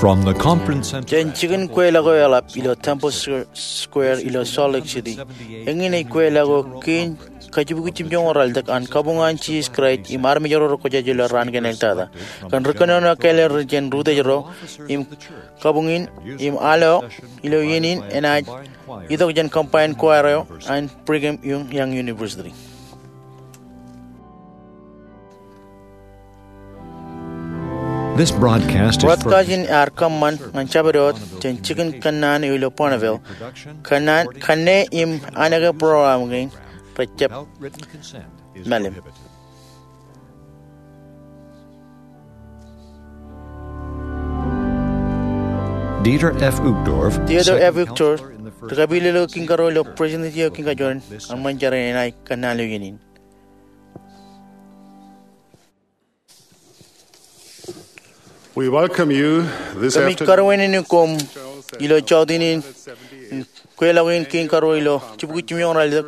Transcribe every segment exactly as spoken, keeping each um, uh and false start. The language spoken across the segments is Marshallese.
From the conference center. Jān jikin kweilọk eo eḷap ilo Temple Square ilo Salt Lake City, eñin ej kweilọk eo kein kajjibukwi jimjuonñoul ralitōk an kabuñ an Jisōs Kraist im armej ro rekwōjarjar ilo raan kein āliktata. Kōn ri kōnono eo kāālōt ro jān ri-utiej ro im kabuñ in im al eo ilo iien in enaaj itok jān combined choir eo an Brigham Young University. This broadcast is for Broadcast in ear kōṃṃan ñan Jabdewōt jān jikin kōnnaan eo ilo Bonneville. Kōnnaan, kanne im anōke program kein rej jab mālim. Dieter F. Uchtdorf, Dieter F. Uchtdorf, ri kapilōklōk kiiñ karuo ilo President eo Kiiñ Kajoor in eṃṃan jar in enaaj kōnnaan ilo iien in. We welcome you this Kōmij afternoon. Karuwainene koṃ ilo jọteen in, kweilọk in kein karuo ilo jibukwi jimjuonñoul ralitōk,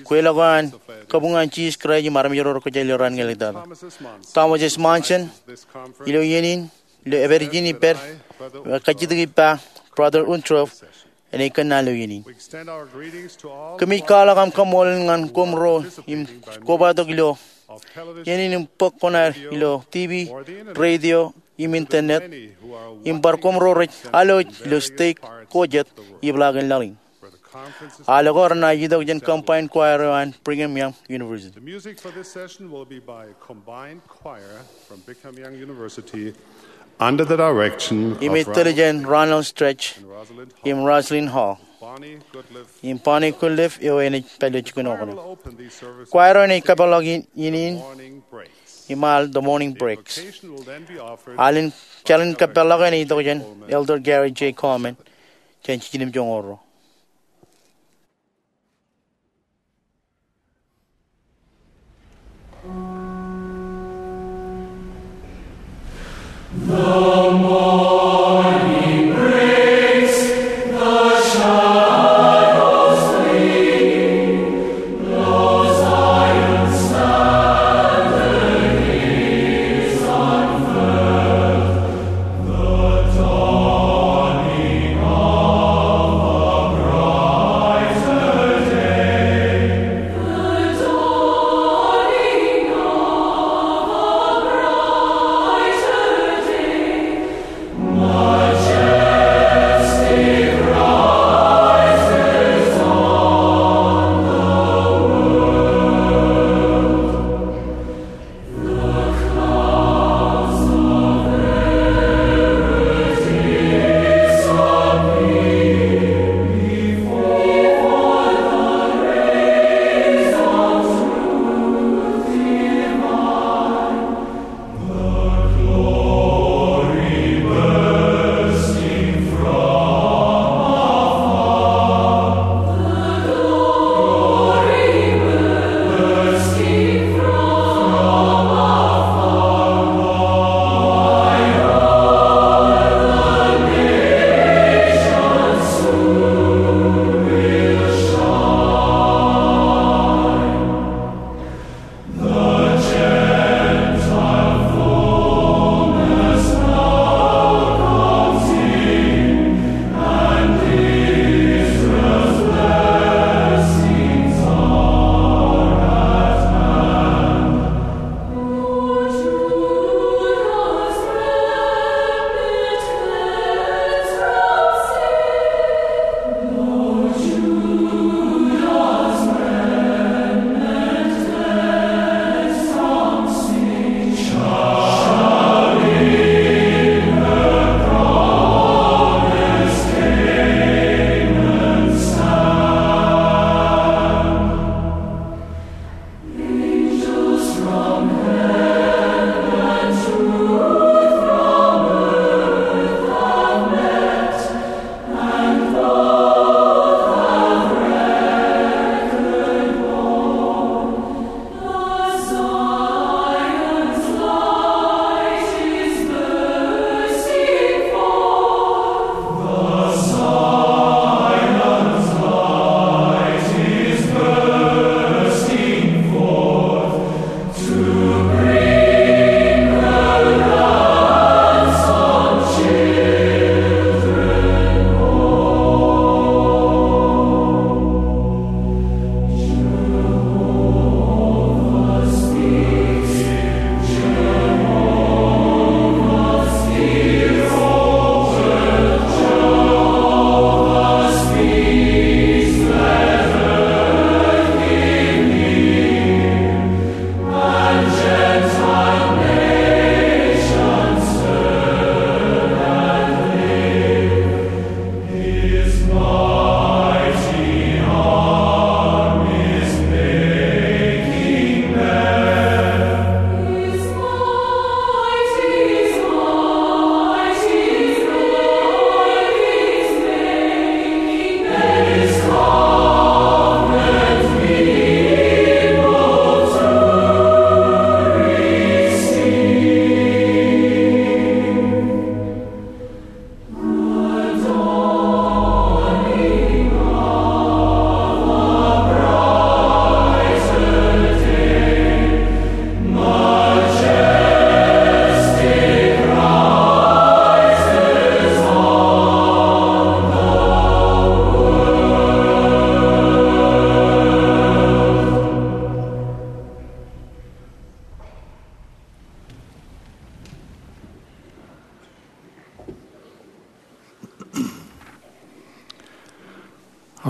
kweilọk eo an kabuñ an Jisōs Kraist im armej ro rekwōjarjar ilo raan kein āliktata. Thomas S. Monson, ilo iien in, ilo epād ijin ippād, kajjitōk ippa, Brother Uchtdorf, enaaj kōnnaan ilo iien in. Kōmij kwaḷọk aṃ kaṃṃoolol ñan koṃ ro im kobatok ilo iien in im bōk kuṇaer ilo T V, radio, im internet, im bar koṃ ro rej alwōj ilo stage ko jet, ibḷaak in laḷ in. Al ko renaaj itok jān combined choir eo an Brigham Young University. The music for this session will be by a combined choir from Brigham Young University under the direction of Im ej tōl jān Ronald Stretch and Rosalind Hall. Im Rosalind Hall. Bonnie Goodliff Im Bonnie Goodliff eo enaaj pād ilo jikin eo kōṇaan. Choir will open these services. Choir eo enaaj kōpeḷḷọk iien in morning breaks. Im al The Morning Breaks. Invocation will then be offered. Al in, jar in kōpeḷḷọk enaaj itok jān Elder Gary J. Coleman jān jiljino im joñoul ruo.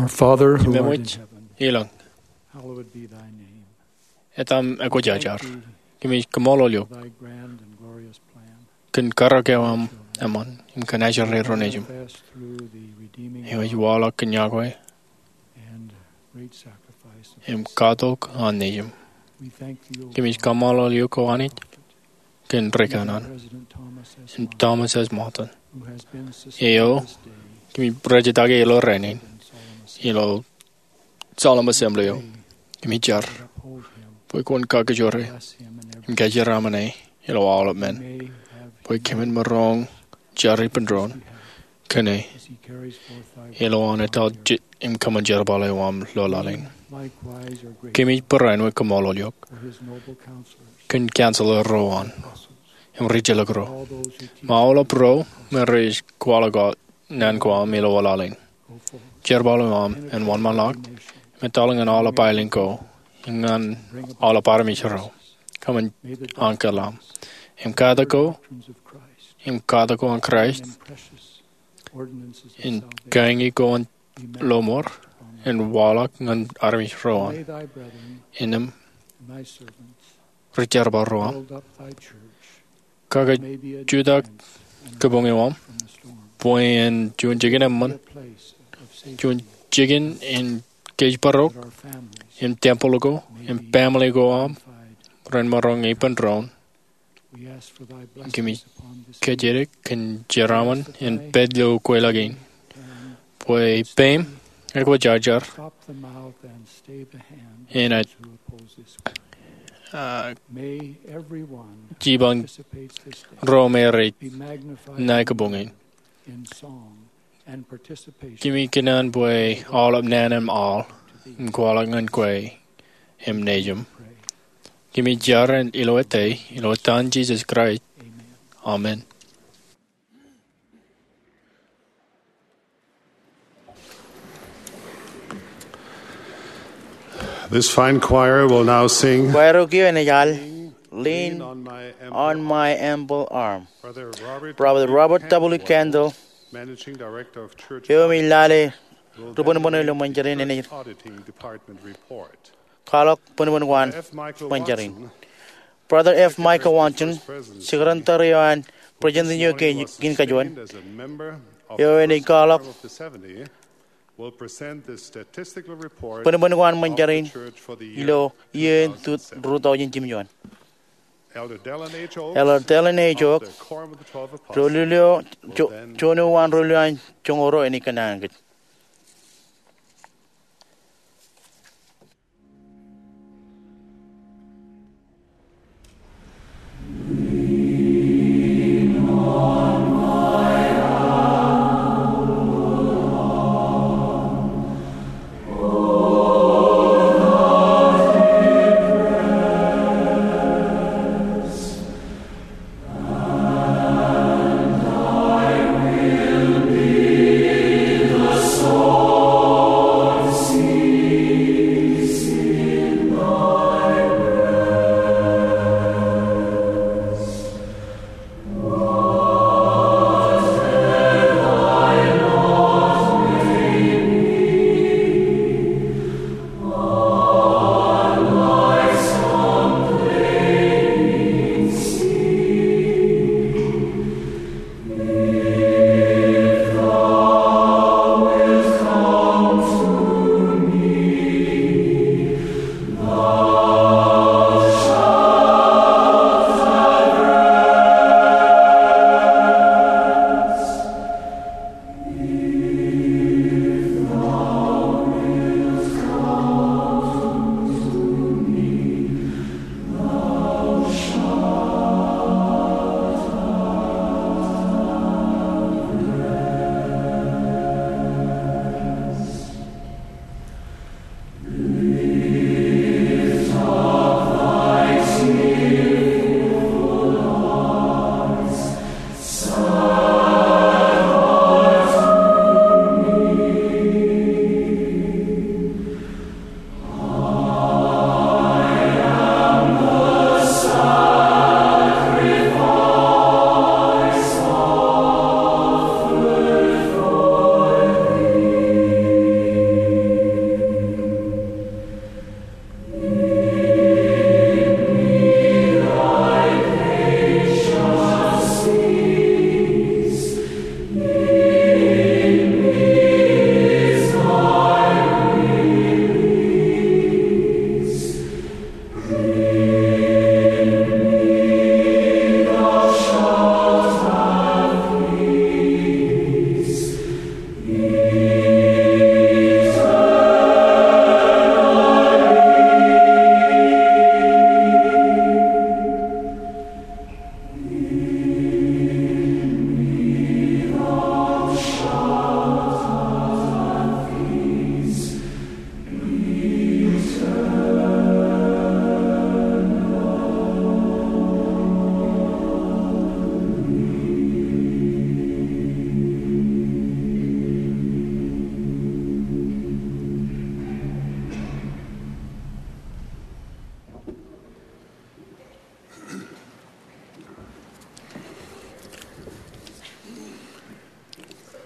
Father who art in heaven, ilōñ, hallowed be thy name. Etaṃ ekwōjarjar. Kōmij kaṃṃoolol eok. Thy grand and glorious plan. Kōn karōk eo aṃ eṃṃan, im kōn ajri ro nejūṃ. Manifest through the redeeming eo ej waḷọk kōn yokwe and great sacrifice of im katok an nejūṃ. We thank thee, O Lord. Kōmij kaṃṃoolol eok O Anij, kōn ri kanaan, im Thomas S. Monson, eo kōmij rejjitōk e ilo rainin ilo solemn assembly eo. Kōmij jar bwe kwōn kakajoor e im kōjeraaṃṃan e ilo aolep men, bwe kōmin maroñ jar ippān doon kōn e ilo an etal im kōṃṃan jerbal eo aṃ lolaḷ in. Kōmij barāinwōt kaṃṃoolol eok kōn counselor ro an im rijjelōk ro, im aolep ro me rej kwaḷọk naan ko aṃ ilo lolaḷ in. Jerbal eo aṃ en wōnṃaanḷọk im etal ñan aolep aelōñ ko im ñan aolep armej ro. Kōṃṃan ankōḷ aṃ im katak ko, im katak ko an Kraist, im kañi ko an lọmọọr en waḷọk ñan armej ro an. Innem ri jerbal ro aṃ, kakajutak kabuñ eo aṃ bwe en juon jikin eṃṃan, juon jikin in kōjparok, im tempel ko im family ko aṃ ren maroñ ippān doon. Kōmij kōjatdikdik kōn jeraaṃṃan in pād ilo kweilọk in, bwe peiṃ ekwōjarjar, enaaj jipañ ro me rej ṇae kabuñ in. Kōmij kōṇaan bwe aolep naan im aḷ im kwaḷọk ñan kwe im nejūṃ. Kōmij jar ilo etaṃ, ilo etan Jisōs Kraist. Amen. This fine choir will now sing. Kwaer eo kiiō enaaj al Lean on My Humble Arm. Brother Robert W. Kendall, Managing Director of Church, eo im ej lale ri bōnbōn ilo ṃōn jar in, enaaj Auditing Department report. Kwaḷọk bōnbōn ko an ṃōn jar in. Brother F. Michael Watson, Secretary eo an President eo kein kajuon, eo enaaj kwaḷọk bōnbōn ko an ṃōn jar in ilo iiō in tut ruo tọujin jimjuon. Elder Dallin H. Oaks, ro lule eo, juon eo an ro lule an joñoul ruo, enaaj kōnono kōj.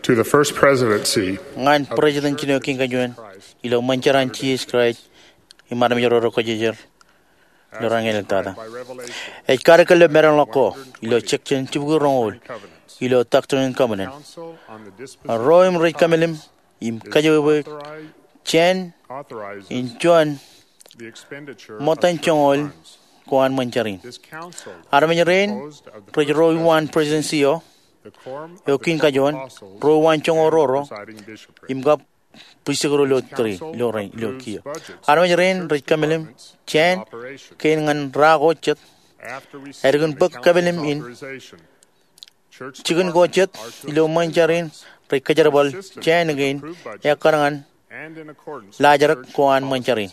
To the First Presidency ñan President Jino Kiiñ Kajuon ilo ṃōn jar an Jisōs Kraist im armej ro rej kōjjejer ilo raan in ḷōmṇak. Ej kadeḷọk maroñ ḷọk ko ilo section jibukwi roñoul ilo Doctrine and Covenants. Ro im rej kōmālim im kajjojo jāān in juon ṃōttan joñoul ko an ṃōn jar in. Armej rein rej ro uwaan presidency eo, eo kiin kajoon, ro uwaan joñoul roro, im kab pristut ro ilo tōre ilo rein ilo kiiō. Armej rein rej kōmālim jāān kein ñan ra ko jet. Ālikin bōk kōmālim in, jikin ko jet ilo ṃōn jar in rej kōjerbal jāān kein ekkar ñan laajrak ko an ṃōn jar in.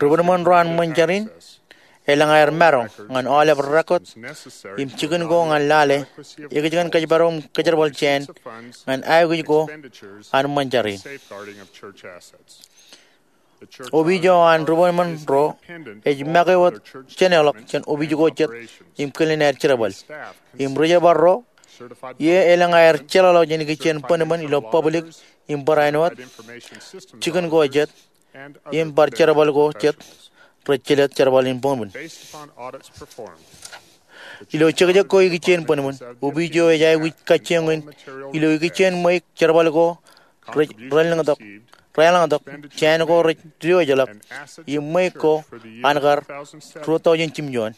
Ri-bōnbōn ro an ṃōn jar in elōñ aer maroñ ñan aolep record im jikin ko ñan lale ekōjkan kōjparok im kōjerbal jāān ñan aikuj ko an ṃōn jar in. Opiij eo an ri-bōnbōn ro ej make wōt jeneḷọk jān opiij ko jet im kilen aer jerbal im ri-jerbal ro ie elōñ aer jeḷāḷọkjeṇ ikijjien bōnbōn ilo public im barāinwōt jikin ko jet im bar jerbal ko jet rej jelōt jerbal in bōnbōn. Ilo jekjek ko ikijjien bōnbōn, opiij eo ej aikuj kajjioñ in ilo ikijjien ṃweiuk jerbal ko rej raelōñtok, raelōñtok, jāān ko rej diwōjḷọk, im ṃweiuk ko an kar ruo taujin jimjuon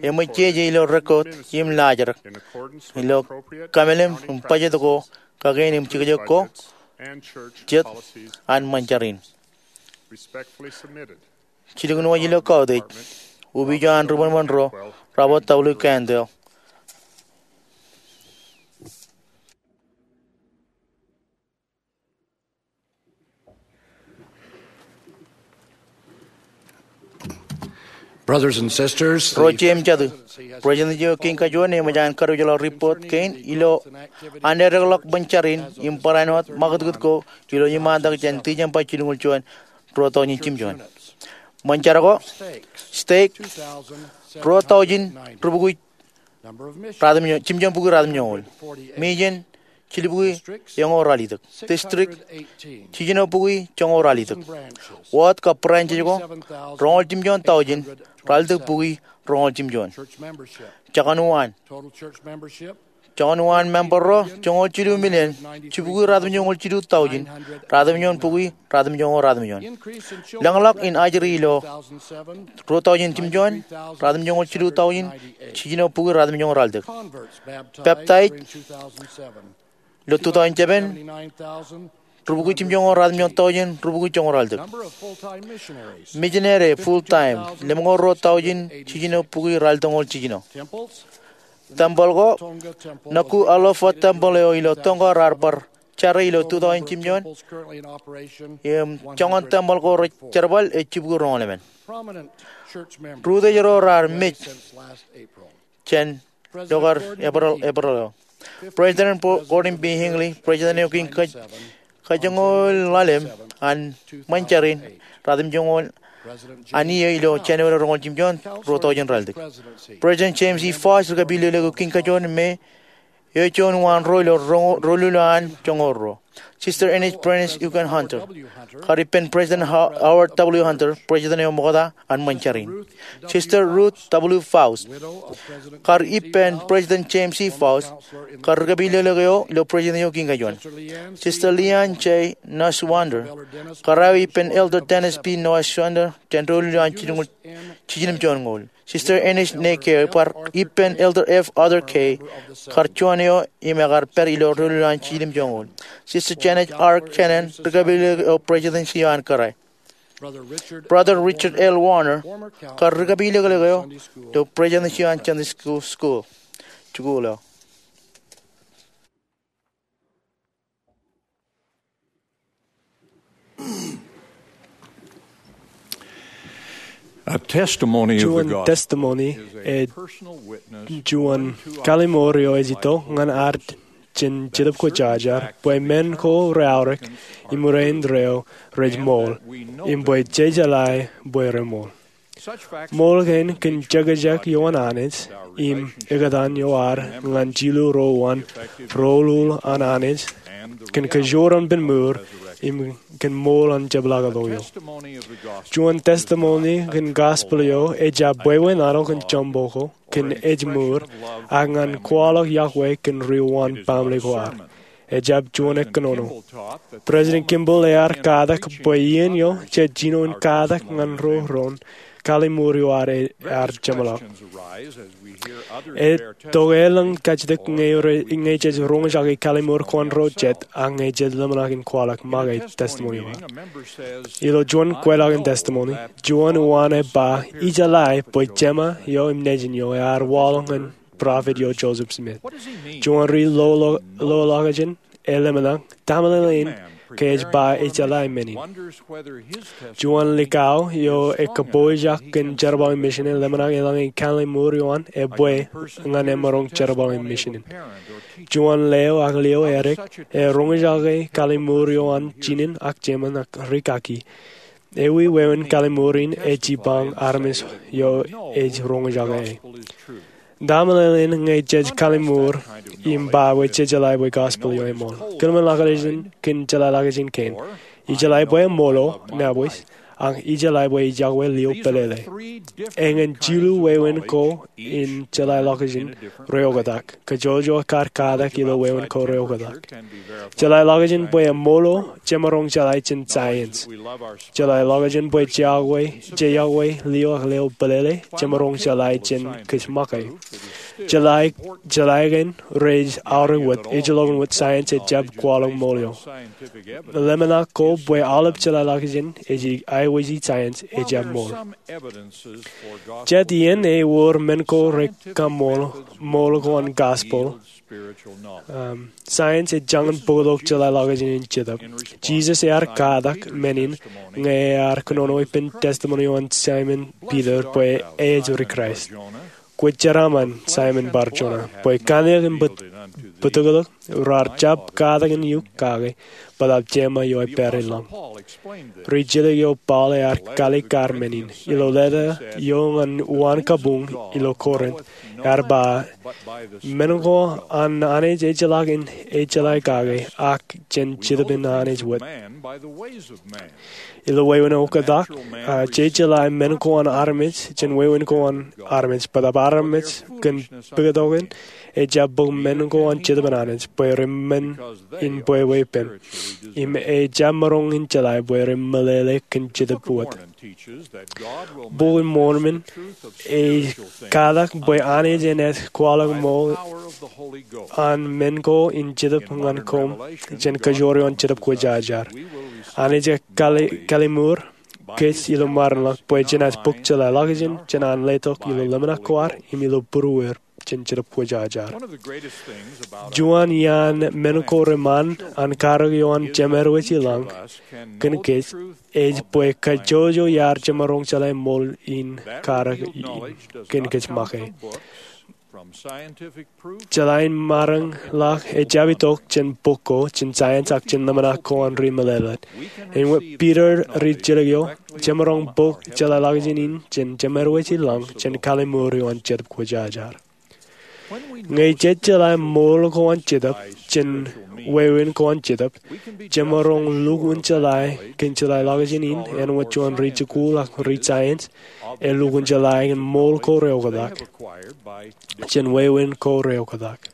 eṃōj jeje ilo record im laajrak ilo kōmālim im budget ko kakein im jekjek ko jet an ṃōn jar in. Jilkinwōj ilo kautiej, opiij eo an ri-bōnbōn ro, Robert W. Candle. Brothers and sisters, ro jeiū im jatū, President eo kiiñ kajuon eṃōj an kadiwōjḷọk report kein ilo an edekḷọk ṃōn jar in im barāinwōt ṃakūtkūt ko ilo iṃaantak jān December jilñuul juon, ruo taujin jimjuon. Ṃōn jar ko, stake, ruo taujin rubukwi ratimjuon, jimjuon bukwi ratimjuon. Mission, jilbukwi eñoul ralitōk. District, jiljino bukwi joñoul ralitōk. Ward kab branches ko, roñoul jimjuon taujin ralitōk bukwi roñoul jimjuon. Jekōn uwaan, jekōn uwaan member ro, joñoul jilu million, jibukwi ratimjuonñoul jilu taujin ratimjuon bukwi ratimjuonñoul ratimjuon. Lōñḷọk in ajri ilo ruo taujin jimjuon, ratimjuonñoul jilu taujin, jiljino bukwi ratimjuonñoul ralitōk. Peptaij ilo two thousand seven, rubukwi jimjuonñoul ratimjuon taujin rubukwi joñoul ralitōk. Misineri full time, lemñoul ruo taujin, jiljino bukwi ralitōkñoul jiljino. Tempeḷ ko, Nukuʻalofa Tempeḷ eo ilo Tonga raar bar jare ilo two thousand jimjuon, im joñan tempeḷ ko rej jerbal ej jibukwi roñoul emān. Ri-Utiej ro raar mej jān ilo kar Epereḷ, Epereḷ eo. President Gordon B. Hinckley, President eo kiiñ kaj-, kajoñoul ḷalem an ṃōn jar in, ratimjuonñoul an iiō ilo January roñoul jimjuon, ruo taujin ralitōk. President James E. Faust, ri-kōpilōklōk eo kiiñ kajoon me eo juon uwaan ro ilo roño-, rūḷuḷ an joñoul ruo. Sister Eunice Prentice Egan Hunter, kar ippān President Ho-, Howard W. Hunter, President eo ṃokta an ṃōn jar in. Sister Ruth W. Faust, kar ippān President James E. Faust, kar ri-kōpilōklōk eo ilo President eo kiiñ kajoon. Sister Leanne J. Nuswander, kar aō ippān Elder Dennis B. Nuswander jān rūḷuḷ an jiljino-, jiljilimjuonñoul. Sister Eunice N. Gay, kar ippān Elder F. Arthur Gay, kar juon eo im ekar pād ilo rūḷuḷ an jiljilimjuonñoul. Sister Janet R. Cannon, ri-kōpilōklōk eo Presidency eo an Kōrā. Brother Richard L. Warner, kar ri-kōpilōklōk eo ilo Presidency eo an Sunday School, School, jikuuḷ eo. A testimony of the gospel. Juon testimony ej juon kalimur eo ej itok ñan ad jān Jetōb Kwōjarjar bwe men ko reaorōk im rein ro rej ṃool im bwe jejeḷā bwe reṃool. Ṃool kein kōn jekjek ioon Anij im eoktak ioer ñan jilu ro an roñoul an Anij kōn kōjro penmour im kōn ṃool an jepḷaaktok eo. Juon testimony kōn gospel eo ejjab bwebwenato kōn joñak ko kōn ejmour ak ñan kwaḷọk iọkwe kōn ri wōn baaṃle ko ad. Ejjab juon kōnono. President Kimball ear katak bwe iien eo jej jino in katak ñan ro ren kalliṃur eo ad ear jeṃḷọk. Ej tokāāl kajjitōk ñe jej roñjake kalliṃur ko an ro jet ak ñe jej ḷōmṇak in kwaḷọk make testimony eo ad. Ilo juon kweilọk in testimony, juon uwaan ej ba ijeḷā bwe Jema eo im Nejin eo ear waḷọk ñan prophet eo Joseph Smith. Juon ri loḷọkjeṇ ej ḷōmṇak, ta meḷeḷein ke ej ba ijeḷā men in. Juon likao eo ej kōpooj kōn jerbal in mission ej ḷōmṇak eḷaññe kalliṃur eo an ebwe ñan emaroñ jerbal in mission in. Juon leo ak lio edik ej roñjake kalliṃur eo an jinen ak jemān ak rikaki. Ewi wāween kalliṃur in ej jipañ armej eo ej roñjake e? Ta meḷeḷein ñe jej kalliṃur im ba bwe jejeḷā bwe gospel eo eṃool? Kōḷmānḷọkjeṇ kōn jeḷāḷọkjeṇ kein. Ijeḷā bwe eṃool, nabwes, ak ijeḷā bwe ej iọkwe lio pālele. Eñin jilu wāween ko in jeḷāḷọkjeṇ reoktak. Kajjojo kar katak ilo wāween ko reoktak. Jeḷāḷọkjeṇ bwe eṃool jemaroñ jeḷā jān science. Jeḷāḷọkjeṇ bwe jej iọkwe lio ak lio pālele jemaroñ jeḷā jān kōj make. Jeḷā, jeḷā kein rej aorōk wōt, ejjeḷọkin wōt science ejjab kwaḷọk ṃool eo. Ḷōmṇak ko bwe aolep jeḷāḷọkjeṇ ej aiboojoj science ejjab ṃool. Jet iien ewōr men ko rekaṃṃool ṃool ko an gospel, um, science ej jañin bōktok jeḷāḷọkjeṇ in Jetōb. Jisōs ear katak men in ñe ear kōnono ippān testimony eo an Simon Peter bwe ej ri Kraist. Kwōj jeraaṃṃan, Simon Bar-Jona, bwe kanniōk im bōtōktōk raar jab katak in eok kake, bōtaab Jema eo ej pād i lañ. Ri jilkinḷọk eo Paul ear kalikkar men in ilo leta eo ñan uwaan kabuñ ilo Korint. Ear ba, men ko an Anij ejjeḷọk in ejjeḷā kake, ak jān Jetōb in Anij wōt. Ilo wāween oktak, a, jejeḷā men ko an armej jān wāween ko an armej, bōtaab armej kōn puktokin ejjab bōk men ko an Jetōb in Anij bwe reṃṃan in bwebwe ippān. Im ejjab maroñ in jeḷā bwe remeḷeḷe kōn Jetōb wōt. Bok in Mormon ej katak bwe Anij enaaj kwaḷọk ṃool an men ko in Jetōb ñan koṃ jān kōjro eo an Jetōb Kwōjarjar. Anij ej kalli-, kalliṃur kōj ilo mārinḷọk bwe jenaaj bōk jeḷāḷọkjeṇ jān an letok ilo ḷōmṇak ko ad im ilo būrueir jān Jetōb Kwōjarjar. Juon iaan men ko reṃṃan an karōk eo an Jemedwōj i lañ kōn kōj ej bwe kajjojo iar jemaroñ jeḷā ṃool in karōk in kōn kōj make. Jeḷā in mārinḷọk ejjab itok jān bok ko, jān science ak jān ḷōmṇak ko an ri meḷeḷe. Āinwōt Peter, ri jilkinḷọk eo jemaroñ bōk jeḷāḷọkjeṇ in jān Jemedwōj i lañ jān kalliṃur eo an Jetōb Kwōjarjar. Ñe jej jeḷā ṃool ko an Jetōb jān wāween ko an Jetōb, jemaroñ lukkuun jeḷā kōn jeḷāḷọkjeṇ in āinwōt juon ri jikuuḷ ak ri science elukkuun jeḷā kōn ṃool ko reoktak jān wāween ko reoktak.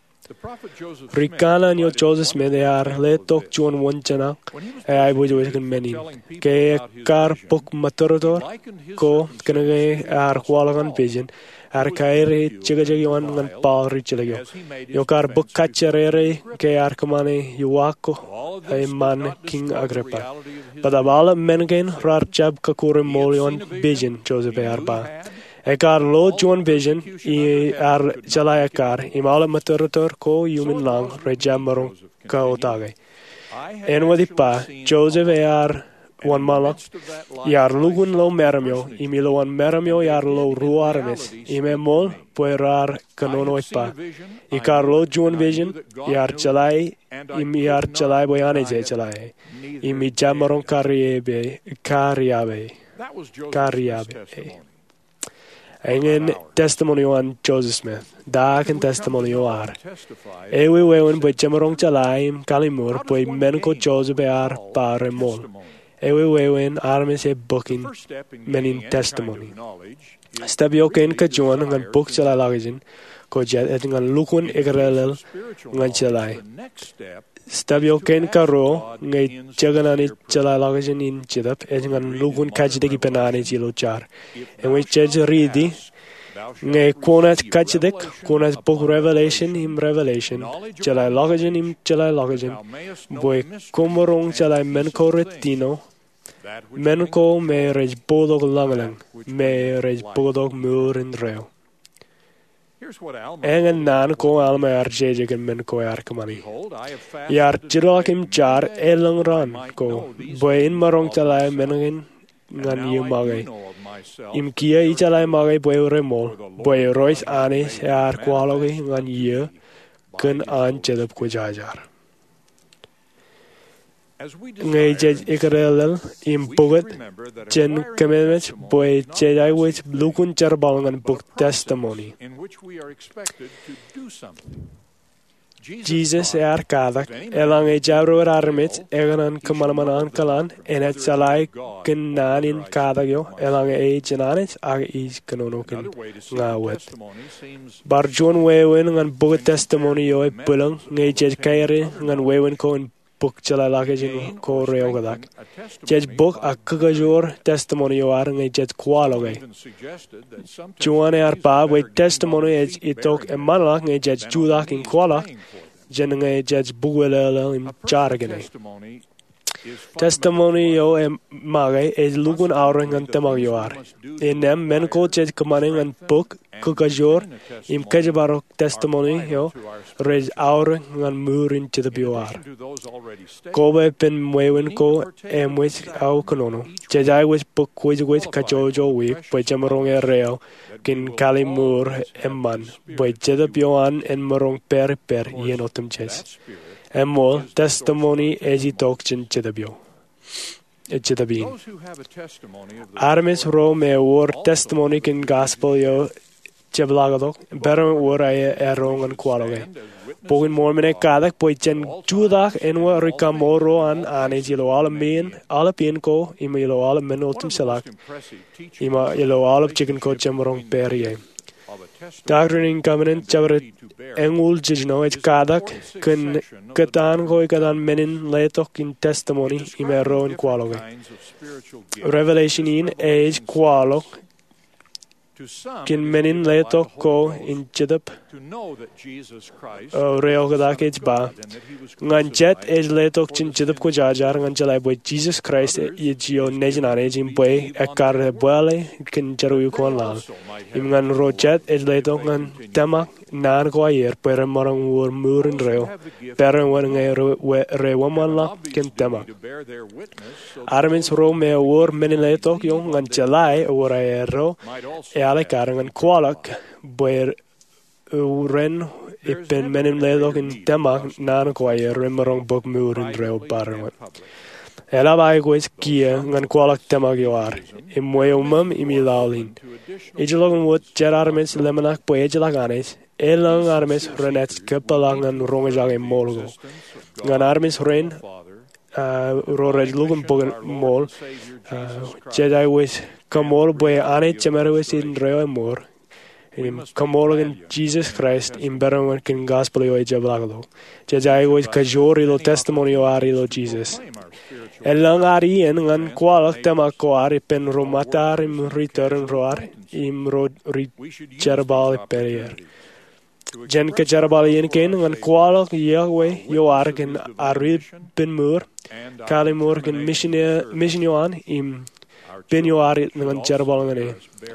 Ri kanaan eo Joseph Smith ear letok juon wōnjeṇak eaiboojoj kōn men in. Ke ekar bōk mōtōrtōr ko kōnke ear kwaḷọk an vision, ear kaere jekjek eo an ñan Paul ri jilkinḷọk eo. Eo kar bōk kajjirere ke ear kōṃṃane iwōj ko eṃṃan Kiiñ Agrippa. Bōtaab aolep men kein raar jab kọkkure ṃool eo an vision, Joseph ear ba. Ekar lo juon vision, ear jeḷā ekkar, im aolep mōtōrtōr ko iuṃwin lañ rej jab maroñ kautake. Āinwōt ippa, Joseph ear wōnṃaanḷọk, iar lukkuun lo meram eo, im ilowaan meram eo iar lo ruo armej, im eṃool bwe raar kōnono ippa. Ekar lo juon vision, iar jeḷā e, im iar jeḷā bwe Anij ej jeḷā e. Im ijjab maroñ kariab e, kariab e, kariab e. Eñin testimony eo an Joseph Smith. Ta kōn testimony eo ad? Ewi wāween bwe jemaroñ jeḷā im kallimur bwe men ko Joseph ear ba remool? Ewi wāween armej ej bōk men in testimony? Step eo kein kajuon ñan bōk jeḷāḷọkjeṇ ko jet ej ñan lukkuun eklelel ñan jeḷā. Step eo kein karuo ñe jekōṇaan ej jeḷāḷọkjeṇ in Jetōb ej ñan lukkuun kajjitōk ippān Anij ilo jar. Ewi jej riiti, ñe kwōnaaj kajjitōk, kwōnaaj bōk revelation im revelation, jeḷāḷọkjeṇ im jeḷāḷọkjeṇ, bwe koṃaroñ jeḷā men ko retiṇo, men ko me rej bōktok lañlōñ, me rej bōktok mour indeeo. Eñin naan ko Alma ear jeje kōn men ko ear kōṃṃani. Iar jilọk im jar elōñ raan ko bwe in maroñ jeḷā men kein ñan iiō make. Im kiiō ijeḷā make bwe remool, bwe Irooj Anij ear kwaḷọke ñan iiō kōn an Jetōb Kwōjarjar. Ñe jej eklelel im bōk wōt, jen kōmeṃṃan bwe jej aikuj lukkuun jerbal ñan bōk testimony. Jisōs ear katak eḷaññe jabdewōt armej ekōṇaan kōṃanṃan ankilaan enaaj jeḷā kōn naan in katak eo eḷaññe e ijin Anij ak ej kōnono kōn ña wōt. Bar juon wāween ñan bōk testimony eo ebwilōñ ñe jej kaere ñan wāween ko in bōk jeḷāḷọkjeṇ ko reoktak. Jej bōk ak kōkajoor testimony eo ad ñe jej kwaḷọke. Juon ear ba bwe testimony ej itok eṃṃanḷọk ñe jej jutak im kwaḷọk jān ñe jej bukwelōlō im jar kōn e. Testimony eo make ej lukkuun aorōk ñan tōmak eo ad. Innām men ko jej kōṃṃane ñan bōk, kōkajoor, im kōjparok testimony eo rej aorōk ñan mour in jetōb eo ad. Koba ippān wāween ko eṃōj aō kōnono, jej aikuj bōk kwōjkwōj kajjojo wiik bwe jemaroñ erreo kōn kalliṃur eṃṃan bwe Jetōb eo an en maroñ pād ippād iien otemjej. Eṃṃool, testimony ej itok jān Jetōb eo, Jetōb in. Armej ro me ewōr testimony kōn gospel eo jepḷaaktok, barāinwōt wōr aerro ñan kwaḷọke. Bok in Mormon ekatak bwe jen jutak āinwōt ri-kaṃṃoolro an Anij ilo aolep men, aolep iien ko, im ilo aolep men otemjej, im ilo aolep jikin ko jemaroñ pād ie. Doctrine and Covenants jabdewōt eñoul jiljino ej katak kōn kōtaan ko ikōtaan men in letok in testimony im erro in kwaḷọke. Revelation in ej kwaḷọk kōn men in letok ko in Jetōb eo reoktak ej ba, ñan jet ej letok jān Jetōb Kwōjarjar ñan jeḷā bwe Jisōs Kraist ej eo nejin Anij im bwe ekkar ebuwālōt kōn jerọwiwi ko an laḷ. Im ñan ro jet ej letok ñan tōmak naan ko aer bwe remaroñ wōr mour indeeo, barāinwōt ñe re, we, re eṃṃanḷọk kōn tōmak. Armej ro me ewōr men in letok eo ñan jeḷā ewōr aerro, ealikkar ñan kwaḷọk bwe ren ippān men in letok in tōmak naan ko aer remaroñ bōk mour indeeo barāinwōt. Eḷap aikuj kiiō ñan kwaḷọk tōmak eo ad im wōt uṃwim im ilọlin. Ijellọkin wōt jet armej ḷōmṇak bwe ejjeḷọk Anij, elōñ armej renaaj kōpeḷḷọk ñan roñjake ṃool ko. Ñan armej rein, a, ro rej lukkuun bōk ṃool, a, jej aikuj kaṃool bwe Anij Jemedwōj indeeo eṃool, im kaṃool kōn Jisōs Kraist im barāinwōt kōn gospel eo ejepḷaaktok. Jej aikuj kajoor ilo testimony eo ad ilo Jisōs. Elōñ ad iien ñan kwaḷọk tōmak ko ad ippān ro ṃōttad im ri tōre in ro ad im ro rej jerbal ippād er. Jen kōjerbal iien kein ñan kwaḷọk iọkwe eo ad kōn ad ippān mour, kalliṃur kōn misin eo an im pen eo ad ñan jerbal ñan e.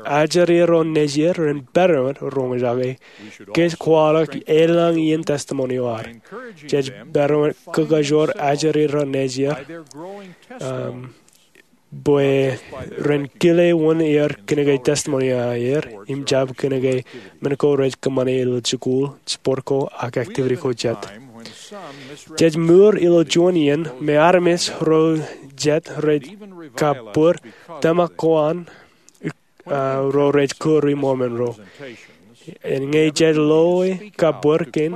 Ajri ro nejier ren barāinwōt roñjake. Kōj kwaḷọk elōñ iien testimony eo ad. Jej barāinwōt kōkajoor ajri ro nejier, um, bwe ren kile wōn er kōnke testimony eo aer im jab kōnke men ko rej kōṃṃane ilo jikuuḷ, sport ko ak activity ko jet. Jej mour ilo juon iien me armej ro jet rej kabbōr tōmak ko an ro rej kūr i Mormon ro. Ñe jej loi kab bōd kein,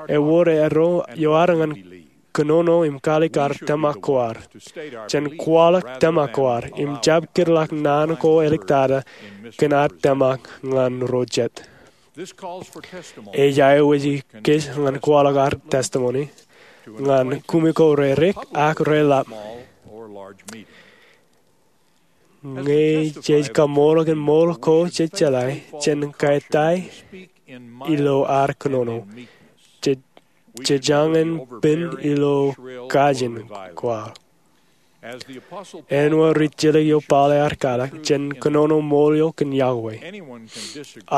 ewōr eddo ioar ñan kōnono im kaalikkar tōmak ko ad, jān kwaḷọk tōmak ko ad im jab kūrḷọk naan ko āliktata kōn ad tōmak ñan ro jet. Ej aikuji kōj ñan kwaḷọk ad testimony ñan kumi ko rerik ak reḷap. Ñe jej kaṃool kōn ṃool ko jej jeḷā jān kaetai ilo ad kōnono, jej jañin pen ilo kajin ko ad. Āinwōt ri-jilkinḷọk eo Paul ear kwaḷọk, jen kōnono ṃool eo kōn Yahweh.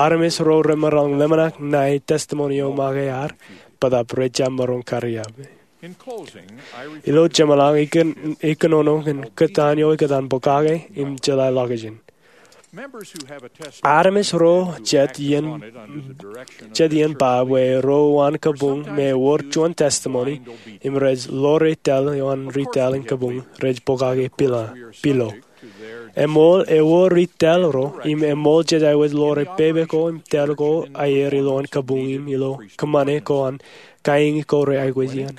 Armej ro remaroñ ḷōmṇak ṇae testimony eo make ad, bōtaab rejjab maroñ kariab. Ilo jeṃḷọk, ikōnono kōn kōtaan eo ikōtaan bōkake im jeḷāḷọkjeṇ. Armej ro jet iien ba bwe ro uwaan kabuñ me ewōr juon testimony im rej ḷoor tōl eo an ri tōl in kabuñ rej bōkake pilo. Eṃool ewōr ri tōl ro im eṃool jej aikuj ḷoor pepe ko im tōl ko aer ilowaan kabuñ im ilo kōṃṃane ko an kaiiñi ko rej aikuj iaan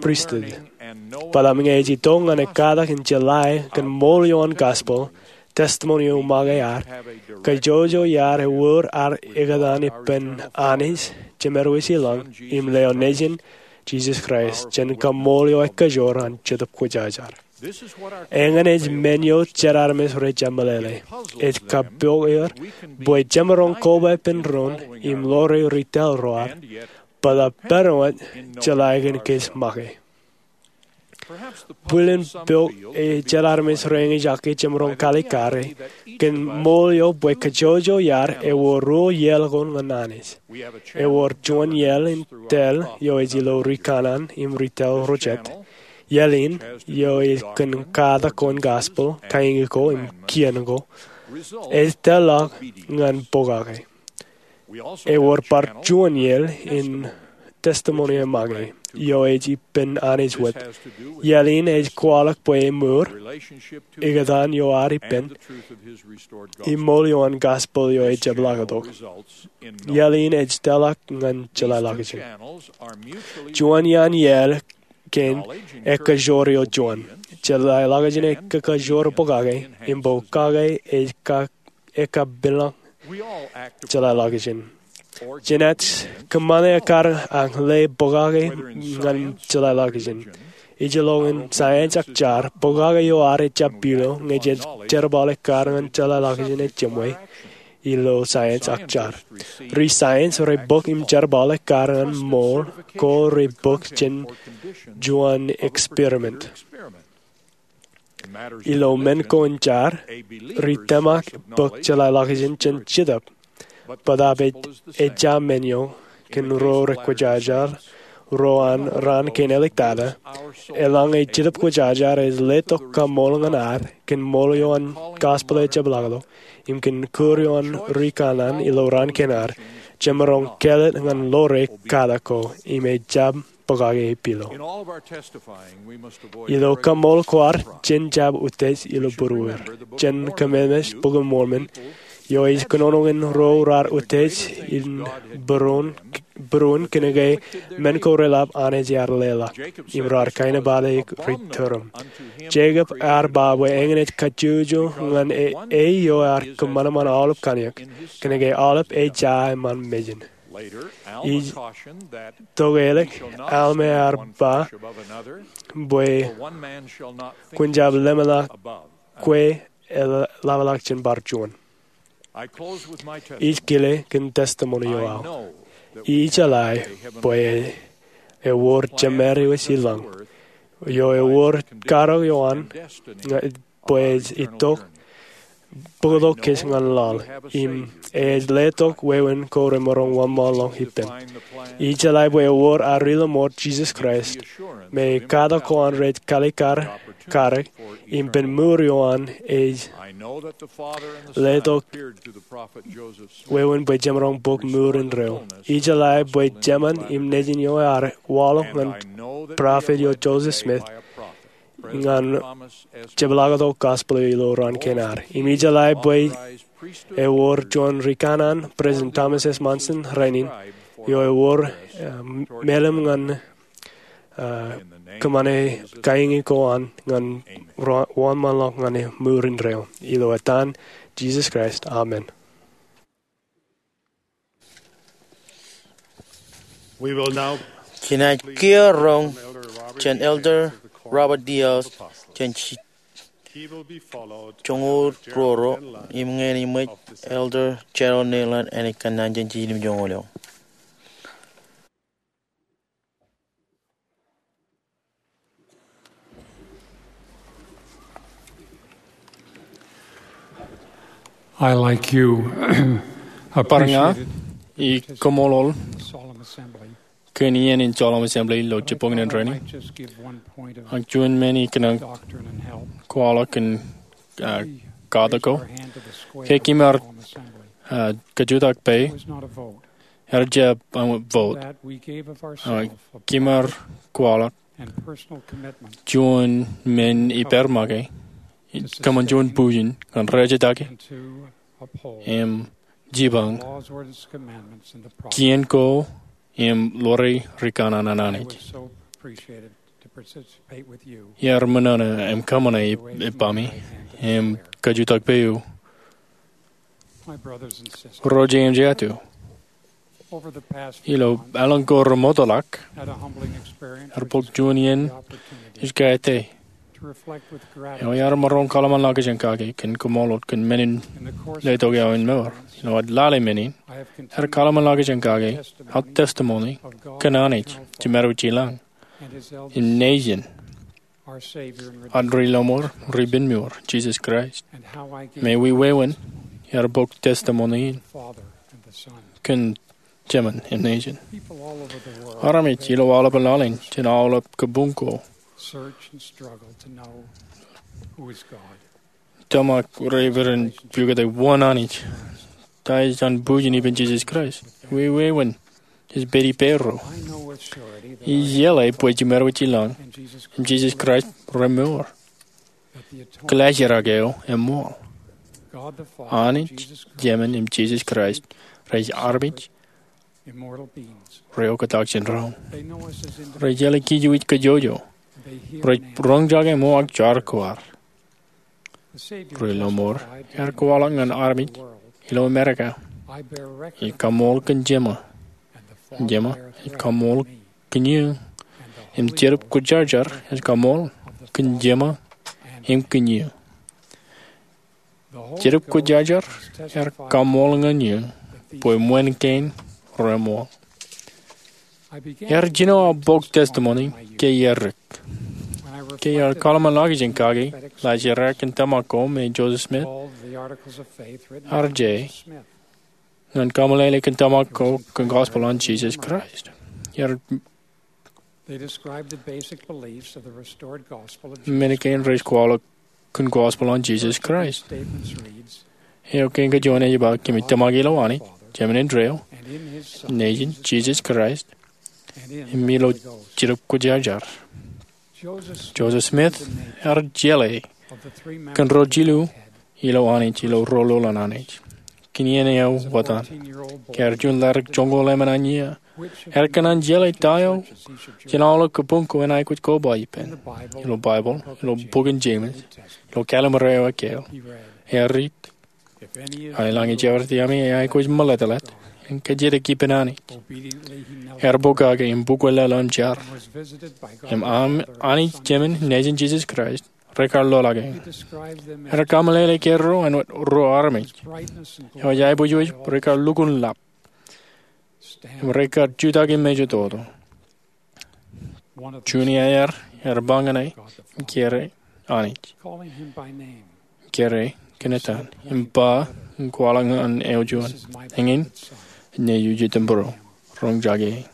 pristut. Bōtaab ñe ej itok ñan ekkatak im jeḷā kōn ṃool eo an gospel, testimony eo make ad, kajjojo iar ewōr ad ekōtaan ippān Anij, Jemedwōj ilañ, im lewōj Nejin, Jisōs Kraist, jān kaṃool eo ekajoor an Jetōb Kwōjarjar. Eñin ej men eo jet armej rejjab meḷeḷe. Ej kappok er bwe jemaroñ koba ippān doon im ḷoor ri tōl ro ad, bōtaab pād wōt jeḷā kōn kōj make. Bwilin pok jet armej rein ejjab jemaroñ kaalikkare kōn ṃool eo bwe kajjojo iar ewōr ruo iaḷ ko ñan Anij. Ewōr juon iaḷ in tōl eo ej ilo ri kanaan im ri tōl ro jet. Iaḷ in, eo ej kōn katak ko an gospel, kaiiñi ko im kien ko, ej tōlḷọk ñan bōkake. Ewōr bar juon iaḷ in testimony eo make, eo ej ippān Anij wōt. Iaḷ in ej kwaḷọk bwe emour, ekōtaan eo ad ippān, im ṃool eo an gospel eo ejjab ḷọktok. Iaḷ in ej tōlḷọk ñan jeḷāḷọkjeṇ. Juon iaan iaḷ kein ekajoor eo juon. Jeḷāḷọkjeṇ ekakajoor bōkake, im bōkake ej ekkapeḷḷọk jeḷāḷọkjeṇ. Jenaaj kōṃṃane ekkar ak lale bōkake ñan jeḷāḷọkjeṇ. Ijellọkin science ak jar, bōkake eo ad ejjab pilo ñe jej jerbal ekkar ñan jeḷāḷọkjeṇ ejjab ṃwe ilo science ak jar. Ri-science rej bōk im jerbal ekkar ñan ṃool ko rej bōk jān juon experiment. Ilo men ko in jar, ri-tōmak bōk jeḷāḷọkjeṇ jān Jetōb. Bōtaab ejja men eo kōn ro rej kwōjarjar, ro an raan kein āliktata, eḷaññe Jetōb Kwōjarjar ej letok kaṃool ñan ad kōn ṃool eo an gospel ejjab ḷọktok im kōn kūr eo an ri kanaan ilo raan kein ad, jemaroñ kāālōt ñan ḷoore katak ko im ejjab bōkake epilo. Ilo kaṃool ko ad, jen jab utiej ilo būruer. Jen kōmemeḷeḷe Bok in Mormon, eo ej kōnono ñan ro raar utiej in būruon kōnke men ko reḷap Anij ear leḷọk, im raar kainepata ri-tōrōm. Jakob ear ba bwe eñin ej kajjojo ñan e eo ear kōṃanṃan aolep kanniōk, kōnke aolep ej ja eṃṃan mejān. Ij tokālik Alma ear ba bwe kwōn jab lemñoul kwe eḷapḷọk jān bar juon. Ij kile kōn testimony eo aō. Ij jeḷā bwe ewōr Jemedwōj ilañ eo ewōr karōk eo an bwe ej itok bōktok kōj ñan laḷ im ej letok wāween ko remaroñ wōnṃaanḷọk ippān. Ij jeḷā bwe ewōr ad Ri-lọmọọr Jisōs Kraist me katak ko an rej kaalikkar karōk im pen mour eo an ej letok wāween bwe jemaroñ bōk mour indeeo. Ij jeḷā bwe Jemān im Nejin eo ear waḷọk ñan prophet eo Joseph Smith ñan jepḷaaktok gospel eo ilo raan kein ad. Im ij jeḷā bwe Ewōr juon ri kanaan President Thomas S. Monson rainin, eo ewōr, eh, meḷeḷe ñan, eh, kōṃṃane kaiñe ko an ñan ro-, wōnṃaanḷọk ñan e mour indeeo. Ilo etan Jisōs Kraist, amen. Kinaaj kiiō roñ jān Elder Robert D. Hales jān joñoul ruo ro im ñan eṃōj Elder Gerald Nealon, āne kōnnaan jān jilimjuonñoul eo. I, like you, bar ña, appreciate it, i koṃṃool kōn iien in Solemn Assembly ilo jibboñin rainin. Ak juon men ikōṇaan kwaḷọk kōn, ah, katak ko. Ke kōm ar, ah, kajutak pā, ear jab, ah, vote. Ah, kōm ar kwaḷọk juon men ippāer make, kōṃṃan juon bujen ñan rejjitōk im jipañ kien ko im ḷoore ri kanaan an Anij. Iar ṃōṇōṇō im kōṃṃane ippaṃi im kajutak pā eō, ro ij im jatū. Ilo eḷaññe ko remootḷọk, ear bōk juon iien ij kaete eo iar maroñ kōḷmānḷọkjeṇ kake kōn koṃṃool wōt kōn men in letok aō in mour. Ilo ad lale men in, ear kōḷmānḷọkjeṇ kake aō testimony kōn Anij Jemedwōj ilañ im Nejin, ad Ri Lọmọọr, Ri Penmour, Jisōs Kraist, im wōn iar bōk testimony in kōn Jemān im Nejin. Armej ilo aolepān laḷ in jān aolep kabuñ ko tōmak rej pād in pukot wōn Anij, ta ej an bujen ippān Jisōs Kraist, wōn ej pād ippārro. Ij jeḷā bwe Jemedwōj ilañ im Jisōs Kraist remour. Kōḷaajrak eo eṃṃool. Anij Jemān im Jisōs Kraist rej armej rej oktak jān doon. Rej jeḷā kōj wōj kajjojo. Rej roñjake ṃool ak jar ko ad. Ri Lọmọọr ear kwaḷọk ñan armej ilo Amerika, ij kaṃool kōn Jemān. Jemān ej kaṃool kōn eō. Im Jetōb Kwōjarjar ej kaṃool kōn Jemān im kōn eō. Jetōb Kwōjarjar ear kaṃool ñan eō bwe ṃōn kein reṃool. Ear jino aō bōk testimony ke iar dik. Ke iar kōḷmānḷọkjeṇ kake laajrak in tōmak ko me Joseph Smith, R J, ñan kaṃōlele kōn tōmak ko kōn gospel an Jisōs Kraist. Iar men kein rej kwaḷọk kōn gospel an Jisōs Kraist. Eo kein kajuon ej ba, kōmij tōmak ilo Anij Jemān indeeo, Nejin Jisōs Kraist, im ilo Jetōb Kwōjarjar. Joseph Smith ear jeḷā kōn ro jilu ilo Anij ilo rōl an Anij. Kōn iien eo wōt an, ke ear juon ladik joñoul emān an iiō, ear kōṇaan jeḷā ta eo jān aolep kabuñ ko en aikuj koba ippān, ilo Baibōḷ, ilo bok in Jemes, ilo Kallim̧ur eo ekkāāl. Ear riit, Āinwōt ej jabdewōt iaami, eaikuj meḷeḷe im kajjitōk ippān Anij. Ear pokake im bukwe lōḷ im jar. Im Anij Jemān, Nejin Jisōs Kraist, rekar lōḷḷọk eō. Ear kaṃṃoolol kōjro āinwōt ro armej eo ej aikuj rekar lukkuun lap im rekar jutak im mejatoto. Juon iaer ear ba ñan e, kōrā Anij, kōrā kōn etan, im ba im kwaḷọk ñan eo juon, eñin nejū jitōnbōro, roñjake e.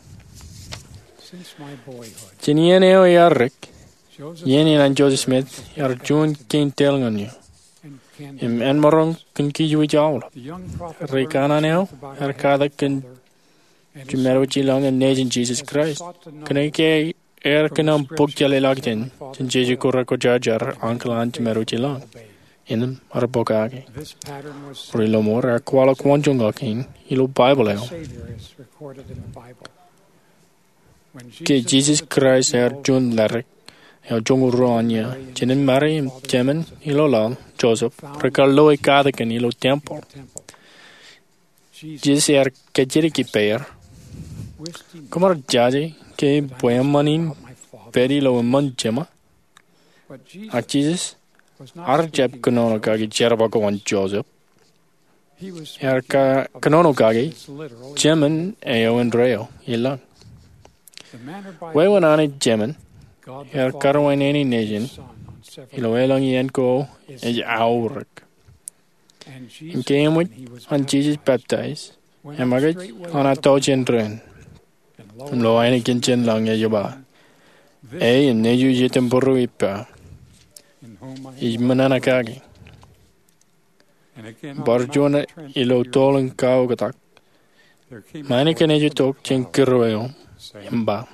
Jān iien eo ear dik, iien in an Joseph Smith ear juon kein tōl ñan eō. Im āinmaroñ kōn kōj wōj aolep, ri kanaan eo ear katak kōn Jemān wōj ilañ im Nejin Jisōs Kraist. Kōnke ear kōn aṃ bōk jeḷāḷọkjeṇ jān Jisōs ko rekwōjarjar ankilaañ Jemān wōj ilañ. innem arro pokake. Ri-lọmọọr ear kwaḷọk waanjoñak in ilo Baibōḷ eo. Ke Jisōs Kraist ear juon ḷadik eo joñoul ruo an iiō, jinen Meri im jemān ilo laḷ, Joseph, rekar loe katakin ilo tempel. Jisōs ear kajjitōk ippāer, Koṃ ar jaje ke bwe eṃṃan in pād ilo eṃṃan Jema? Ak Jisōs ear jab kōnono kake jerbal ko an Joseph. Ear kōnono kake jemān eo indeeo ilañ. Wāween Anij Jemān ear karuwainene nejin ilo elōñ iien ko ej aorōk. Im ke eṃōj an Jisōs peptaij, eṃōkaj an ato jān dān. Im lo ainikien jān lañ ej ba, E im nejiu ijetemperu ippa, ij ṃōṇōṇō kake. Bar juon ilo toḷ in kaoktak, ṃae in kōn ej itok jān kūr eo im ba,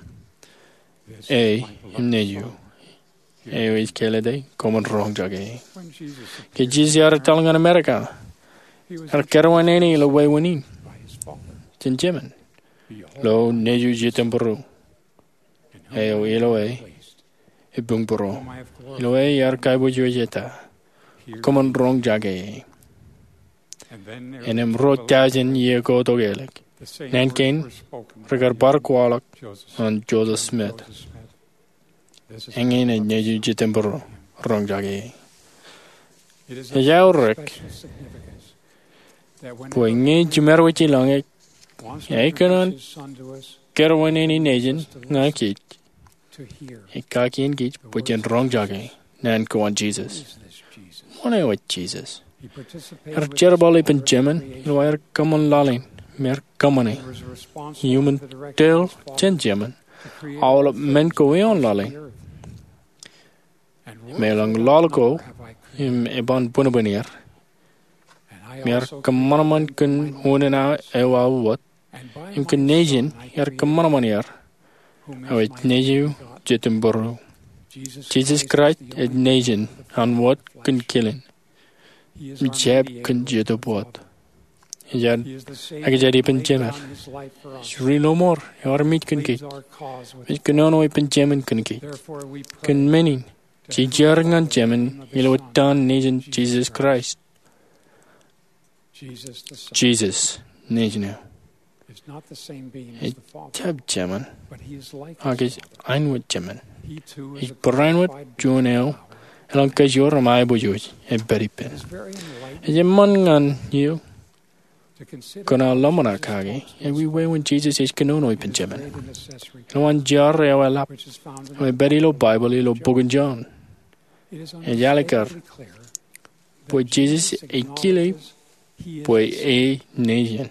E im nejiu, eo ij kāālōt e, koṃwin roñjake e. Ke Jisōs ear etal ñan Amerika, ear karuwainene ilo wāween in jān Jemān, Lo nejiu ijetemperu, eo ilo e ebuñbūro, ilo e iar kaiboojoj eta, koṃwin roñjake e. Innām ruo tọujin iiō ko tok ālik, naan kein rekar bar kwaḷọk ñan Joseph Smith, Eñin ej nejiu ijetemperu, roñjake e. Ej aorōk bwe ñe jiṃor wōt ilañ ej kōṇaan karuwainene nejin ñan kij, ej kakien kij bwe jen roñjake naan ko an Jisōs. Ṃoṇe wōt Jisōs. Ear jerbal ippān Jemān ilo aer kōṃṃan laḷ in im ear kōṃṃane iuṃwin tōl jān Jemān aolep men ko eoon laḷ in. Im elōñ laḷ ko im eban bwinbwin er. Im ear kōṃanṃan kōn unin eo aō wōt, im kōn nejin ear kōṃanṃan er, eo ej nejiu ijetemperu. Jisōs Kraist ej nejin an wōt kōn kilin im jab kōn Jetōb Wōt. Ej ri-lọmọọr eo ear mej kōn kij, im ej kōnono ippān Jemān kōn kij. Kōn men in, jeje er ñan Jemān ilo etan Nejin Jisōs Kraist. Jisōs Nejin eo ejjab Jemān, ak ej āinwōt Jemān. Ej barāinwōt juon eo elōñ kajoor im aiboojoj epād ippān. Ej eṃṃan ñan eok kōn aō ḷōmṇak kake ewi wāween Jisōs ej kōnono ippān Jemān. Ilo an jar eo eḷap eo epād ilo Baibōḷ ilo bok in Jon, ej alikkar bwe Jisōs ej kile bwe e Nejin.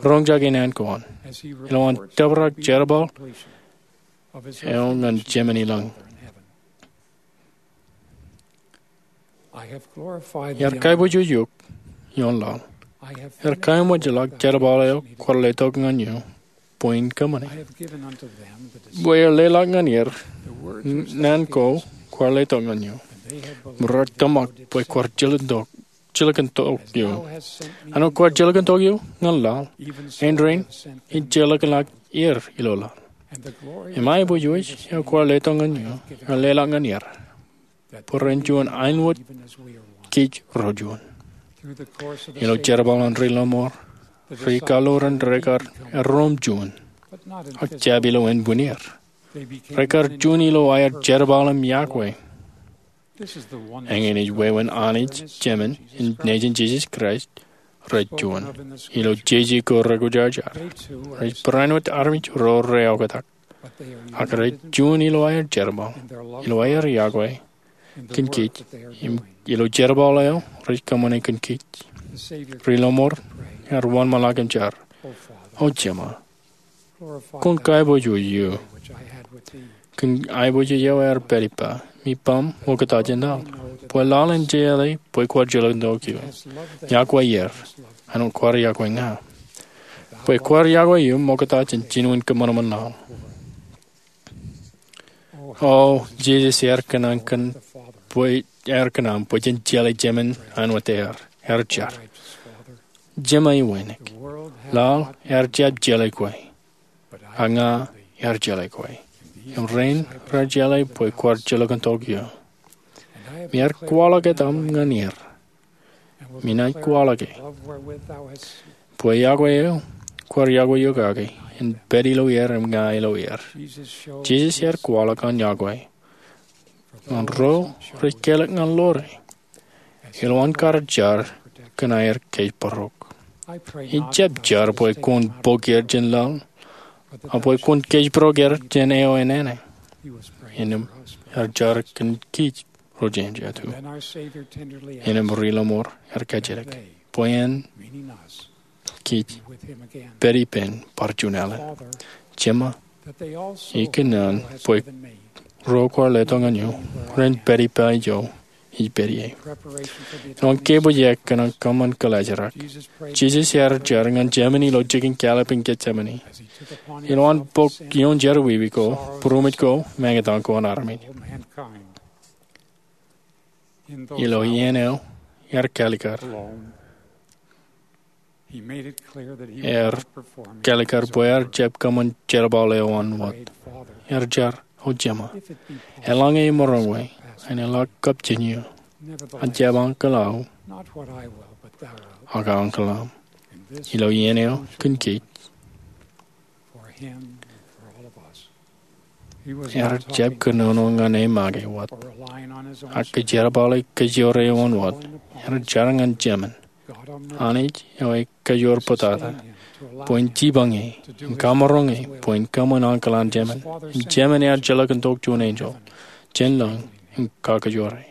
Roñjake naan ko an ilo an tōprak jerbal eo ñan Jemān ilañ. Iar kaiboojoj eok ioon laḷ. Iar kaeṃōjḷọk jerbal eo kwaar letok ñan eō bwe in kōṃṃane. Bwe ear leḷọk ñan er naan ko kwaar letok ñan eō, im raar tōmak bwe kwaar jilkintok eō. Āinwōt kwaar jilkintok eō ñan laḷ, āindein ij jilkinḷọk er ilo laḷ. Im aiboojoj eo kwaar letok ñan eō ear leḷọk ñan er, bwe ren juon āinwōt kij ro juon. Ilo jerbal an ri-lọmọọr, ri-kaḷoor in rekar erom juon, ak jab ilo ānbwinnier. Rekar juon ilo aer jerbal im yokwe. Eñin ej wāween Anij Jemān im Nejin Jisōs Kraist rej juon. Ilo jeje ko rekwōjarjar, rej barāinwōt armej ro reoktak, ak rej juon ilo aer jerbal, ilo aer yokwe kōn kij, im ilo jerbal eo rej kōṃṃane kōn kij. Ri-lọmọọr ear wōnṃaanḷọk im jar, O Jema, kwōn kaiboojoj eō kōn aiboojoj eo ear pād ippa, im ippaṃ ṃokta jān laḷ, bwe laḷ en jeḷā bwe kwaar jilkintok eō, yokwe er āinwōt kwaar yokwe ña, bwe kwaar yokwe eō ṃokta jān jinen kōṃanṃan laḷ. O Jisōs, ear kōṇaan kōn bwe ear kōṇaan bwe jen jeḷā Jemān āinwōt ear. Ear jar, Jema iwānōk, laḷ ear jab jeḷā kwe, ak ña ear jeḷā kwe. Im rein raar jeḷā bwe kwaar jilkintok ioō. Im ear kwaḷọk etaṃ ñan er, im inaaj kwaḷọke, bwe iọkwe eo kwaar iọkwe eok kake en pād ilo er im ña ilo er. Jisōs ear kwaḷọk an iọkwe ñan ro rej kelōk ñan ḷoore, ilowaan kar jar kōn aer kōjparok. Ij jab jar bwe kwōn bōk er jān laḷ, ak bwe kwōn kōjparok er jān eo enana. Innām ear jar kōn kij ro jān jatū. Innām Ri-Lọmọọr ear kajjitōk bwe en kij pād ippān bar juon alen. Jema, ikōṇaan bwe ro kwaar letok ñan eō ren pād ippa ijo ij pād ie. Ilowaan kebwijak kōn an kōṃṃan kōḷaajrak, Jisōs ear jar ñan Jemān ilo jikin kalep in Getsemane. Ilowaan bōk ioon jerọwiwi ko, būroṃōj ko, im etaṃ ko an armej. Ilo iien eo ear kalikar, ear kalikar bwe ear jab kōṃṃan jerbal eo an wōt. Ear jar, O Jema, eḷaññe emaroñ, enaaj lọk kab jān eō. Ak jab ankōḷ aō, ak ankōḷ aṃ. Ilo iien eo kōn kij. Ear jab kōnono ñan e make wōt, ak kōjerbale kōjwōre eo an wōt. Ear jar ñan Jemān, Anij eo ej Kajoor Bōtata, bwe en jipañ e im kamaroñ e bwe en kōṃṃan ankōḷ an Jemān. Im Jemān ear jilkintok juon enjeḷ jān lañ im kakajoor e.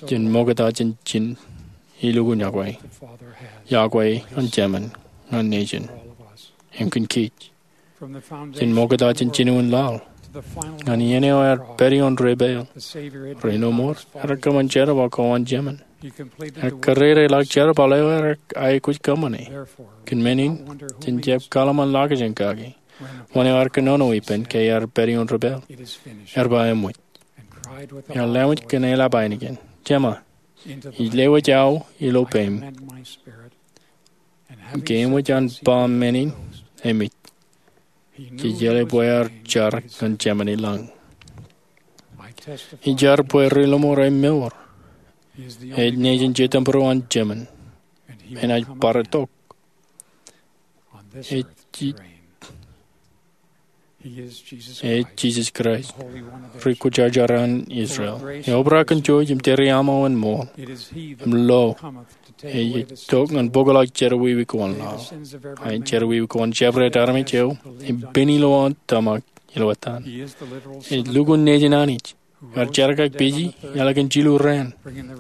Jen ṃokta jān ijin ilukkuun iọkwe, iọkwe an Jemān ñan nejin im kōn kij. Jen ṃokta jān jinoin laḷ ñan iien eo ear pād ioon debwāāl. Ri-Lọmọọr ear kōṃṃan jerbal ko an Jemān. Ear kōrā ḷọk jerbal eo ear aikuj kōṃṃane. Kōn men in, jen jab kōḷmānḷọkjeṇ kake wōn eo ear kōnono ippān ke ear pād ioon debwāāl. Ear ba eṃōj. Ear lewōj kōn eḷap ainikien, Jema, ij lewōj aō ilo peiṃ. Im ke eṃōj an ba men in, eṃōj. Jej jeḷā bwe ear jar ñan Jemān i lañ. Ij jar bwe Ri-Lọmọọr emour. Ej nejin Jetōnbōro an Jemān. Enaaj bar itok. Ej Ji- Ej Jisōs Kraist, Ri-Kwōjarjar an Israel, eo obrak kōn jouj im tūriaṃo in ṃool im lo. Ej tok ñan bōkḷọk jerọwiwi ko an laḷ, ak jerọwiwi ko an jabdewōt armej eo ej pen ilowaan tōmak ilo ettaan. Ej lukkuun nejin Anij. Ear jerkakpeje eḷap kōn jilu raan.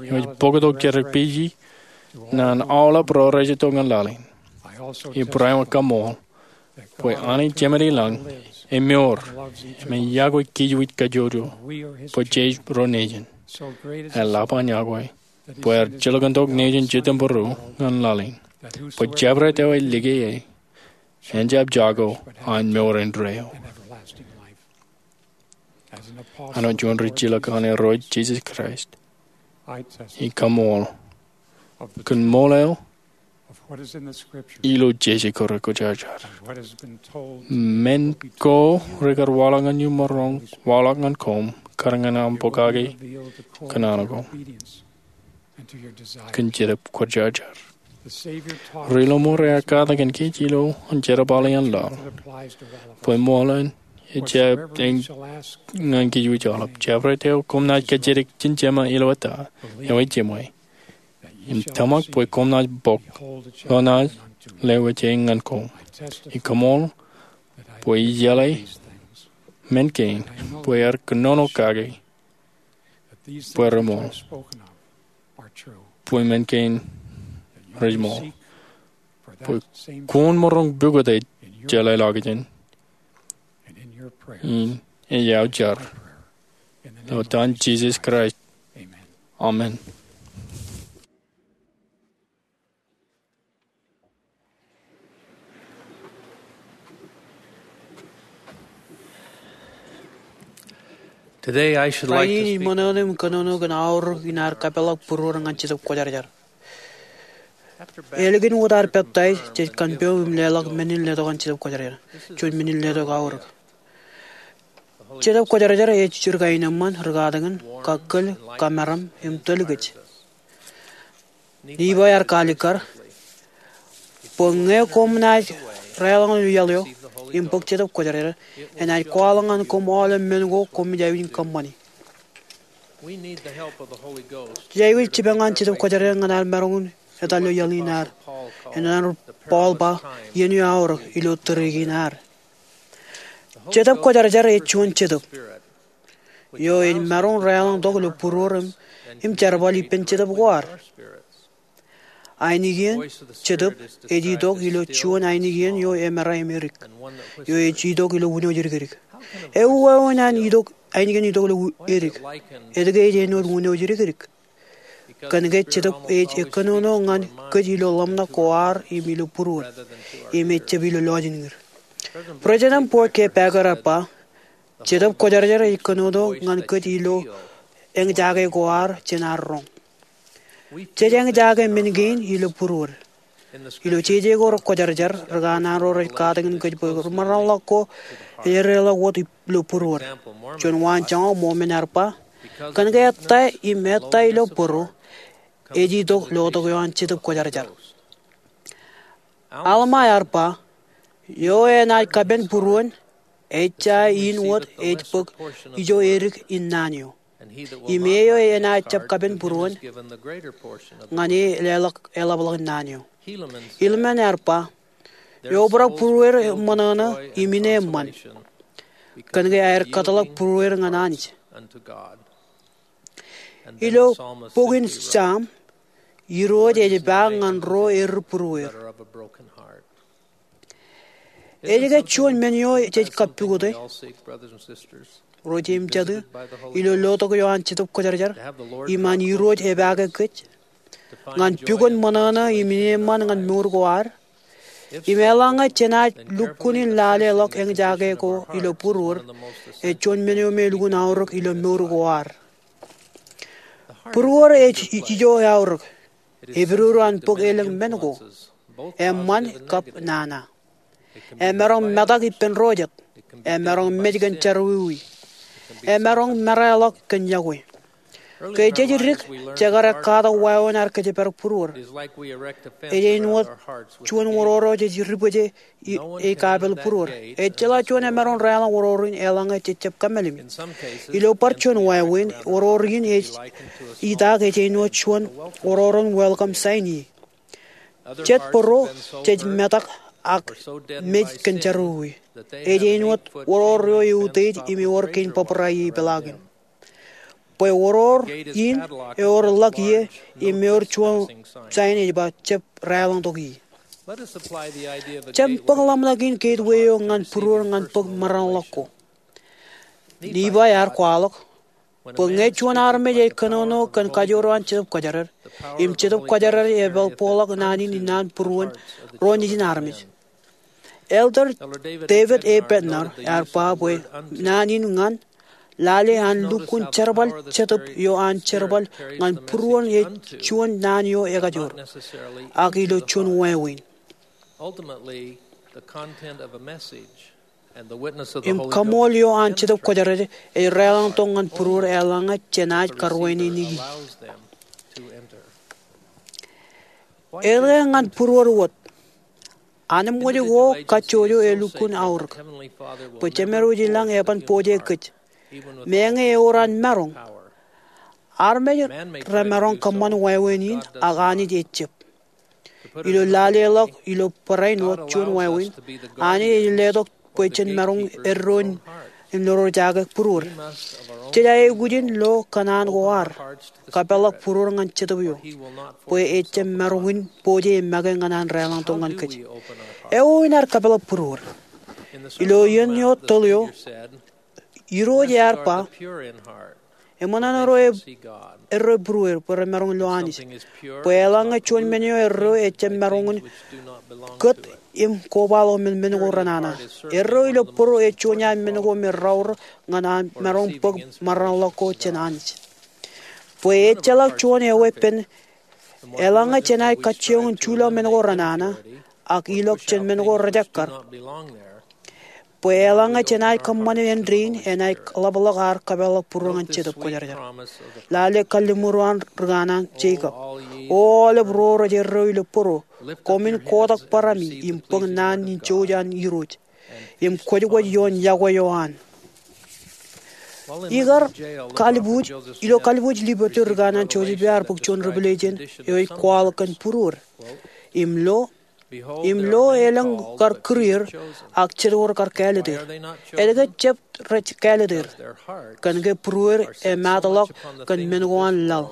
Eo ej bōktok jerkakpeje ñan aolep ro rej itok ñan laḷ in. Ij barāinwōt kaṃṃool bwe Anij Jemān i lañ emour im ej iọkwe kij wōj kajjojo bwe jej ro nejin. Eḷap an iọkwe bwe ear jilkintok nejin Jetōnbōro ñan laḷ in, bwe jabdewōt eo ej lōke e en jab jako an mour indeeo. Āinwōt juon rijilōk an Irooj Jisōs Kraist, ij kaṃṃool kōn ṃool eo ilo jeje ko Ri-Kwōjarjar. Men ko rekar waḷọk ñan eō maroñ waḷọk ñan koṃ kar ñan aṃ bōk kake kōn naan ko kōn jetōb kwōjarjar. Ri-Lọmọọr ear katakin kōj ilo an jerbal eo an laḷ bwe ṃool in ejjab eñ ñan kij wōj aolep. Jabdewōt eo koṃ naaj kajjitōk jān Jema ilo ettā, eo ej Jemwe, im tōmak bwe koṃ naaj bōk ḷọk naaj lewōj e ñan koṃ. Ij kaṃṃool bwe ij jeḷā men kein bwe ear kōnono kake bwe reṃool, bwe men kein rej ṃool, bwe kwōn maroñ pukot ej jeḷāḷọkjeṇ in. Ij aō jar ilo etan Jisōs Kraist, amen. Today I should like Rainin to ij speak ṃōṇōṇō im kōnono kōn aorōk in ad kapeḷḷọk būruōd ñan Jetōb Kwōjarjar. Ālikin wōt ad peptaij, jej kanpiṃ im leḷọk men in letok an Jetōb Kwōjarjar. Juon men in letok aorōk. Jetōb Kwōjarjar ej jidik aenōṃṃan, rūkatakin, kakkōl, kamaram, im tōl kōj. Nephi ear kaalikkar bwe ñe koṃ naaj deḷọñ ilo iaḷ eo im bōk Jetōb Kwōjarjar, enaaj kwaḷọk ñan koṃ aolep men ko koṃij aikuj in kōṃṃani. Jej aikuj jipañ an Jetōb Kwōjarjar ñan ad maroñ in etal ilo iaḷ in ad. Āinwōt an Paul ba, iien eo aorōk ilo tōre kein ad. Jetōb Kwōjarjar ej juon Jetōb eo ej maroñ deḷọñtok ilo būruōd im jerbal ippān jetōb ko ad. Ainikien Jetōb ej itok ilo juon ainikien eo emera im edik, eo ej itok ilo wūno jidikdik. Ewi wāween an itok, ainikien itok ilo edik? Etke ej āinwōt wūno jidikdik? Kōnke Jetōb ej kōnono ñan kōj ilo ḷōmṇak ko ad im ilo būruōd, im ejjab ilo lọjilñid. President Boyd K. Packer ear ba, Jetōb Kwōjarjar ej kōnono ñan kōj ilo eñjake ko ad jān ad roñ. Jej eñjake men kein ilo būruōd. Ilo jeje ko rekwōjarjar, rūkanaan ro rej katakin kōj bwe ri maroñḷọk ko ej edeḷọk wōt ilo būruōd. Juon waanjoñak, Mormon ear ba, kōnke ettā im ettā ilo bōro ej itok lotok eo an Jetōb Kwōjarjar. Alma ear ba, eo enaaj kapen būruon, ejja in wōt ej bōk ijo edik in naan eo. Im e eo enaaj jab kapen būruon, ñan e leḷọk eḷapḷọk in naan eo. Helaman ear ba, eobrak būruer ṃōṇōṇō im ineeṃṃan, kōnke aer kōtḷọk būruer ñan Anij. Ilo bok in Sam, Irooj ej epaak ñan ro erū būruer. Ej ke juon men eo jej kappukot e, ro jeiū im jatū, ilo lotok eo an Jetōb Kwōjarjar, im an Irooj epaake kōj ñan pukot ṃōṇōṇō im ineeṃṃan ñan mour ko ad? Im eḷaññe jenaaj lukkuun in laleḷọk eñjake ko ilo būruod, ej juon men eo me elukkuun aorōk ilo mour ko ad. Būruod ej ijo aorōk. Epidodo an bōk elōñ men ko, eṃṃan kab nana. Emaroñ metak ippān ro jet. Emaroñ mej kōn jerọwiwi. Emaroñ meraeḷọk kōn iọkwe. Ke jej dik, jekar ekkatak wāween ad kōjparok būruod. Ej āinwōt juon wororo jej dibōje ej kapeel būruod. Ejjeḷọk juon emaroñ deḷọñ wororo in eḷaññe jej jab kōmālim. Ilo bar juon wāween, wororo in ej itak ej āinwōt juon wororo in welcome sign ie. Jet bōro jej metak ak mej kōn jerọwiwi. Ej āinwōt wororo eo eutiej im ewōr kein bōbrae ie peḷaakin. Bwe wororo in ewōr ḷọk ie im ewōr juon sain ej ba jab deḷọñtok ie. Jen bōk ḷōmṇak in gateway eo ñan būruod ñan bōk maroñḷọk ko. Nephi ear kwaḷọk bwe ñe juon armej ej kōnono kōn kajoor eo an Jetōb Kwōjarjar, im Jetōb Kwōjarjar ej bōkḷọk naan in innaan būruon ro nejin armej. Elder David A. Bednar ear ba bwe naan in ñan lale an lukkuun jerbal Jetōb eo an jerbal ñan būruon ej juon naan eo ekajoor, ak ilo juon wāween. Im kaṃool eo an Jetōb Kwōjarjar ej deḷọñtok ñan būruod eḷaññe jenaaj karuwainene e. Etke ñan būruod wōt? Anemkwōj ko kajjojo elukkuun aorōk bwe Jemedwōj ilañ eban pojak kōj. Meñe ewōr an maroñ, armej remaroñ kōṃṃan wāween in ak Anij ejjab. Ilo laleḷọk ilo barāinwōt juon wāween, Anij ej letok bwe jen maroñ eddoin im lorjake būruod. Jej aikuj in lo kōṇaan ko ad kapeḷḷọk būruod ñan Jetōb eo, bwe ejjab maroñ in pojak im make ñan an deḷọñtok ñan kōj. Ewōr in ad kapeḷḷọk būruod? Ilo iien eo tōl eo, Irooj ear ba, eṃōṇōṇō ro eddo būruer bwe remaroñ lo Anij. Bwe eḷaññe juon men eo eddo ejjab maroñ in kōt im kobaḷọk men men ko renana. Erreo ilo bōro ej juon iaan men ko me raorōk ñan an maroñ bōk maroñḷọk ko jān Anij. Bwe ejjeḷọk juon eweeppān, eḷaññe jenaaj kajjioñ in juḷọk men ko renana, ak ilọk jān men ko rejekkar, bwe eḷaññe jenaaj kōṃṃane āindein, jenaaj ḷapḷọk ad kapeḷḷọk būruō ñan Jetōb Kwōjarjar. Lale kalliṃur eo an ri kanaan Jekob: O aolep ro rej erreo ilo bōro, koṃwin kotak barāmi im bōk naan in jouj an Irooj, im kwōjkwōj ioon yokwe eo an. Ikar kalbuuj, ilo kalbuuj Liberty, ri kanaan Joseph ear bōk juon revelation eo ej kwaḷọk kōn būruod. Im lo, im lo, elōñ kar kūr er, ak jetwōj kar kāālōt er. Etke jab rej kāālōt er? Kōn ke būruod emaatḷọk kōn men ko an laḷ,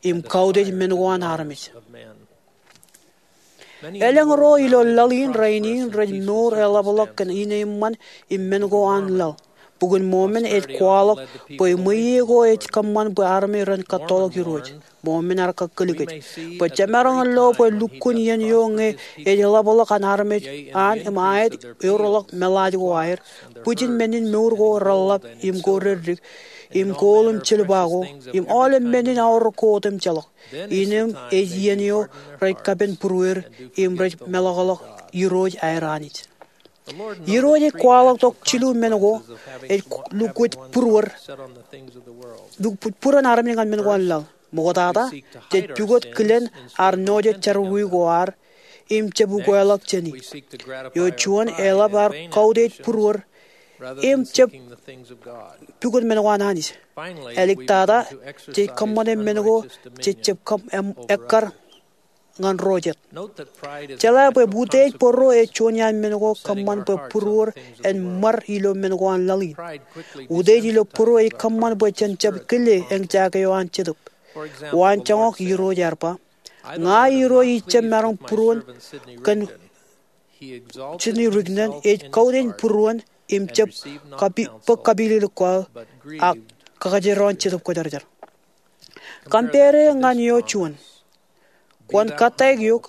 im kautiej men ko an armej. Elōñ ro ilo laḷ in rainin rej mour eḷapḷọk kōn ineeṃṃan im men ko an laḷ. Bok in Mormon ej kwaḷọk bwe ṃweiie ko ej kōṃṃan bwe armej ren kōttoḷọk Irooj. Mormon ear kakōlikōj bwe jemaroñ in lo bwe lukkuun iien eo ñe ej ḷapḷọk an armej an im aet eorḷọk meḷaaj ko aer, bwijin men in mour ko reḷḷap im ko reddik, im kool im jilpa ko, im aolep men in aorōk ko otemjeḷọk. Innām ej iien eo rej kapen būruod im rej meḷọkḷọk Irooj aer Anij. Irooj ej kwaḷọk tok jilu men ko ej lukkuun būruod, lukkuun būruon armej ñan men ko an laḷ. Ṃoktata, jej pukot kilen ad nojej jerọwiwi ko ad im jab ukweḷọk jāni. Eo juon, eḷap ad kautiej būruod im jab pukot men ko an Anij. Āliktata, jej kōṃṃane men ko jej jab kōm-, em-, ekkar ñan ro jet. Jeḷā bwe utiej bōro ej juon iaan men ko kōṃṃan bwe būruod en ṃar ilo men ko an laḷ in. Utiej ilo bōro ej kōṃṃan bwe jen jab kile eñjake eo an Jetōb. Waan joñak, Irooj ear ba, Ña Irooj ij jab maroñ būruon kōn Sidney Rigdon, ej kautiej būruon im jab kapi-, bōk kapilōklōk ko aō, ak kakajeroñ Jetōb Kwōjarjar. Compare e ñan eo juon. Kwōn kōttāik eok,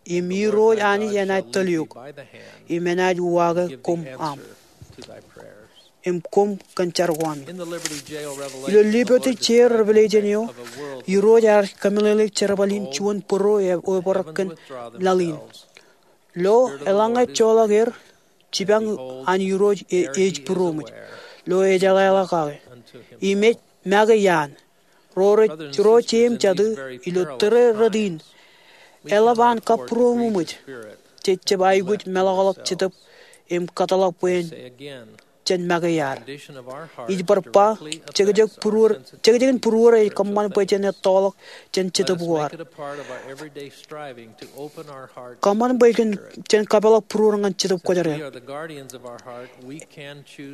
im Irooj Anij enaaj tōl eok, im enaaj uwaake koṃ aṃ, im koṃ kōn jar ko ami. Ilo Liberty Jail revelation eo, Irooj ear kōmeḷeḷeik jerbal in juon bōro eo ebōrok kōn laḷ in. Lo, eḷaññe joḷọk er, jipañ an Irooj e-, ej būroṃōj. Lo, ejeḷāḷọk kake. Im ej make iaan. Ro rej, ro jeiū im jatū, ilo tōre rot in, eḷap an kabūroṃōj, jej jab aikuj meḷọkḷọk Jetōb im kōtḷọk bwe en jen make iaan. Ij bar ba, jekjek būruod, jekjek in būruod ej kōṃṃan bwe jen ettoḷọk jān Jetōb ko ad. Kōṃṃan bwe jen, jen kapeḷḷọk būruod ñan Jetōb Kwōjarjar.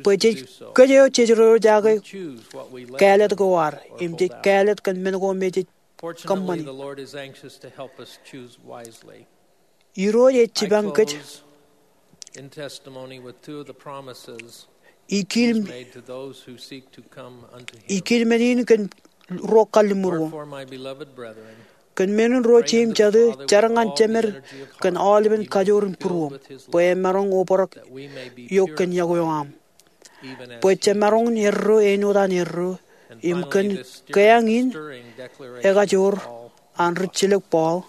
Bwe jej, kōj eo jej roñjake kāālōt ko ad, im jej kāālōt kōn men ko me jej kōṃṃani. Irooj ej jipañ kōj. Ij kiil, ij kiil men in kōn ruo kalliṃur ko. Kōn men in, ro jeiū im jatū, jar ñan Jemed kōn aolepen kajoor in būruōṃ, bwe emaroñ obrak eok kōn yokwe eo aṃ. Bwe jemaroñ in erreo āinwōt an erreo, im kōn kōjeañ in ekajoor an rijjilōk Paul,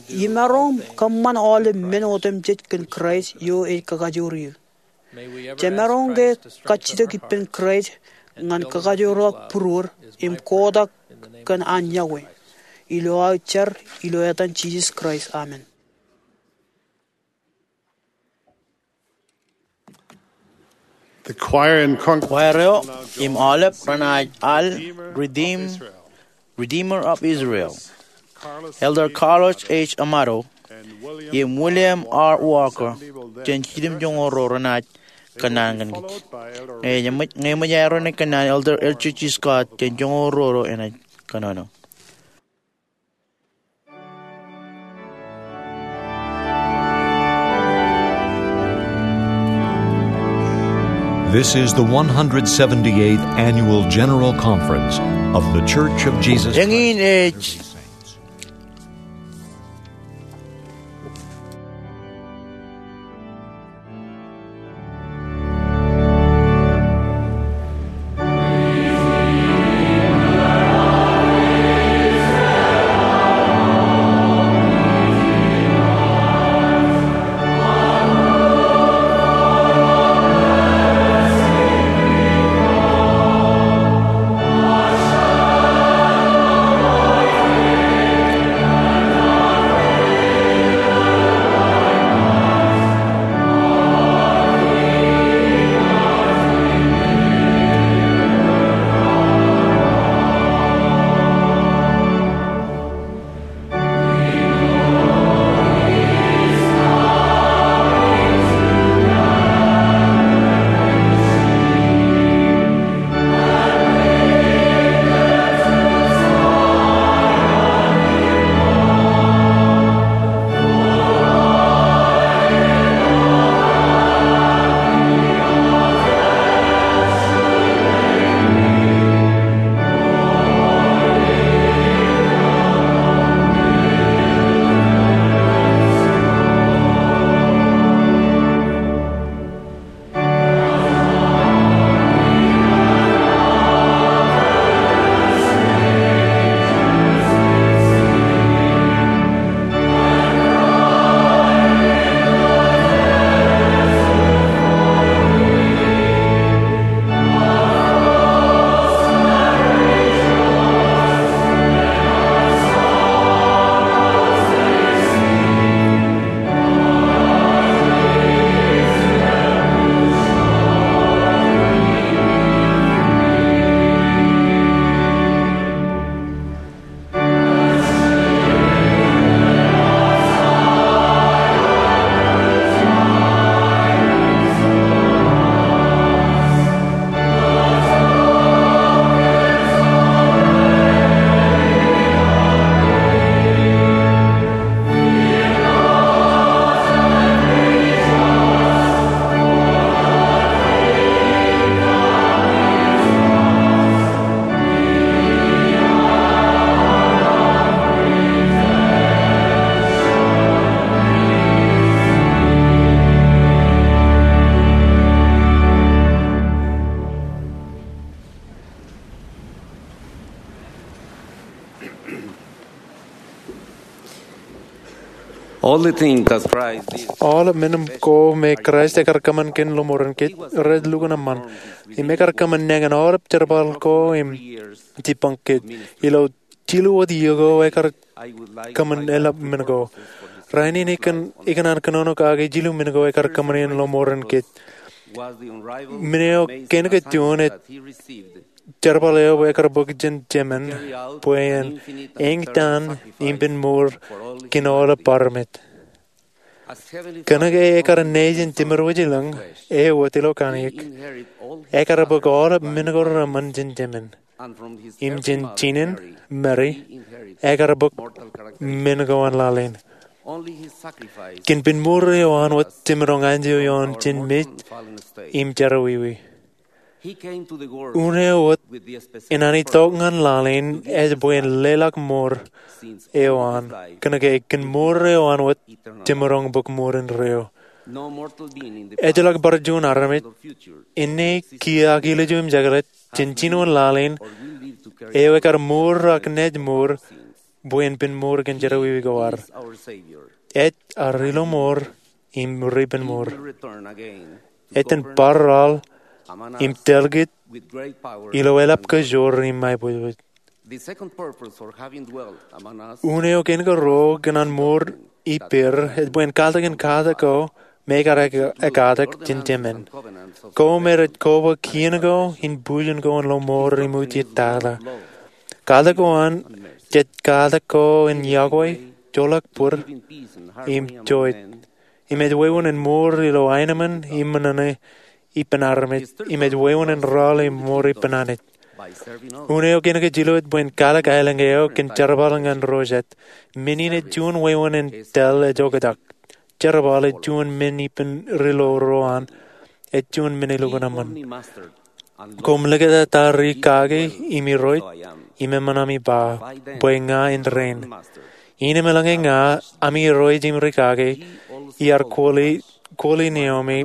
imaroñ kōṃṃan aolep men otemjej kōn Kraist eo ej kakajoor eō. Jemaroñ ke kajjitōk ippān Kraist ñan kakajoorḷọk būruod im kotak kōn an yokwe. Ilo aō jar, ilo etan Jisōs Kraist, amen. The choir and congregation. Choir eo im aolep renaaj al Redeem-, Redeemer of Israel. Elder Carlos H. Amado im William R. Walker jān jidim joñoul ruo renaaj kōnnaan kōn kōj. Ñe eṃōj, ñe eṃōj aer kōnnaan, Elder L. J. G. Scott jān joñoul ruo ro enaaj kōnono. This is the one hundred seventy-eighth Annual General Conference of The Church of Jesus Christ. Eñin ej, All the things that Christ did. Aolep men ko me Kraist ekar kōṃṃan kōn lọmọọren kōj, rej lukkuun eṃṃan. Im ekar kōṃṃan nañin aolep jerbal ko im jibboñ kōj. Ilo jilu wōt iiō ko ekar kōṃṃan eḷap men ko. Rainin ikōn, ikōṇaan kōnono kake jilu men ko ekar kōṃṃan in lọmọọren kōj. Men eo kein ke juon ej jerbal eo ekar bōk jān Jemān bwe en eñtaan im pen mour kōn aolep armej. Kōnke ekar ṇe jān jemed wōj elōñ eo wōt ilo kanniōk, ekar bōk aolep men ko reṃṃan jān Jemān. Im jān jinen, Meri, ekar bōk men ko an laḷ in. Kōn pen mour eo an wōt jemaroñ anjọ ioon jān mej im jerọwiwi. Un eo wōt, inaan itok ñan laḷ in ej bwe en leḷọk mour eo an, kōnke kōn mour eo an wōt jemaroñ bōk mour indeeo. Ejjeḷọk bar juon armej, āne kiiō ak ilju im jekḷaj, jān jinoin laḷ in, eo ekar mour ak naaj mour, bwe en pen mour kōn jerọwiwi ko ad. Ej ad rilọmọọr im ripenmour. Ej iten bar raḷ im tōl kōj ilo eḷap kajoor im aiboojoj. Un eo kein ke ruo kōn an mour ippāer ej bwe en kaltak in katak ko me ekar ekatak jān Jemān. Ko me rej koba kien ko im bujen ko in lọmọọr im utiej tata. Katak ko an jej katak ko in yokwe, joḷọk bōd, im joij. Im ej wāween in mour ilo aenōṃṃan im ṃōṇōṇō ippān armej, im ej wāween in rọọl im mour ippān Anij. Un eo kein ke jilu ej bwe en kalōk aelōñ eo kōn jerbal ñan ro jet. Men in ej juon wāween in tōl ejokjak. Jerbal ej juon men ippān ri lo ro an, ej juon men elukkuun eṃṃan. Koṃ likūtata ri kake im irooj, im eṃṃan ami ba, bwe ña en rein. Innem eḷaññe ña, ami irooj im ri kake, iar kwōle, kwōle neomi,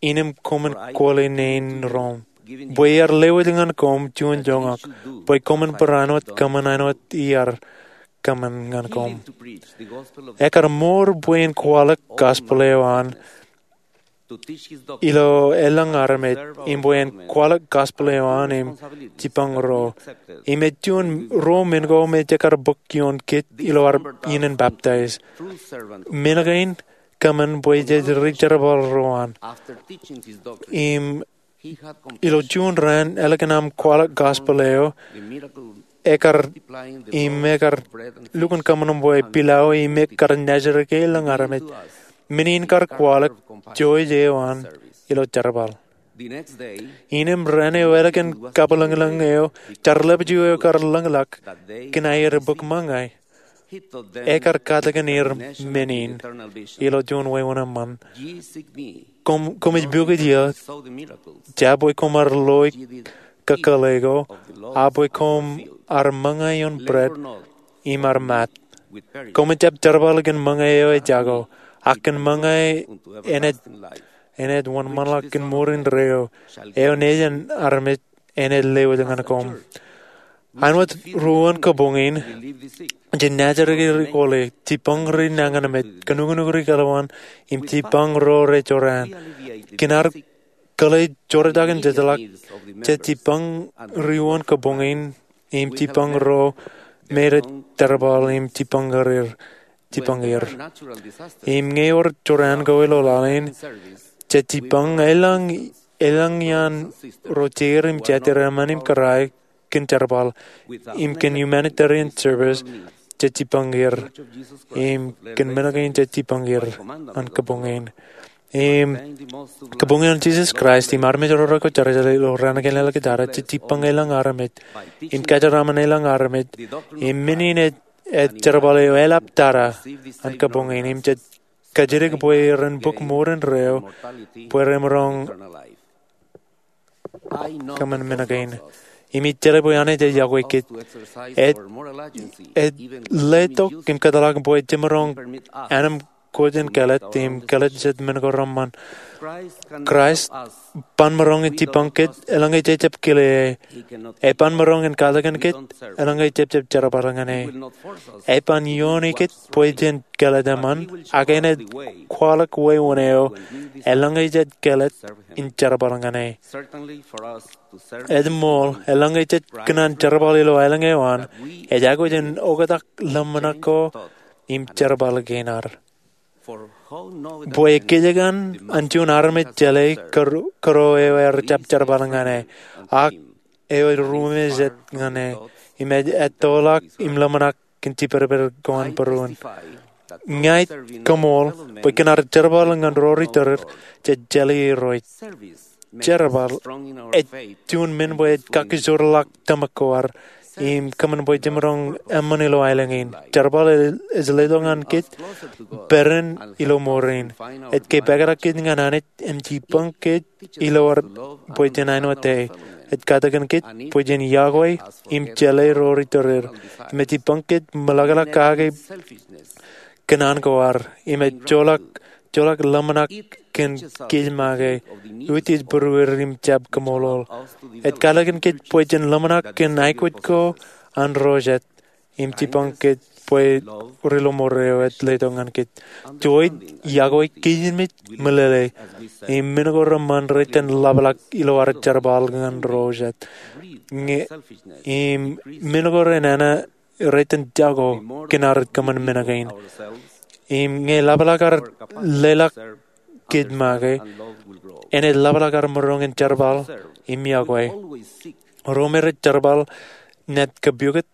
innem koṃwin kwōle nein room. Bwe iar lewōj ñan koṃ juon joñak, bwe koṃwin bar āinwōt kōṃṃan āinwōt iar kōṃṃan ñan koṃ. Ekar mour bwe en kwaḷọk gospel eo an ilo elōñ armej, im bwe en kwaḷọk gospel eo an im jibboñ ro. Im ej juon ruo men ko me jekar bōk ioon kōj ilo ad iien in baptize. Men kein kōṃṃan bwe jej ri jerbal ro an. Im ilo juon raan ālikin aṃ kwaḷọk gospel eo, ekar, im ekar lukkuun kōṃṃan bwe pilao im ekkar naajdik ke elōñ armej. Men in kar kwaḷọk joij eo an ilo jerbal. Innem raan eo ālikin kabwilōñlōñ eo, jar lepju eo ekar lōñḷọk kōn aer bōk ṃōñā, ekar katakin er men in ilo juon wāween eṃṃan. Koṃ, koṃij pukot eō, jab bwe koṃ ar loi kakōḷḷe ko, a bwe koṃ ar ṃōñā ioon bread im ar maat. Koṃij jab jerbal kōn ṃōñā eo ejako, ak kōn ṃōñā enaaj, enaaj wōnṃaanḷọk kōn mour indeeo, eo Nejin armej enaaj lewōj ñan koṃ. Āinwōt ruon kabuñ in, jān naajdik ri kwōle, jibboñ ri nañinmej, kōnukunuk ri kaḷowan, im jibboñ ro rejorrāān. Kōn ad kwōle jorrāān im jejḷọk, jej jibboñ ri ruon kabuñ in, im jibboñ ro me rej jerbal im jibboñ er, jibboñ er. Im ñe ewōr jorrāān ko ilo laḷ in, jej jibboñ elōñ, elōñ iaan ro jeir im jatid eṃṃan im kōrā kōn jerbal, im kōn humanitarian service, jej jibboñ er, im kōn men kein jej jibboñ er, an kabuñ in. Im kabuñ in an Jisōs Kraist, im armej ro rekwojarjar ilo raan kein āliktata, jej jibboñ elōñ armej, im kōjeraaṃṃan elōñ armej, im men in ej, ej jerbal eo eḷaptata, an kabuñ in, im jej kajjitōk bwe ren bōk mour indeeo, bwe remaroñ kōṃṃan men kein. Im ij jeḷā bwe Anij ej yokwe kōj. Ej, ej letok im kōtḷọk bwe jemaroñ ānem kōjin kāālōt im kāālōt jet men ko reṃṃan. Kraist ban maroñ in jipañ kōj eḷaññe jej jab kile e. Eban maroñ in katakin kōj eḷaññe jej jab jerbal ñan e. Eban iooni kōj bwe jen kāālōt eṃṃan, ak enaaj kwaḷọk wāween eo eḷaññe jej kāālōt in jerbal ñan e. Ej ṃool, eḷaññe jej kōṇaan jerbal ilo aelōñ eo an, ej aikuj in oktak ḷōmṇak ko im jerbal kein ad. Bwe ekkejek an, an juon armej jeḷā kōro eo ear jab jerbal ñan e, ak eo ej ruo me jet ñan e, im ej ettoḷọk im ḷōmṇak kōn jibadbad ko an būruon. Ña ij koṃṃool bwe kōn ad jerbal ñan ro ri tōre, jej jeḷā Irooj. Jerbal ej juon men bwe ej kakkijorḷọk tōmak ko ad im kōṃṃan bwe jemaroñ eṃṃan ilo aelōñ in. Jerbal ej letok ñan kōj pād in ilo ṃoor in. Ej kōpeḷḷọk kōj ñan Anij im jipañ kōj ilo ad bwe jen āinwōt e. Ej katakin kōj bwe jen iọkwe im jeḷā ro ri tōre, im ej jipañ kōj ṃōḷaḷḷọk kake kōṇaan ko ad, im ej joḷọk, joḷọk ḷōmṇak kōn kōj make utiej būruod im jab kaṃṃoolol. Ej katakin kōj bwe jen ḷōmṇak kōn aikuj ko an ro jet, im jipañ kōj bwe ri ḷōṃoor eo ej letok ñan kōj. Juon, iọkwe, kijenmej, meḷeḷe, im men ko reṃṃan rej itōn ḷapḷọk ilo ad jerbal ñan ro jet. Ñe, im men ko renana rej itōn jako kōn ad kōṃṃan men kein. Im ñe ḷapḷọk ad leḷọk kōj make, enaaj ḷapḷọk ad maroñ in jerbal im iọkwe. Ro me rej jerbal naaj kōpukot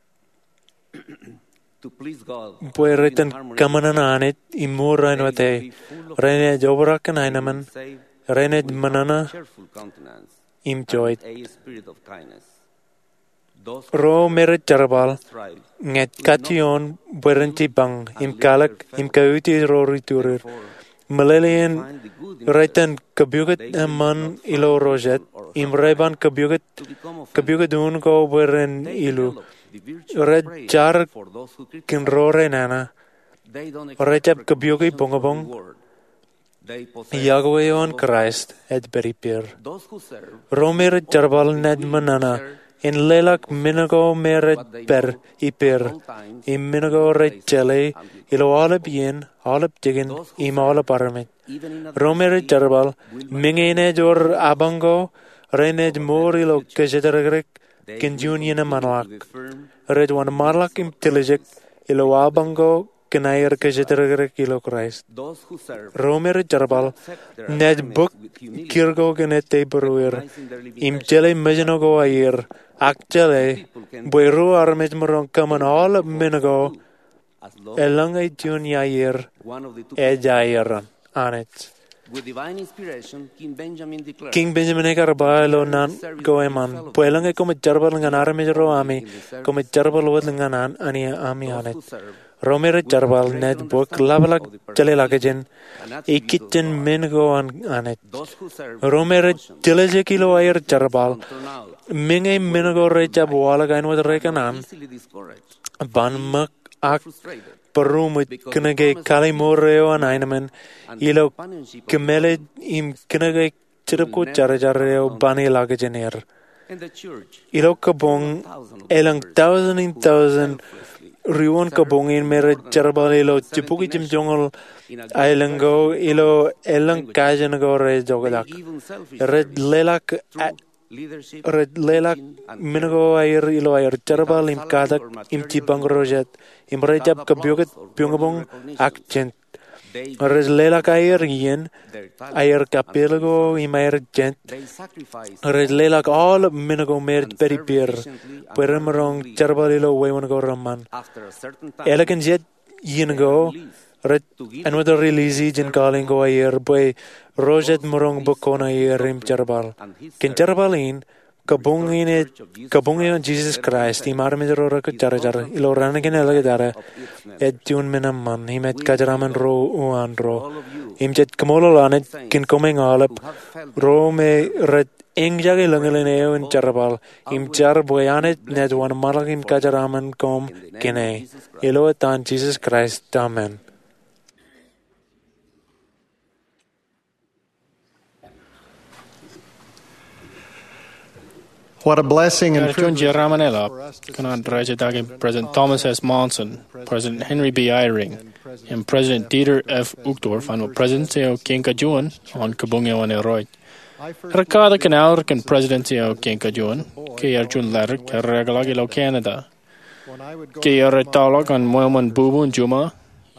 bwe rej itōn kōṃṃan an Anij im mour āinwōt e. Renaaj obrak kōn aenōṃṃan, renaaj ṃōṇōṇō im joij. Ro me rej jerbal ñe ej kajjioñ bwe ren jipañ im kalōk im kautiej ro ri tōre. Meḷeḷein rej itōn kōpukot eṃṃan ilo ro jet im rej ban kōpukot, kōpukot un ko bwe ren ilu. Rej jar kōn ro renana. Rej jab kōpukot boñboñ. Iọkwe eo an Kraist ej pād ippāer. Ro me rej jerbal naaj ṃōṇōṇō in leḷọk men ko me rej pād ippāer im men ko rej jeḷā ilo aolep iien, aolep jikin im aolep armej. Ro me rej jerbal, meñe enaaj wōr apañ ko, renaaj mour ilo kōjatdikdik kōn juon iien eṃṃanḷọk. Rej wōnṃaanḷọk im tiljek ilo apañ ko kōn aer kōjatdikdik ilo Kraist. Ro me rej jerbal naaj bōk kūr ko kōn ettā būrueir im jeḷā mejān ko aer, ak jeḷā bwe ruo armej maroñ kōṃṃan aolep men ko eḷaññe juon iar ej aer an Anij. Kiiñ Benjamin ekar ba ilo naan ko eṃṃan bwe eḷaññe koṃij jerbal ñan armej ro ami, koṃij jerbal wōt ñan ami Anij. Ro me rej jerbal naaj bōk ḷapḷọk jeḷāḷọkjeṇ ikijjien men ko an Anij. Ro me rej tiljek ilo aer jerbal, meñe men ko rej jab waḷọk āinwōt rekōṇaan, ban ṃōk ak būroṃōj kōnke kaliṃur eo an aenōṃṃan ilo kōmālij im kōnke jetōb ko jarjar eo ban ilọk jān er. Ilo kabuñ, elōñ tọujin in tọujin ri-wōn kabuñ in me rej jerbal ilo jibukwi jemjoñoul aelōñ ko ilo elōñ kajen ko rej oktak. Rej leḷọk a- Rej leḷọk men ko aer ilo aer jerbal im katak im jipañ ro jet, im rej jab kōpukot boñboñ ak jent. Rej leḷọk aer iien, aer kapeel ko im aer jent. Rej leḷọk aolep men ko me rej pād ippāer bwe remaroñ jerbal ilo wāween ko reṃṃan. Ālikin jet iien ko, rej āinwōt release jān calling ko aer bwe ro jet maroñ bōk koṇaer im jerbal. Kōn jerbal in, kabuñ in ej, kabuñ eo an Jesus Christ im armej ro rekwōjarjar ilo raan kein āliktata, ej juon men eṃṃan im ej kōjeraṃṃan ro uwaan ro. Im jej kaṃṃoolol Anij kōn koṃeañ aolep ro me rej eñjake lōñlōñ eo in jerbal im jar bwe Anij naaj wōnṃaanḷọk im kōjeraṃṃan koṃ kōn e. Ilo etan Jesus Christ, amen. What a blessing and Ear juon privilege jeraaṃṃan eḷap kōn an rej jitōñ President Thomas S. Monson, President Henry B. Eyring, im President Dieter F. Uchtdorf an Presidensị eo kein kajuon an Kabuñ eo an Irooj. Ear katak kōn aorōk in Presidensị eo kein kajuon ke ear juon ḷaddik ear ekḷọk ilo Canada. Ke ear ettoḷọk an ṃweo ṃōn bubu in juṃae,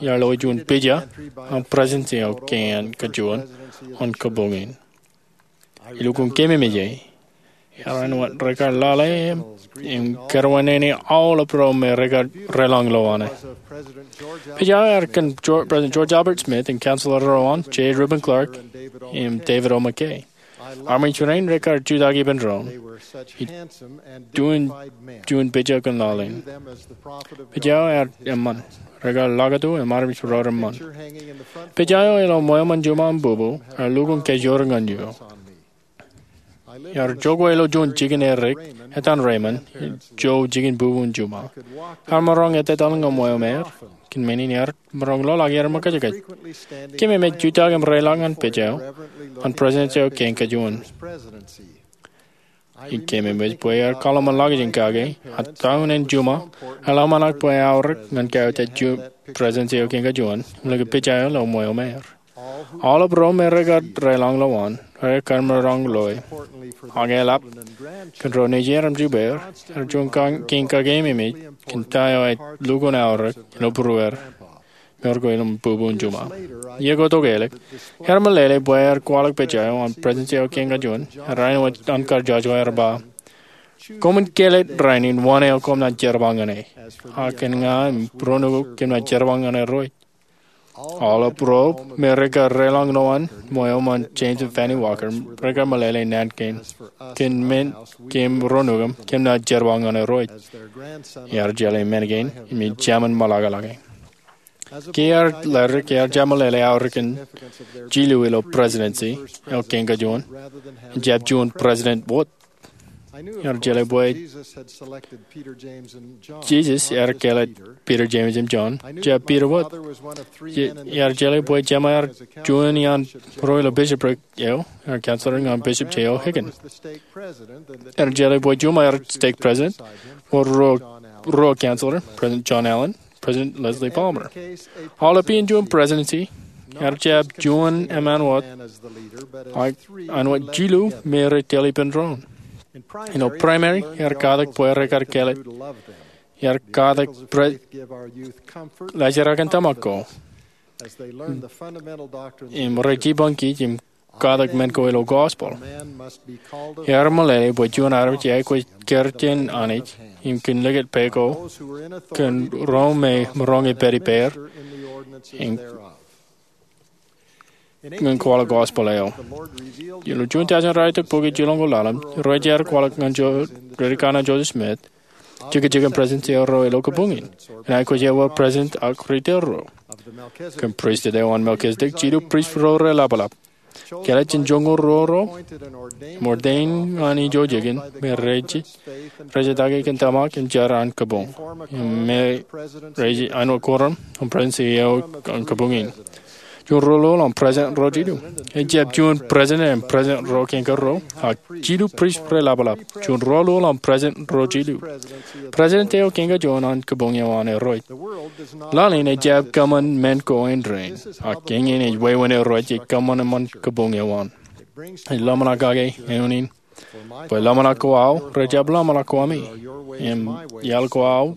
ear loi juon pija an Presidensị eo kein kajuon an Kabuñ in. Ilukkuun keememej e, ear āinwōt rekar lale im kōrvenene aolep ro me rekar deḷọñ lowaan e. Pija eo ear kōn President George Albert Smith im counselor ro an, J. Reuben Clark im David O. McKay. Armej rein rekar jutak ippān doon. Juon pija kōn laḷ in. Pija eo ear eṃṃan, rekar lakatu im armej ro reṃṃan. Pija eo ilo ṃweo ṃōn juṃae im bubu ear lukkuun kajoor ñan eō. Ear jokwe ilo juon jikin edik etan Raymond, ijo jikin bubu in juṃae. Ear maroñ etetal ñan ṃweo ṃaer, kōn men in ear maroñ loḷọk iaar ṃōkajkōj. Keememej jutak im deḷọñ ñan pija eo an Presidensị eo kein kajuon. Im keememej bwe ear kaḷmenḷọkjeṇ kake, a town in juṃae, eḷap ṇe bwe aorōk ñan kaiuj an Presidensị eo kein kajuon im likūt pija eo ilo ṃweo ṃaer. Aolep ro me rekar deḷọñ lowaan rekar maroñ loe. Ak eḷap kōn ro nejān im jibwier, ear juon kein kakeememej kōn ta eo ej lukkuun aorōk ilo būrueir, ṃōr ko ilo bubu in juṃae. Iiō ko tok ālikin, ear meḷeḷe bwe ear kwaḷọk pija eo an Presidensị eo kein kajuon, ear āinwōt an kar jojko ear ba, koṃwin kāālōt rainin wōn eo koṃ naaj jerbal ñan e. Ak kōn ña im ro nukū kōm naaj jerbal ñan Irooj. Aolep ro me rekar deḷọñ lowaan ṃweo ṃōn James im Fanny Walker rekar meḷeḷe naan kein, kōn men kōm ro nukū kōm naaj jerbal ñan Irooj. Ear jeḷā men kein im ij jemān ṃōḷaḷḷọke. Ke ear ḷaddik ear jab meḷeḷe aorōk in jilu ilo Presidensị eo kein kajuon, ejjab juon President wōt. Ear jeḷā bwe Jisōs ear kāālōt Piter, Jemes im Jon, ejjab Piter wōt. Ear jeḷā bwe jema ear juon iaan ro ilo bishopric eo, ear counselor ñan Bishop J. O. Higgins. Ear jeḷā bwe juṃae ear stake president, ṃōr ruo counselor, President John Allen, President Leslie Palmer. Aolep iien juon presidency, ear jab juon eṃṃan wōt, ak āinwōt jilu me rej tōl ippān doon. Ilo primary, ear katak bwe rekar kāālōt, ear katak bwe rej jerakin tōmak ko im rej jipañ kōj im katak men ko ilo gospel. Ear meḷeḷe bwe juon armej eaikuj kūr jān Anij im kōn likūt pā ko kōn ro me maroñ pād ippāer ñan kwaḷọk gospel eo. Ilo juon jān ralitōk bukwi jilọk ko ḷalem, rej jab kwaḷọk ñan Ri Kanaan Joseph Smith jekjek in presidency eo ro ilo kabuñ in. Enaaj aikuj ewi president ak ri tōl ro. Kōn pristut eo an Melchizedek, jilu prist ro reḷapḷap. Kāālōt jān joñoul ruo ro im ordain ñan ijo jikin me rej jitake kōn tōmak im jar an kabuñ im me rej āinwōt quorum an presidency eo an kabuñ in. Juon ruo ḷọk an president ro jilu. Ejjab juon president im president ro kein karuo, ak jilu prist reḷapḷap. Juon ruo ḷọk an president ro jilu. President eo kein kajuon an kabuñ eo an Irooj. Laḷ in ejjab kōṃṃan men ko in rainin, ak eñin ej wāween Irooj ej kōṃṃan eṃṃan kabuñ eo an. Ej ḷōmṇak kake eoon in, bwe ḷōmṇak ko aō rej jab ḷōmṇak ko ami, im iaḷ ko aō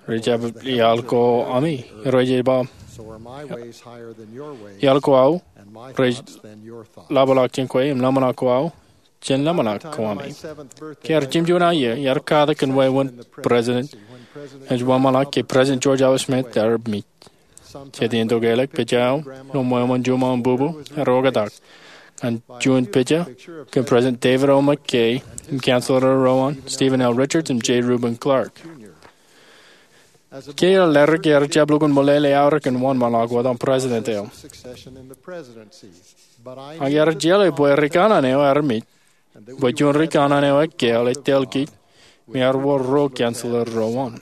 rej jab iaḷ ko ami. Irooj ej ba, iaḷ ko aō rej ḷapḷọk jān kwe, im ḷōmṇak ko aō jān ḷōmṇak ko ami. Ke ear jimjuon aō iiō, ear katak kōn wāween president ej wōnṃaanḷọk ke President George Albert Smith ear mej. Jet iien tok ālikin, pija eo ilo ṃweo ṃōn juṃae im bubu ear oktak ñan juon pija kōn President David O. McKay im counselor ro an, Stephen L. Richards im J. Reuben Clark. Ke ear ḷaddik ear jab lukkuun meḷeḷe aorōk in wōnṃaanḷọk wōt an president eo. Ak ear jeḷā bwe ri kanaan eo ear mej, bwe juon ri kanaan eo ekkāāl ej tōl kōj, im ear wōr ruo counselor ro an.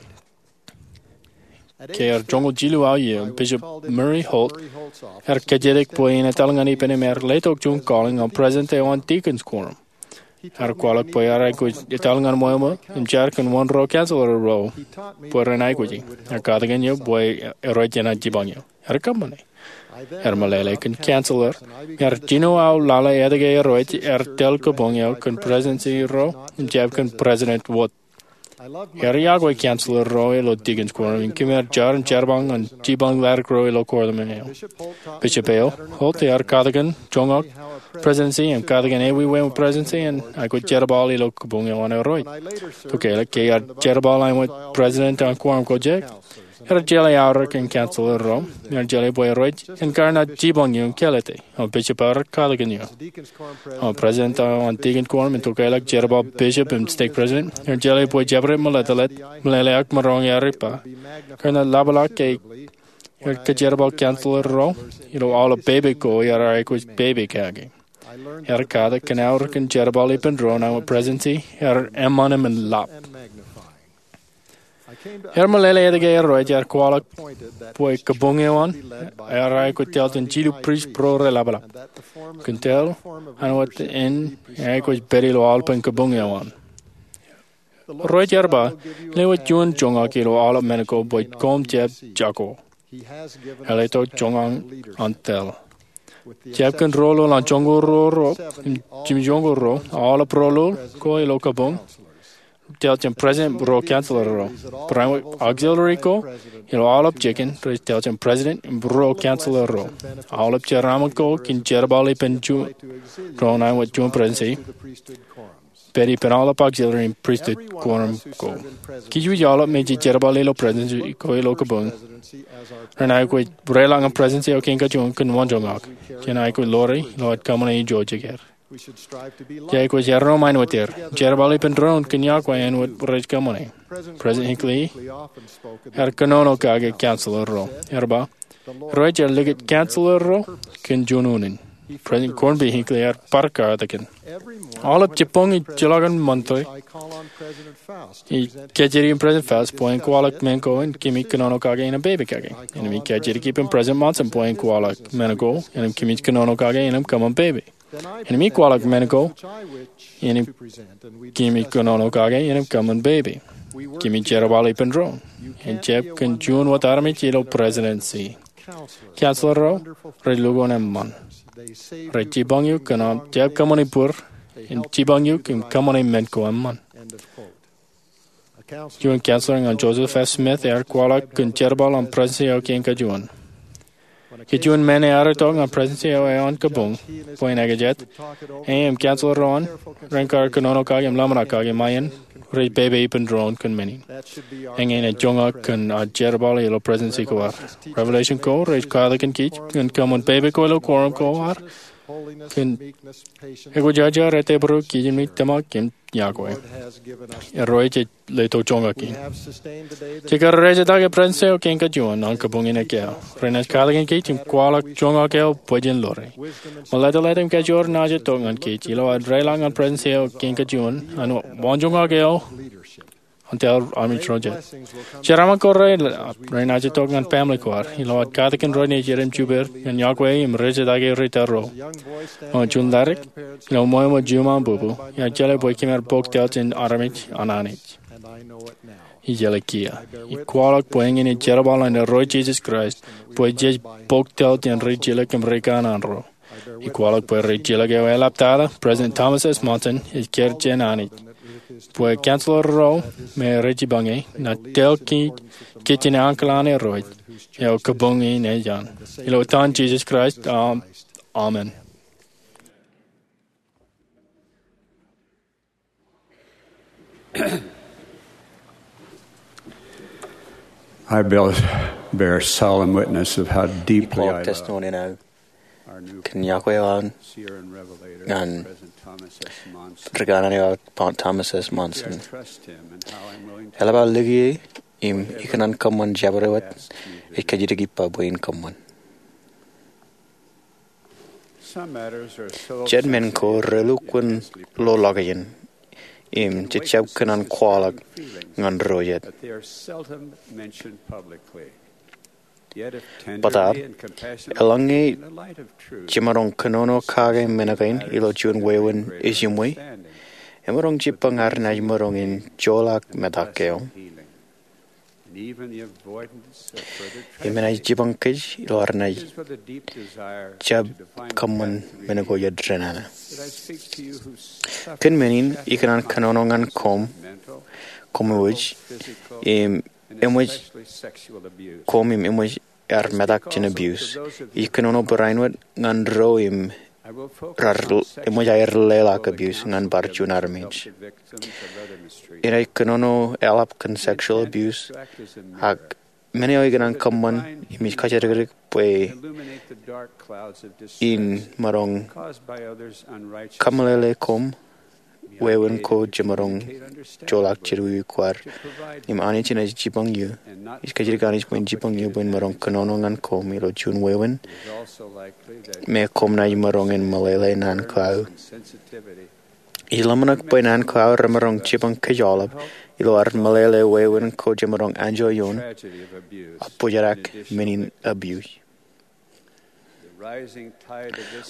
Ke ear joñoul jilu aō iiō, Bishop Murray Holt ear kōjatdikdik bwe en etal ñan ippān im ear letok juon calling an president eo an deacons quorum. Ear kwaḷọk bwe ear aikuj etal ñan ṃweo ṃōk im jar kōn wōn ruo councilor ro bwe ren aikuji. Ear katakin eō bwe eruj enaaj jipañ eō. Ear kōṃṃane. Ear meḷeḷe kōn councilor im ear jino aō lale etke eruj ear tōl kabuñ eo kōn presidency ro im jab kōn President Wood. Ear iọkwe councilor ro ilo deacons quorum im kōm ar jar im jerbal ñan jipañ ḷadik ro ilo quorum eo. Bishop eo, Holt, ear katakin joñak presidency im katakin ewi wāween presidency en aikuj jerbal ilo kabuñ eo an eruj. Tokālik ke ear jerbal āinwōt president an quorum ko jek, ear jeḷā aorōk in councilor ro im ear jeḷā bwe eruj en kar naaj jipañ eō im kālōte. Im bishop eo ear katakin eō. Im president eo an deacon quorum im tokālik jerbal bishop im stake president, ear jeḷā bwe jabdewōt meḷeḷe, meḷeḷeak maroñ ear ippā, kar naaj ḷapḷọk ke ear kajerbal councilor ro ilo aolep pepe ko ear aikuj pepe kake. Ear katakin aorōk in jerbal ippān doon āinwōt presidency ear eṃṃan im en ḷap. Ear meḷeḷe etke eruj ear kwaḷọk bwe kabuñ eo an ear aikuj tōl jān jilu prist ro reḷapḷap. Kōn tōl āinwōt in ear aikuj pād ilo aolepān kabuñ eo an. Eruj ear ba, lewōj juon joñak ilo aolep men ko bwe koṃ jab jako. Eḷap tok joñak an tōl. Jab kōn rōl an joñoul ruo ro im jimjuonñoul ruo, aolep rōl ko ilo kabuñ tōl jān president ruo councilor ro. Barāinwōt auxiliary ko ilo aolep jikin rej tōl jān president im ruo councilor ro. Aolep jeraaṃṃan ko kōn jerbal ippān juon doon āinwōt juon presidency, pād ippān aolep auxiliary im pristut quorum ko. Kij wōj aolep mejān jerbal ilo presidency ko ilo kabuñ ren aikuj reḷọk ñan presidency eo kein kajuon kōn wōn joñak. Jen aikuj ḷoore ilo ad kōṃṃane ijo jikier. Jej aikuj erreo ṃaanwōt er, jerbal ippān doon kōn iọkwe āinwōt rej kōṃṃane. President Hinckley ear kōnono kake councilor ro. Ear ba, eruj ear likūt councilor ro kōn juon unin. President Gordon B. Hinckley ear bar katakin, aolep jibboñ ijjeḷọkin monte, ij kajjitōk in President Faust bwe en kwaḷọk men ko im kōmij kōnono kake innem pepe kake. Innem ij kajjitōk ippān President Monson bwe en kwaḷọk men ko im kōmij kōnono kake innem kōṃṃan pepe. Innem ij kwaḷọk men ko im kōmij kōnono kake innem kōṃṃan pepe. Kōmij jerbal ippān doon. En jab kōn juon wōt armej ilo presidency. Councilor ro rej lukkuun eṃṃan. Rej jipañ eok kōn aṃ jab kōṃṃane bōd im jipañ eok im kōṃṃane men ko eṃṃan. Juon councilor ñan Joseph F. Smith ear kwaḷọk kōn jerbal an presidency eo kein kajuon. Ke juon men ear itok ñan presidency eo an kabuñ bwe en ekajet, e im councilor ro an ren kar kōnono kake im ḷōmṇak kake ṃae in, rej pepe ippān doon kōn men in. Eñin ej joñak kōn ad jerbal ilo presidency ko ad. Revelation ko rej katakin kij ñan kōṃṃan pepe ko ilo quorum ko ad kōn ekwejaja, ettebōro, kijenmej, tōmak im iọkwe. Eruj ej letok joñak in. Jekar rej ejjitōk presidency eo kein kajuon an kabuñ in ekkā, renaaj katakin kij im kwaḷọk joñak eo bwe jen ḷoore. Meḷeḷe im kajoor naaj itok ñan kij ilo ad reḷọk ñan presidency eo kein kajuon an wōn joñak eo an tōl armej ro jet. Jeraaṃṃan ko reḷap renaaj itok ñan family ko ad ilo ad katakin ro nejid im jibwe ñan iọkwe im rej ejjitōk ri tōl ro. Ṃōk juon ḷadik ilo ṃweo ṃōk juon ṃaan bubu, iar jeḷā bwe kōm ar pok tōl jān armej an Anij. Ij jeḷā kiiō. Ij kwaḷọk bwe eñin ej jerbal an Irooj Jisōs Kraist bwe jej pok tōl jān ri jilōk im ri kanaan ro. Ij kwaḷọk bwe ri jilōk eo eḷaptata, President Thomas S. Monson, ej kar jān Anij, bwe councilor ro me rej jipañ e, naaj tōl kij kōj jān ankilōk an Irooj eo kabuñ in ej an. Ilo etan Jisōs Kraist, amen. I bear, bear solemn witness of how deeply I love testimony now. Kōn iọkwe eo aō ñan ri kanaan eo aō, Thomas S. Monson. Eḷap aō lōke e im ikōṇaan kōṃṃan jabdewōt ej kajjitōk ippa bwe in kōṃṃan. Jet men ko relukkuun loḷọk iien im jejjab kōṇaan kwaḷọk ñan ro jet. Bōtaab, eḷaññe jemaroñ kōnono kake men kein ilo juon wāween ej iṃwe, Emaroñ jibbañ ad naaj maroñ in joḷọk metak eo im enaaj jipañ kōj ilo ad naaj jab kōṃṃan men ko jān renana. Kōn men in ikōṇaan kōnono ñan koṃ, koṃ eo ej, im eṃōj, koṃ im eṃōj ad metak jān abuse. Ij kōnono barāinwōt ñan ro im raar eṃōj aer leḷọk abuse ñan bar juon armej. Inaaj kōnono eḷap kōn sexual abuse, ak men eo ikōṇaan kōṃṃan im ij kajjidikdik bwe in maroñ kameḷeḷe koṃ wāween ko jemaroñ joḷọk jān wiwik ko ad. Im Anij enaaj jipañ eō. Ij kajjidikdik Anij bwe en jipañ eō bwe en maroñ kōnono ñan koṃ ilo juon wāween me koṃ naaj maroñ in meḷeḷe naan ko aō. Ij ḷōmṇak bwe naan ko aō remaroñ jipañ kōj aolep ilo ad meḷeḷe wāween ko jemaroñ anjọ ioon ak bōjrak men in abuse.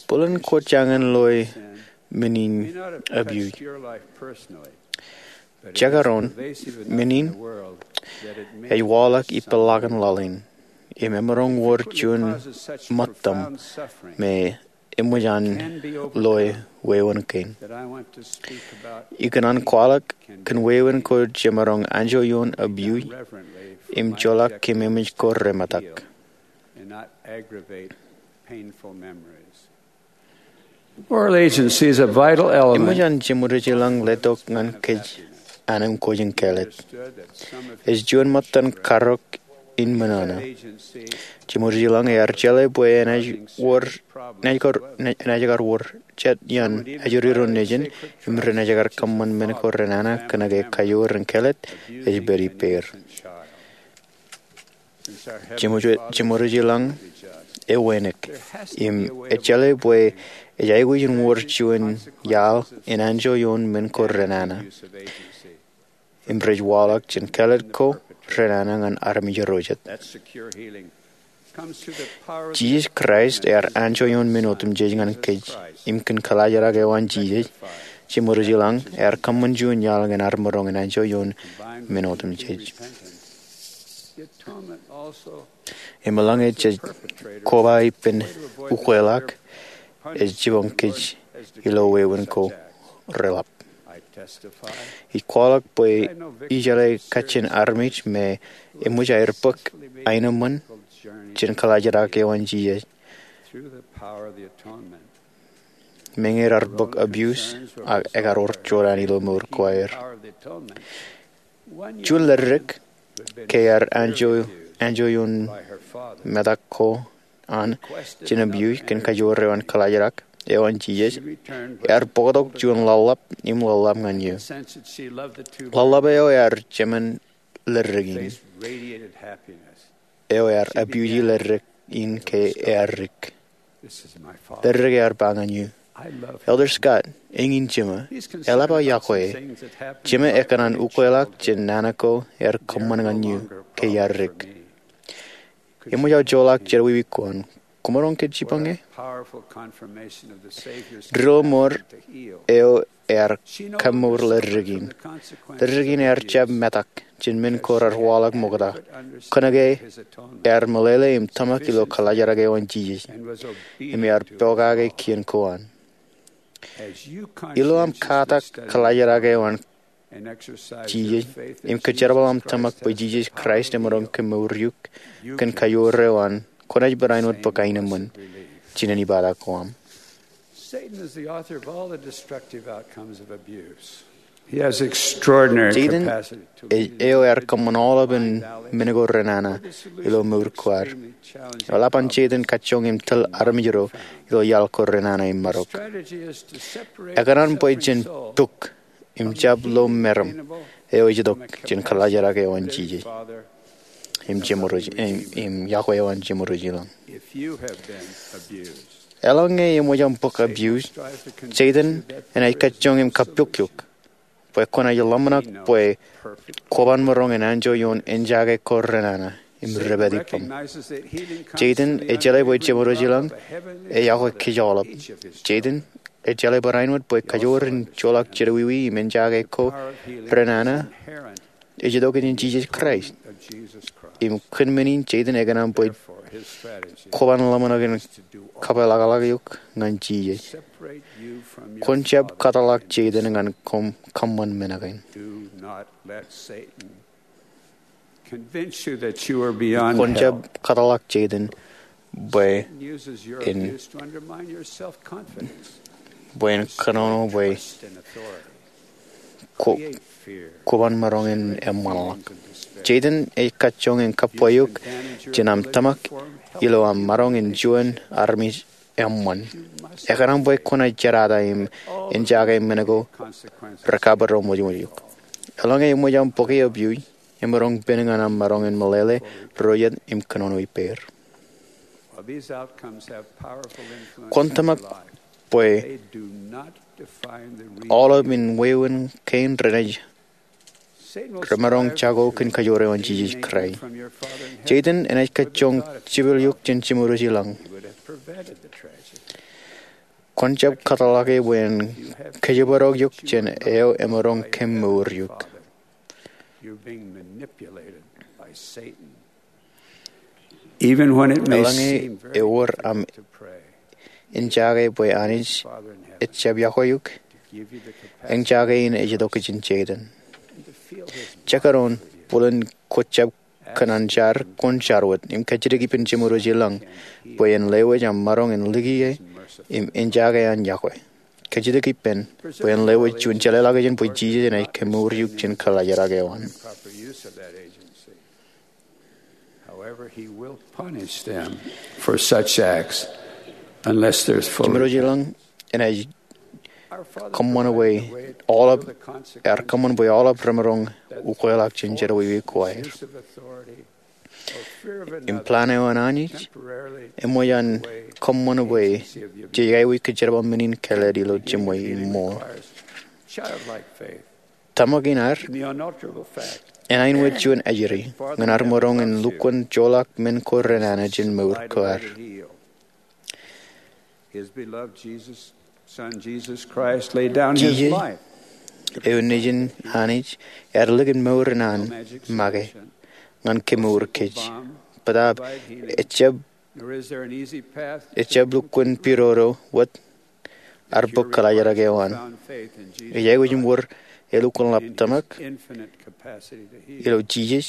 Bōlen kwō jañin loe men in abuse. Jekdọọn, men in ej waḷọk ipeḷḷọk in laḷ in, im emaroñ wōr juon ṃōttam me eṃōj an loe wāween kein. Ikōṇaan kwaḷọk kōn wāween ko jemaroñ anjọ ioon abuse im joḷọk kōm eṃōj ko remetak. Moral agency is a vital element. Eṃōj an jeṃōj ilañ letok ñan kōj an im kwōj in kāālōt. Ej juon ṃōttan karōk in men ṇe. Jeṃōj ilañ ear jeḷā bwe enaaj wōr, enaaj kar, enaaj kar wōr jet iaan ajri ro nejin im renaaj kar kōṃṃan men ko renana kōnke kajoor in kāālōt ej pād ippāer. Jeṃōj, jeṃōj ilañ ewānōk im ejeḷā bwe ej aikuj in wōr juon iaḷ in anjọ ioon men ko renana im rej waḷọk jān kāālōt ko renana ñan armej ro jet. Jisōs Kraist ear anjọ ioon men otemjej ñan kōj, im kōn kaḷajrak eo an Jisōs, jeṃōj ilañ ear kōṃṃan juon iaḷ ñan ad maroñ in anjọ ioon men otemjej. Im eḷaññe jej koba ippān ukweḷọk, ej jipañ kōj ilo wāween ko reḷap. Ij kwaḷọk bwe ijeḷā kajjien armej me eṃōj aer bōk aenōṃṃan jān kaḷajrak eo an Jisōs. Meñe raar bōk abuse, ak ekar wōr jorrāān ilo mour ko aer. Juon ledik, ke ear anjọ, anjọ ioon metak ko an jān abuse kōn kajoor eo an kaḷajrak eo an Jisōs, ear bōktok juon ḷōḷḷap im ḷōḷḷap ñan eō. Ḷōḷḷap eo ear jemān ledik in. Eo ear abuse ledik in ke ear dik. Ledik ear ba ñan eō, Elder Scott, eñin jema. Eḷap aō yokwe e. Jema ekōṇaan ukweḷọk jān nana ko ear kōṃṃan ñan eō ke iar dik. Eṃōj aō joḷọk jerọwiwi ko an. Kwōmaroñ ke jipañ e? Drilọk eo ear kaṃṃour ledik in. Ledik in ear jab metak jān men ko raar waḷọk ṃokta. Kōnke ear meḷeḷe im tōmak ilo kaḷajrak eo an Jisōs im ear pokake kien ko an. Ilo aṃ katak kaḷajrak eo an Jisōs im kōjerbal aṃ tōmak bwe Jisōs Kraist emaroñ kemour eok kōn kajoor eo an, kwōnaaj barāinwōt bōk aenōṃṃan jān ānbata ko aṃ. Satan is the author of all the destructive outcomes of abuse. He has extraordinary Satan capacity to ej eo ear kōṃṃan aolepān men ko renana ilo mour ko ad. Eḷap an Satan kajjoñ im tōl armej ro ilo iaḷ ko renana im marok. Strategy is to separate Ekōṇaan bwe jen pok im jab lo meram eo ej itok jān kaḷajrak eo an Jisōs im jeṃōj, im, im yokwe eo an jeṃōj ilañ. Eḷaññe eṃōj aṃ bōk abuse, Satan enaaj kajjoñ im kappok eok bwe kwōnaaj ḷōmṇak bwe kwōban maroñ in anjọ ioon eñjake ko renana im depād ippaṃ. Satan ejeḷā bwe jeṃōj ilañ eyokwe kōj aolep. Satan Ejjeḷọk barāinwōt bwe kajoor in joḷọk jerọwiwi im enjake ko renana ej itok jān Jisōs Kraist. Im kōn men in Setan ekōṇaan bwe kwōban ḷōmṇak in kapeḷḷọk eok ñan Jisōs. Kwōn jab kōtḷọk Setan ñan kōṃṃan men kein. Kwōn jab kōtḷọk Setan bwe en, bwe en kōnono bwe kwō, kwōban maroñ in eṃṃanḷọk. Setan ej kajjoñ in kappweok jān aṃ tōmak ilo aṃ maroñ in juon armej eṃṃan. Ekōṇaan bwe kwōnaaj jerata im enjake men ko rekapedo ṃōjṃōj eok. Eḷaññe eṃōj aṃ bōke opioid, emaroñ pen ñan aṃ maroñ in meḷeḷe, rojet im kōnono ippāer. Kwōn tōmak bwe aolep in wāween kein renaaj remaroñ jako kōn kajoor eo an Jisōs Kraist. Setan enaaj kajjoñ jepel eok jān Jemedwōj ilañ. Kwōn jab kōtḷọk e bwe en kōjepwedok eok jān eo emaroñ kōm mour eok. Eḷaññe ewōr aṃ enjake bwe Anij ejjab yokwe eok, enjake in ej itok jān Setan. Jekdọọn bōlen kwō jab kōṇaan jar, kwōn jar wōt im kajjitōk ippān Jemedwōj ilañ bwe en lewōj aṃ maroñ in likiki e im enjake an yokwe. Kajjitōk ippān bwe en lewōj juon jeḷāḷọkjeṇ bwe Jisōs enaaj kemour eok jān kōḷaajrak eo an. Jemedwōj ilañ enaaj kōṃṃan bwe aolep, ear kōṃṃan bwe aolep remaroñ ukweḷọk jān jerọwiwi ko aer. Im plan eo an Anij eṃōj an kōṃṃan bwe jej aikuj kōjerbal men in kāālōt ilo jiṃwe im ṃool. Tōmak in ad enaaj wōt juon ajri ñan ad maroñ in lukkuun joḷọk men ko renana jān mour ko ad. Jisōs, eo nejin Anij, ear likin mour in an make ñan kemour kōj. Bōtaab ejjab, ejjab lukkuun pidodo wōt ad bōk kōḷaajrak eo an. Ej aikuj im wōr elukkuun ḷap tōmak ilo Jisōs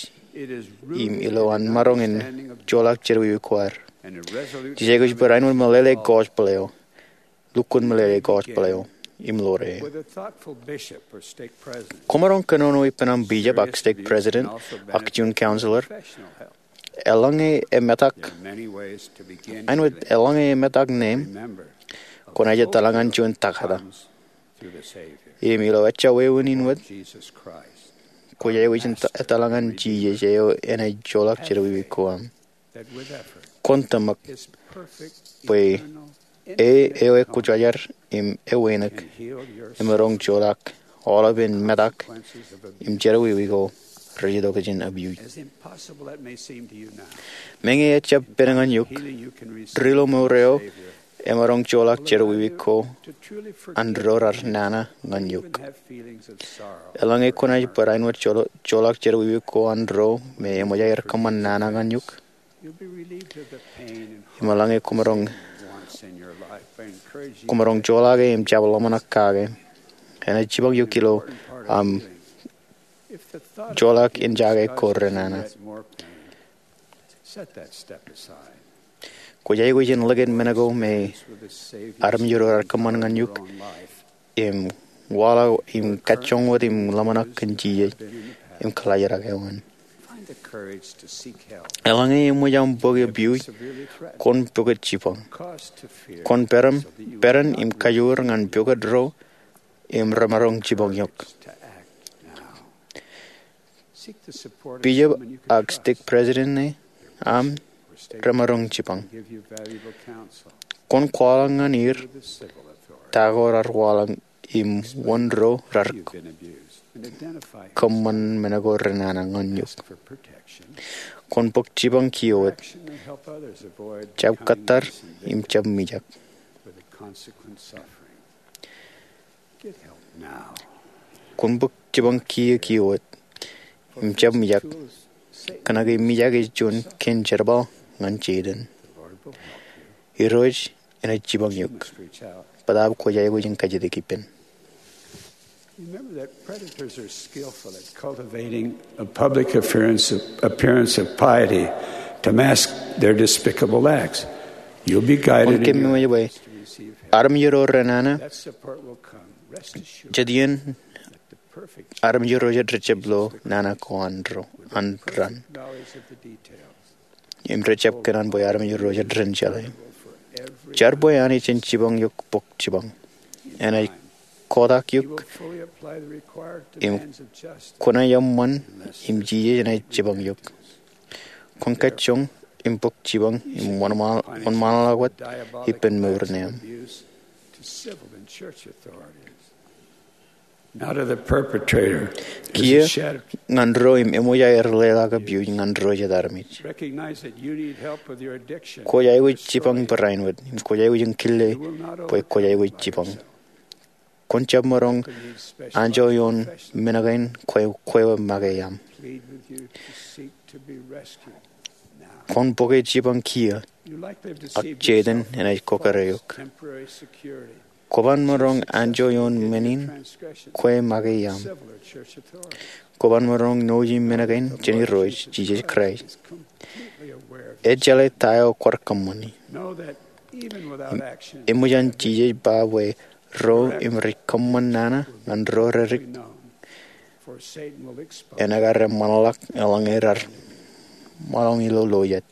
im ilo an maroñ in joḷọk jerọwiwi ko ad. Jej aikuj barāinwōt meḷeḷe gospel eo, lukkuun meḷeḷe gospel eo im ḷoor e. Kwōmaroñ kōnono ippān aṃ bishop ak stake president ak juon counselor. Eḷaññe emetak, āinwōt eḷaññe emetak neeṃ, kwōnaaj etal ñan juon takata. Im ilo ejja wāween in wōt, kwōj aikuj in etal ñan Jisōs eo enaaj joḷọk jerọwiwi ko aṃ. Kwōn tōmak bwe e eo ekwōjarjar im ewānōk emaroñ joḷọk aolepen metak im jerọwiwi ko rej itok jān opioid. Meñe ejjab pen ñan eok, ri-lo mour eo emaroñ joḷọk jerọwiwi ko an ro rar nana ñan eok. Eḷaññe kwōnaaj barāinwōt joḷọk jerọwiwi ko an ro me eṃōj aer kōṃṃan nana ñan eok, im eḷaññe kwōmaroñ, kwōmaroñ joḷọk e im jab ḷōmṇak kake, enaaj jipañ eok ilo aṃ joḷọk enjake ko renana. Kwōj aikuj in likin men ko me armej ro rar kōṃṃan ñan eok im waḷọk im kajjoñ wōt im ḷōmṇak kōn Jisōs im kōḷaajrak eo an. Eḷaññe eṃōj aṃ bōk opioid, kwōn pukot jipañ. Kwōn peran, peran im kajoor ñan pukot ro im remaroñ jipañ eok. Bishop ak stake president eo aṃ remaroñ jipañ. Kwōn kwaḷọk ñan er ta ko rar waḷọk im wōn ro rar kōṃṃan men ko renana ñan eok. Kwōn bōk jipañ kiiō wōt. Jab kōttar im jab mijak. Kwōn bōk jipañ kiiō kiiō wōt im jab mijak. Kōnke mijak ej juon kein jerbal ñan Jayden. Irooj enaaj jipañ eok. Bōtaab kwōj aikuj in kajjitōk ippān. Remember that predators are skillful at cultivating a public appearance of, appearance of piety to mask their despicable acts. You'll be guided. Kwōn keememej bwe armej ro renana jet iien armej ro jet rejjab lo nana ko an ro an ran. Im rejjab kōṇaan bwe armej ro jet ren jeḷā. Jar bwe Anij en jipañ eok bōk jipañ. Enaaj kotak eok im kwōnaaj eṃṃan im Jisōs enaaj jipañ eok. Kwōn kajjoñ im bōk jipañ im wōnṃaanḷọk wōt ippān mour ṇe aṃ. Kiiō ñan ro im eṃōj aer leḷọk abuse ñan ro jet armej. Kwōj aikuj jipañ barāinwōt im kwōj aikuj in kile bwe kwōj aikuj jipañ. Kwōn jab maroñ anjọ ioon men kein kwe, kwe make iaṃ. Kwōn bōke jipañ kiiō, ak Jayden enaaj kōkare eok. Kwōban maroñ anjọ ioon men in kwe make iaṃ. Kwōban maroñ ṇooji men kein jān Irooj Jisōs Kraist. Ej jeḷā ta eo kwaar kōṃṃani. Im eṃōj an Jisōs ba bwe ro im rej kōṃṃan nana ñan ro redik, en ekkar eṃṃanḷọk eḷaññe raar ṃōḷañ ilo lojet.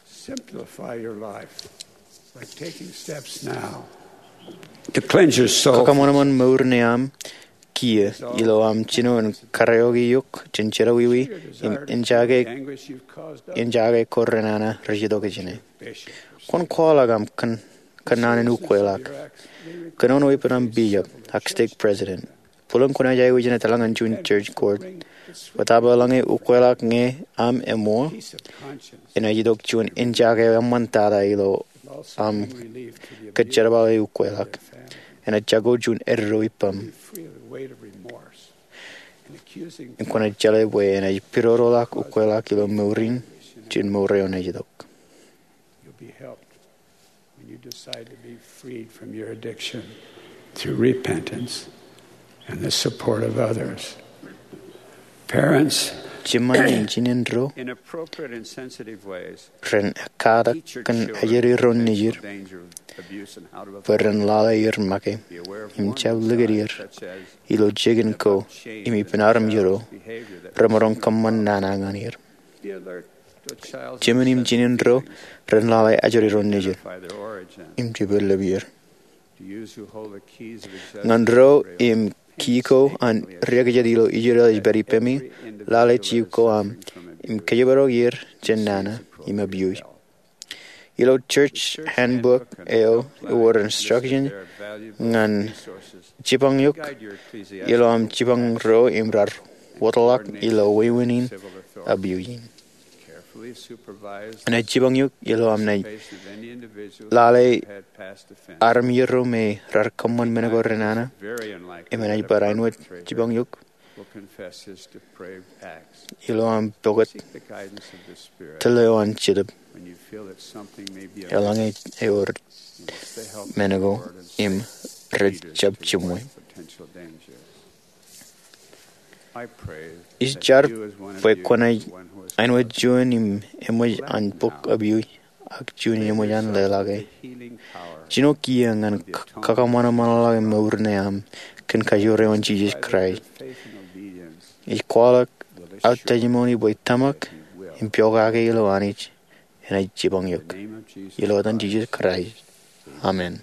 Simplify your life by taking steps now to cleanse your soul. Kakaṃanṃan mour ṇe aṃ kiiō ilo aṃ jino in kariōki eok jān jerọwiwi im enjake, enjake ko renana rej itok ijin. Kwōn kwaḷọk aṃ kōn, kōnnaan in ukweḷọk. Kōnono ippān aṃ bishop ak stake president. Bōlen kwōnaaj aikuj in etal ñan juon church court. Bōtaab eḷaññe ukweḷọk ñe aṃ eṃool, enaaj itok juon enjake eṃṃantata ilo aṃ kōjerbale ukweḷọk. Enaaj jako juon eddo ippaṃ. Im kwōnaaj jeḷā bwe enaaj pidodoḷọk ukweḷọk ilo mour in jān mour eo enaaj itok. You'll be helped when you decide to be freed from your addiction through repentance and the support of others. Parents, jiṃṃan in jinen ro in appropriate and sensitive ways, ren ekkatak kōn ajri ro nejid bwe ren lale er make im jab likūt er ilo jikin ko im ippān armej ro remaroñ kōṃṃan nana ñan er. Jiṃṃan im jinen ro ren lale ajri ro nejid im jepel lepāer. Ñan ro im kii ko an riekjet ilo Israel ej pād ippemi, lale jip ko aṃ im kōjparok er jān nana im abuse. Ilo church handbook eo ewōr instruction ñan jipañ eok ilo aṃ jipañ ro im raar wōtlọk ilo wāween in abuse in. Enaaj jipañ eok ilo aṃ naaj lale armej ro me raar kōṃṃan men ko renana im enaaj barāinwōt jipañ eok ilo aṃ pukot tōl eo an Jetōb eḷaññe ewōr men ko im rej jab jiṃwe. Ij jar bwe kwōnaaj āinwōt juon im eṃōj an bōk abuse ak juon eṃōj an leḷọke. Jino kiiō ñan k-, kakaṃanṃanḷọke mour ṇe aṃ kōn kajoor eo an Jisōs Kraist. Ij kwaḷọk aō testimony bwe tōmak im pokake ilo Anij enaaj jipañ eok. Ilo etan Jisōs Kraist. Amen.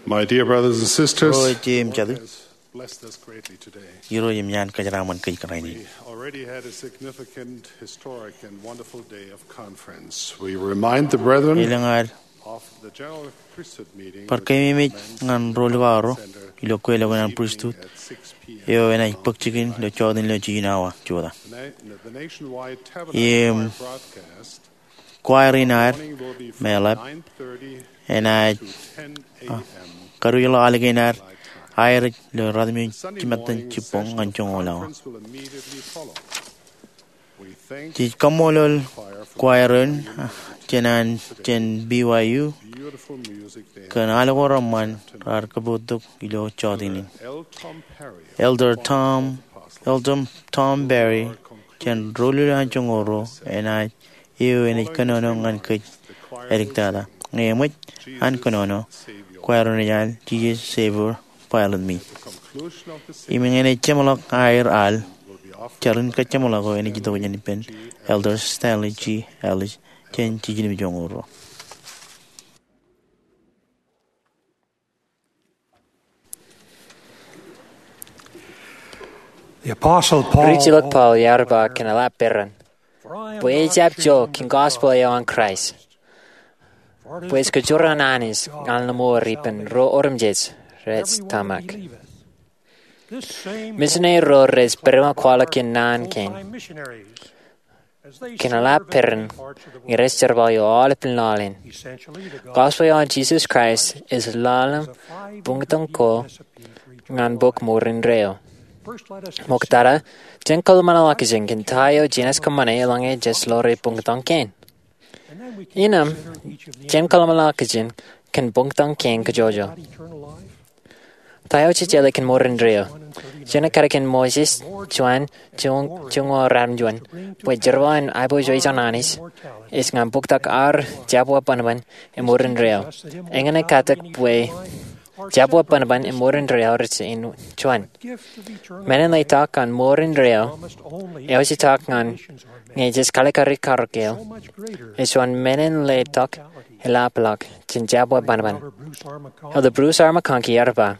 My dear brothers and sisters, Ro eo im jatū, blessed us greatly today. Irooj im iaan kōjeraaṃṃan kōj kōrā in. We already had a significant, historic, and wonderful day of conference. We remind the brethren Elōñ ad of the general priesthood meeting bar keememej ñan ro likao ro ilo kweilọk in an pristut eo enaaj bōk jikin ilo jota in ilo jiljino awa jota. The na-, the nationwide Tabernacle Choir broadcast Choir in aer im eḷap enaaj karuj ḷọk alikkar aer ilo ratimjuon jimattan jibboñ ñan joñoul awa. Jej kaṃṃoolol choir in jān an jān B Y U kōn al ko reṃṃan raar kōpooj tok ilo jota in. Elder Tom, Elder Tom Perry jān ro lule an joñoul ruo enaaj eo enaaj kōnono ñan kōj āliktata. Ñe eṃōj an kōnono, choir in enaaj al Jesus Savior Pilot Me. Im ñe enaaj jeṃḷọk aer al, jar in kōjeṃḷọk eo enaaj itok jān ippān Elder Stanley G. Ellis jān jiljino im joñoul ruo. Rijilōk Paul ear ba kōn eḷap peran, bwe ejjab jo kōn gospel eo an Kraist, bwe ej kōjro an Anij ñan mour ippān ro otemjej rej tōmak. Misineri ro rej pedped im kwaḷọk iien naan kein kōn eḷap peran ñe rej jerbal ilo aolepān laḷ in. Gospel eo an Jesus Christ ej laḷ im buñtōñ ko ñan bok Morinreio. Ṃokta, jen kōḷmānḷọkjeṇ kōn ta eo jenaaj kōṃṃane eḷaññe jej ḷoori buñtōñ kein. Innām, jen kōḷmānḷọkjeṇ kōn buñtōñ kein kajjojo. Ta eo jej jeḷā kōn Morinreio? Jen ekkar kōn Moses juon, juon, juon, ratimjuon, bwe jerbal in aiboojoj an Anij ej ñan bōktak ad jabdewōt bōnbōn im Morinreio. Eñin ej katak bwe jabdewōt bōnbōn im Morinreio rej juon. Men in letok an Morinreio, eo ej itok ñan ñe jej kalikkar karōk eo, ej juon men in letok eḷapḷọk jān jabdewōt bōnbōn. Elder Bruce R. McConkie ear ba,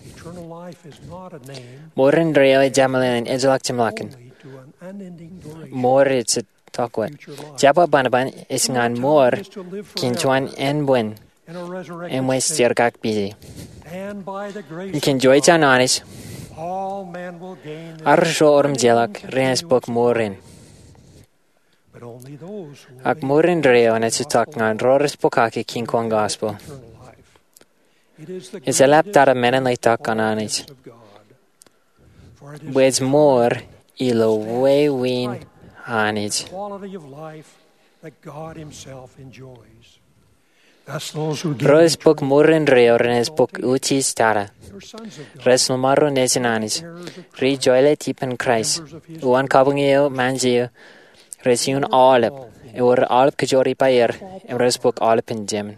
Morinreio ejjab meḷeḷe in ejjeḷọk jeṃḷọkin. Mour ej jab wōt. Jabdewōt bōnbōn ej ñan mour kōn juon ānbwin im ej jerkakpeje. Im kōn juon ijo an Anij, arro otemjeḷọk renaaj bōk mour in. Ak Morinreio enaaj itok ñan ro rej bōkake kiiñ ko an gospel. Ej eḷaptata men in letok an Anij, bwe ej mour ilo wāween Anij. Ro rej bōk Morinreio renaaj bōk utiej tata. Rej ḷōṃaro nejin Anij, ri-joḷọk ippān Kraist, uwaan kabuñ eo im anjeo, rej iuṃwin aolep, ewōr aolep kōjro ippāer, im rej bōk aolepān Jemān.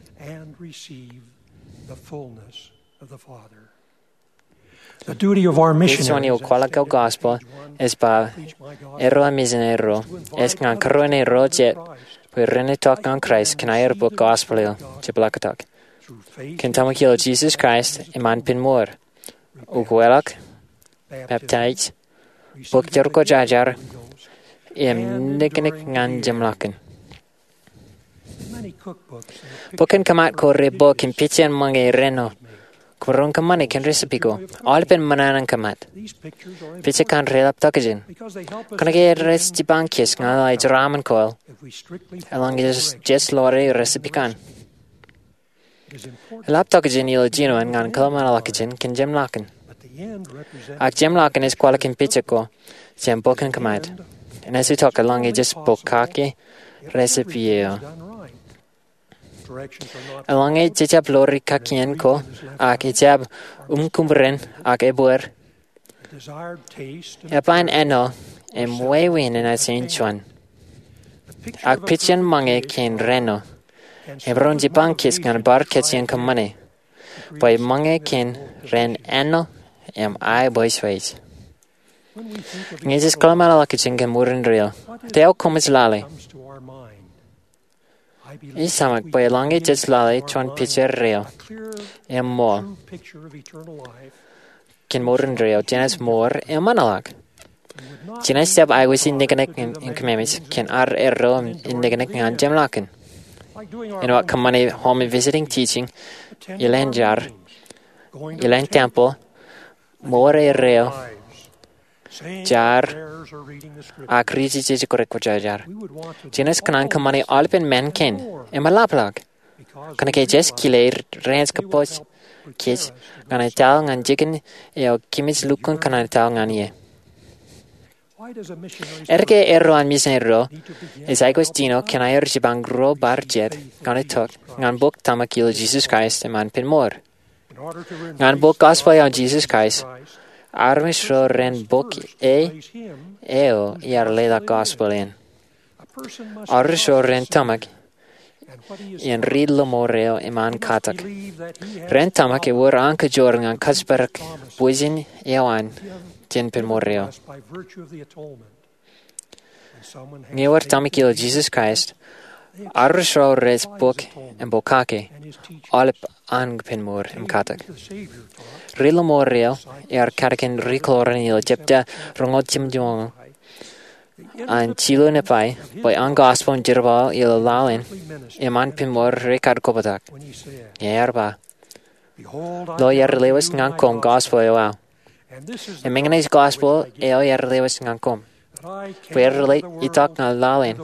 Ej juon eo kwaḷọk eo gospel ej ba, erro misineri ro, ej ñan kōrā ro jet bwe ren itok ñan Kraist kōn aer bōk gospel eo jepḷaaktok. Kōn tōmak ilo Jesus Christ im an pen mour, ukweḷọk, peptaij, bōk jerkọjajar, im niknik ñan jeṃḷọkin. Bok in kōṃṃan ko rej bōk im pejin ṃōñā reno, kōmro kōṃṃane kōn recipe ko, aolepān ṃōṇōṇō in kōṃṃan. Pejek kaṇ rej eḷap tokjān. Kōnke rej jipañ kōj ñan ej raṃṃan ko eḷaññe jej ḷoori recipe kaṇ. Eḷap tokjān ilo jinoin ñan kōḷmānḷọkjeṇ kōn jeṃḷọkin. Ak jeṃḷọkin ej kwaḷọk in pejek ko jān bok in kōṃṃan. Enaaj itok eḷaññe jej bōk kake recipe eo. Eḷaññe jejjab ḷoori kakien ko, ak ejjab uñkuṃ ren, ak ebōd, eban āinwōt im wāween enaaj juon. Ak pejin ṃōñā kein reno, im ren jipañ kōj ñan bar kōj in kōṃṃane, bwe ṃōñā kein ren āinwōt im aiboojoj. Ñe jej kōḷmānḷọkjeṇ kōn Morinreio, ta eo koṃij lale? Ij tōmak bwe eḷaññe jej lale juon picture reo im ṃool kōn Morinreio, jenaaj mour im ṃōṇōṇō. Jenaaj jab aikuji niknik in kōmemej kōn ad erro in niknik ñan jeṃḷọkin. Āinwōt kōṃṃane home visiting teaching, ilān jar, ilān tempeḷ, mour erreo, jar, ak ri-jejjet kwōjarjar. Jenaaj kōṇaan kōṃṃani aolepen men kein im eḷapḷọk kōnke jej kile renaaj kōpooj kōj ñan etal ñan jikin eo kōmij lukkuun kōṇaan etal ñan ie. Etke erro an misineri ro ej aikuj jino kōn aer jipañ ruo bar jet ñan itok ñan bok tōmak ilo Jesus Christ im an pen mour? Ñan bok gospel eo an Jesus Christ, armej ro ren bok e eo iar leḷọk gospel in. Armej ro ren tōmak in ri-lọmọọr eo im an katak. Ren tōmak ewōr an kajoor ñan kōjparok bwijin eo an jān pen mour eo. Ñe eor tōmak ilo Jesus Christ, armej ro rej bōk im pokake aolep an pen mour im katak. Ri-lọmọọr eo ear kadkōn ri-kōḷmānḷọk ilo jepta roñoul jimjuon an jilu nepai bwe an gospel im jerbal ilo laḷ in im an pen mour rekar kobatok. Ñe ear ba, lo, iar lewōj ñan koṃ gospel eo aō. Im eñin ej gospel eo iar lewōj ñan koṃ, bwe ren itok ñan laḷ in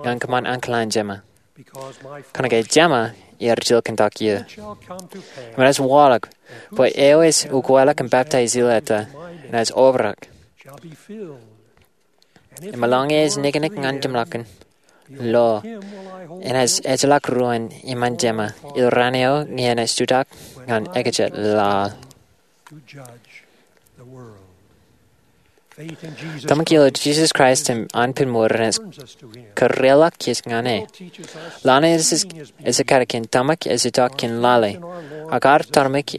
ñan kōṃṃan ankilaan Jema. Kōnke Jema iar jilkintok eō. Im enaaj waḷọk bwe eo ej ukweḷọk im baptize ilo eta enaaj obrak. Im eḷaññe ej niknik ñan jeṃḷọkin, lo, enaaj ejjeḷọk ruōn iṃaan Jema ilo raan eo ñe enaaj jutak ñan ekajet laḷ. Tōmak ilo Jesus Christ im an pen mour enaaj kōrreoḷọk kōj ñan e. Laḷ in ej kadkōn tōmak ej itok kōn lale, ak ad tōmak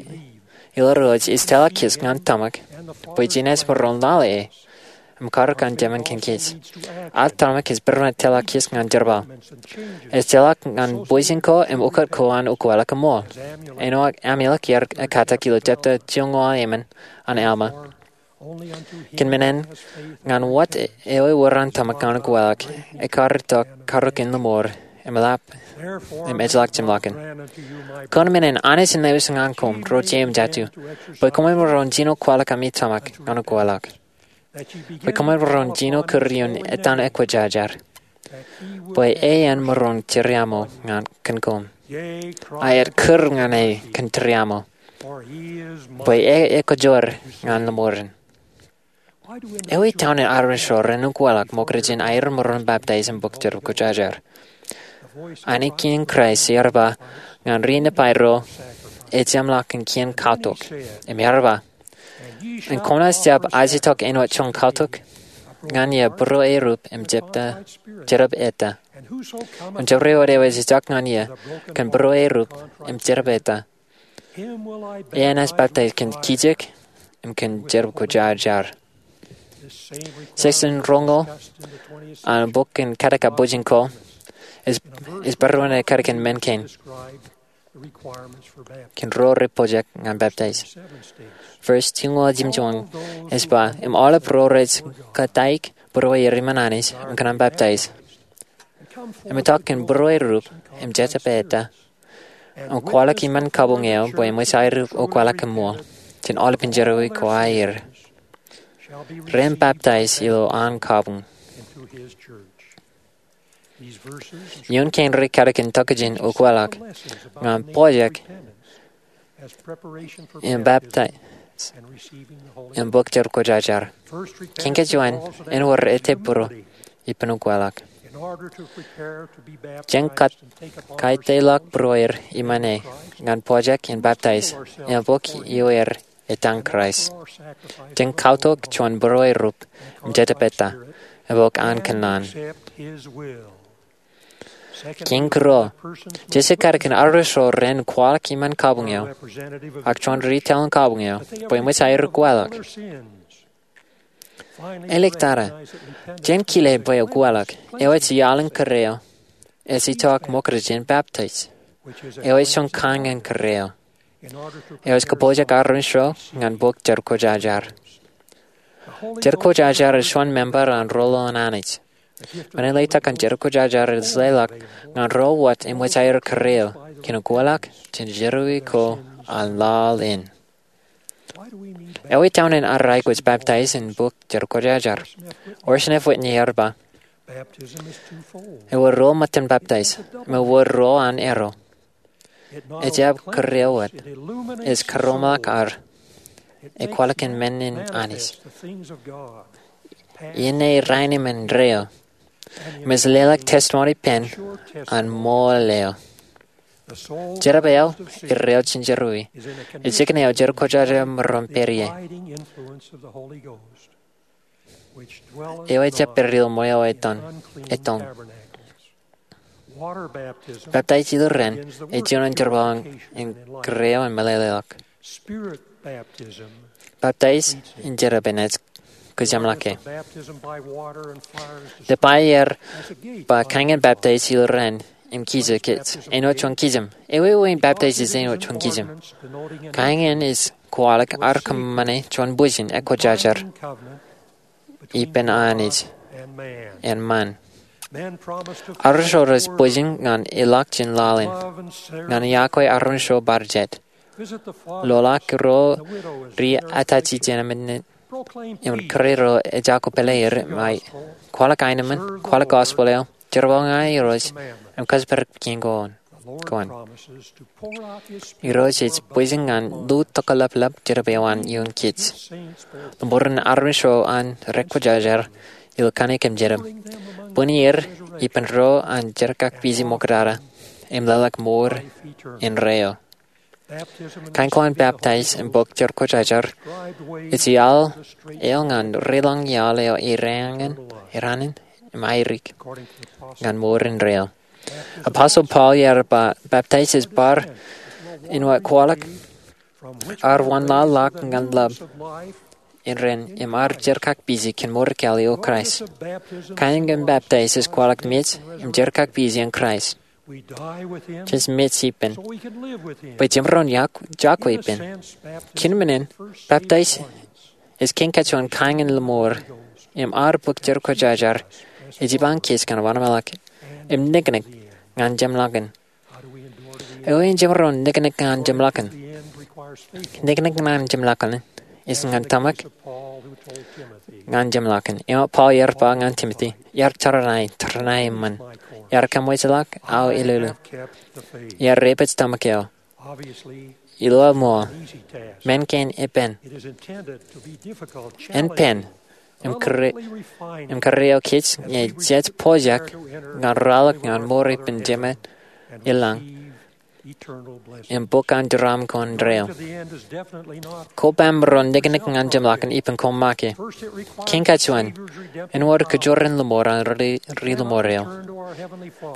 ilo Irooj ej tōmak kōj ñan tōmak bwe jenaaj maroñ lale e im karōk an Jema kōn kōj. Ad tōmak ej peran tōmak kōj ñan jerbal. Ej tōmak ñan bwijin ko im ukōt ko an ukweḷọk ṃool. Āinwōt Amulek ear katak ilo jepta joñoul emān an Alma, kōn men in, ñan wōt eo ewōr an tōmak ñan ukweḷọk, ekkar itok karōk in lọmọọr im eḷap im ejjeḷọk jeṃḷọkin. Kōn men in Anij enaaj wōj ñan koṃ ro jeiū im jatū, bwe koṃwin maroñ jino kwaḷọk ami tōmak ñan ukweḷọk, bwe koṃwin maroñ jino kūr ioon etan ekwōjarjar, bwe e en maroñ tūriaṃo ñan kōn koṃ. Aet kūr ñan e kōn tūriaṃo, bwe e ekkajoor ñan lọmọọren. Ewi townin armej ro ren ukweḷọk ṃokta jān aer maroñ baptize im bōk jerbal kwōjarjar? Anij in Kraist ear ba ñan ri-nepai ro, ej jeṃḷọkin kien katok, im ear ba, im kwōnaaj jab ajjetok āinwōt juon katok ñan ie būruō erup im jepta, jerōp eta. Im jabdewōt eo ej itok ñan ie kōn būruō erup im jerōp eta, enaaj baptize kōn kijek im kōn jerbal kwōjarjar. Section roñoul an bok in Kadkabwijin ko ej, ej bar juon ekadkōn men kein kōn ro rej pojak ñan baptize. Verse joñoul jimjuon ej ba, im aolep ro rej kōtaik būruō er iṃaan Anij im kōṇaan baptize, im itok kōn būruō erup im jepta eta, im kwaḷọk iṃaan kabuñ eo bwe eṃōj aer ukweḷọk im ṃool jān aolepen jerọwiwi ko aer, ren baptize ilo an kabuñ. Ioon kein ri kadkōn tokjān ukweḷọk ñan pojak im baptize im bōk jerbal kwōjarjar. Kein kein juon, ewōr ettā būruō ippān ukweḷọk. Jān kaitōḷọk būruō er iṃaan e ñan pojak im baptize im bōk ioer etan Kraist. Jān katok juon būruō erup im jepta eta im bōk an kōnnaan. Kein kūr eo, jej kadkōn armej ro ren kwaḷọk iṃaan kabuñ eo ak juon ri taḷ in kabuñ eo bwe eṃōj aer ukweḷọk. Āliktata, jen kile bwe ukweḷọk eo ej iaḷ in kūr eo ej itok ṃokta jān baptize, eo ej juon kain in kūr eo. Eo ej kōpojak armej ro ñan bōk jerbal kwōjarjar. Jerbal kwōjarjar ej juon member an ro ḷōḷ an Anij. Men in letok an jerbal kwōjarjar ej leḷọk ñan ro wōt eṃōj aer kūr eo kōn ukweḷọk jān jerọwiwi ko an laḷ in. Ewi townin ad aikuj baptaij in bōk jerkwōjarjar? Orson F. Whitney ear ba, ewōr ruo ṃōttan baptaij, im ewōr ruo an arrow. Ejjab kūr eo wōt. Ej karomaak ad. Ej kwaḷọk kōn men in Anij. Iien ṇe rainin im indeeo. Im ej leḷọk testimony pen an ṃool eo. Jerbal eo, erreo jinjeruwi. Ej jikin eo jerkwōjarjar emaroñ pād ie. Eo ejjab pād ilo ṃweo ettoon, ettoon. Baptaij ilo ren ej juon jerbal in kūr eo im meḷeḷeḷọk. Baptaij in jerbal ej kōjeṃḷọke. Lipai ear ba kain in baptaij ilo ren im kijeḷ kōj āinwōt juon kijem. Ewi ewi in baptaij ej āinwōt juon kijem? Kain in ej kwaḷọk ad kōṃṃane juon bwijin ekwōjarjar ippān Anij im ṃaan. Armej ro rej bwijin ñan ilọk jān laḷ in, ñan iọkwe armej ro bar jet, loḷọk ro ri-atachi jān emān, im kūr ro ejako pāle er, im kwaḷọk aenōṃṃan, kwaḷọk gospel eo, jerbal ñan Irooj, im kōjparok pein kōn kōn. Irooj ej bwijin ñan lutōkḷapḷap jerbal eo an ioon kōj. Ḷōṃaro armej ro an rekwōjarjar ilo kaṇe kōm jerbal, bwini er ippān ro an jerkakpeje ṃoktata im leḷọk mour indeeo. Kain ko an baptaij im bōk jerkwōjarjar ej iaḷ eo ñan ri-lañ iaḷ eo eran, eran in im airik ñan mour indeeo. Apostle Paul ear ba baptaij ej bar āinwōt kwaḷọk ad wōnlaḷḷọk ñan ḷap in ren im ad jerkakpeje kōn mour kāāl ilo Kraist. Kain in baptaij ej kwaḷọk mej im jerkakpeje in Kraist. Jej mej ippān bwe jemaroñ iọkwe ippān. Kōn men in, baptaij ej kein kajjojo in kain in ḷōṃaro im ad bōk jerkwōjarjar ej jipañ kōj kōn wōnṃaanḷọk im niknik ñan jeṃḷọkin. Ewi in jemaroñ niknik ñan jeṃḷọkin? Niknik ñan jeṃḷọkin ej ñan tōmak ñan jeṃḷọkin. Eo Paul ear ba ñan Timote, iar tōrnāi, tōrnāi eṃṃan. Iar kōmwejḷọk aō elōlō. Iar rej pād tōmak eo. Ilo aō ṃool, men kein epen, en pen im kūr, im kūr eo kōj ñe jej pojak ñan ralitōk ñan mour ippān Jemān i lañ im bōk an jeraṃ ko indeeo. Kobaṃro niknik ñan jeṃḷọkin ippān koṃ make. Kein kajjojo in, āinwōt kajoor in ḷōṃaro an ri, ri-ḷōṃaro eo.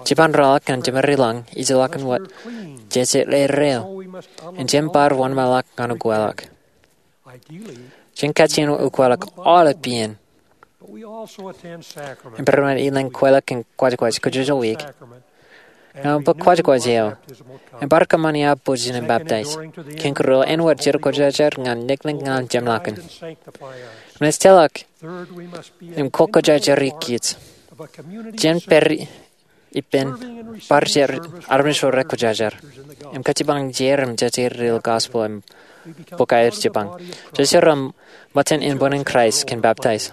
Jipañ ralitōk ñan Jemān i lañ ejjeḷọkin wōt jeje erreo. Im jen bar wōnṃaanḷọk ñan ukweḷọk. Jen kajjien ukweḷọk aolep iien. Im bar wōnṃaan elōñ kweilọk in kwōjkwōj kajjojo wiik ñan bōk kwōjkwōj eo. Im bar kōṃṃani aō bwijin in baptaij. Kein kūr eo āinwōt jerkwōjarjar ñan niknik ñan jeṃḷọkin. Im ej tōmak im kokwōjarjar kōj. Jen pād ippān bar jet armej ro rekwōjarjar im kōjpañ jeid im jejjeid ilo gospel im bōk aer jipañ. Jej ro ṃōttan inboñ in Kraist kōn baptaij.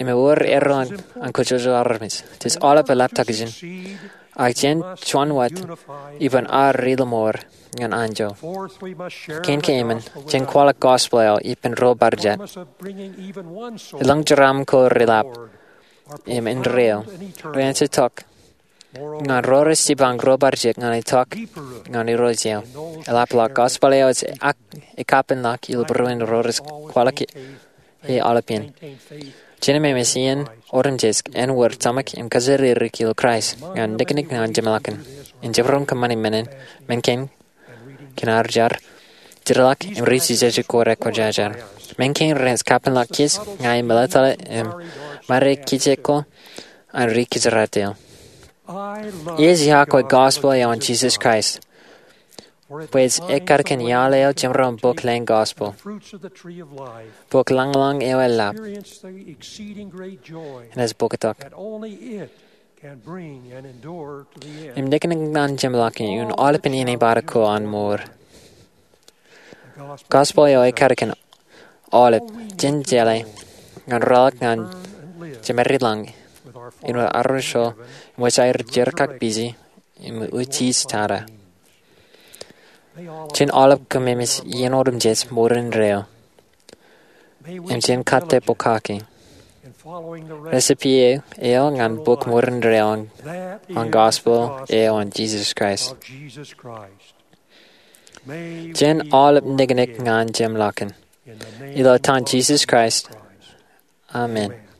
Im ewōr erro an kajjojo armej. Jej aolep eḷap tokjān. Ak jen juon wōt ippān ad ri-ḷōṃaro ñan anjọ. Kein keemān, jen kwaḷọk gospel eo ippān ro bar jet. Elōñ jeraṃ ko reḷap im indeeo, ren itok ñan ro rej jipañ ro bar jet ñan itok ñan Irooj eo. Eḷapḷọk gospel eo ej ak ekapenḷọk ilo būruon ro rej kwaḷọk e aolepān. Jen memes iien otemjej āinwōt tōmak im kōjatdikdik ilo Kraist ñan niknik ñan jeṃḷọkin. Im jemaroñ kōṃṃani men in, men kein kōn ad jar, jeorḷọk im riiti jeje ko rekwōjarjar. Men kein rej kapenḷọk kōj ña ij meḷeḷe im ṃare kijek ko an ri kōjatdikdik. Ij iọkwe gospel eo an Jisōs Kraist bwe ej ekkar kōn iaḷ eo jemaroñ bōk lōñ gospel, bōk lañlōñ eo eḷap, im ej bōktok im niknik ñan jeṃḷọkin ioon aolepān inepata ko an mour. Gospel eo ekkar kōn aolep, jen jeḷā ñan ralitōk ñan Jemedelañ āinwōt armej ro im wōj aer jerkakpeje im utiej tata. Jen aolep kōmemej iien otemjej mour indeeo im jen kōttābōkaki. Recipe eo ñan bok mour indeeo an gospel eo an Jesus Christ. Jen aolep niknik ñan Jemedelañ. Ilo etan Jesus Christ, amen.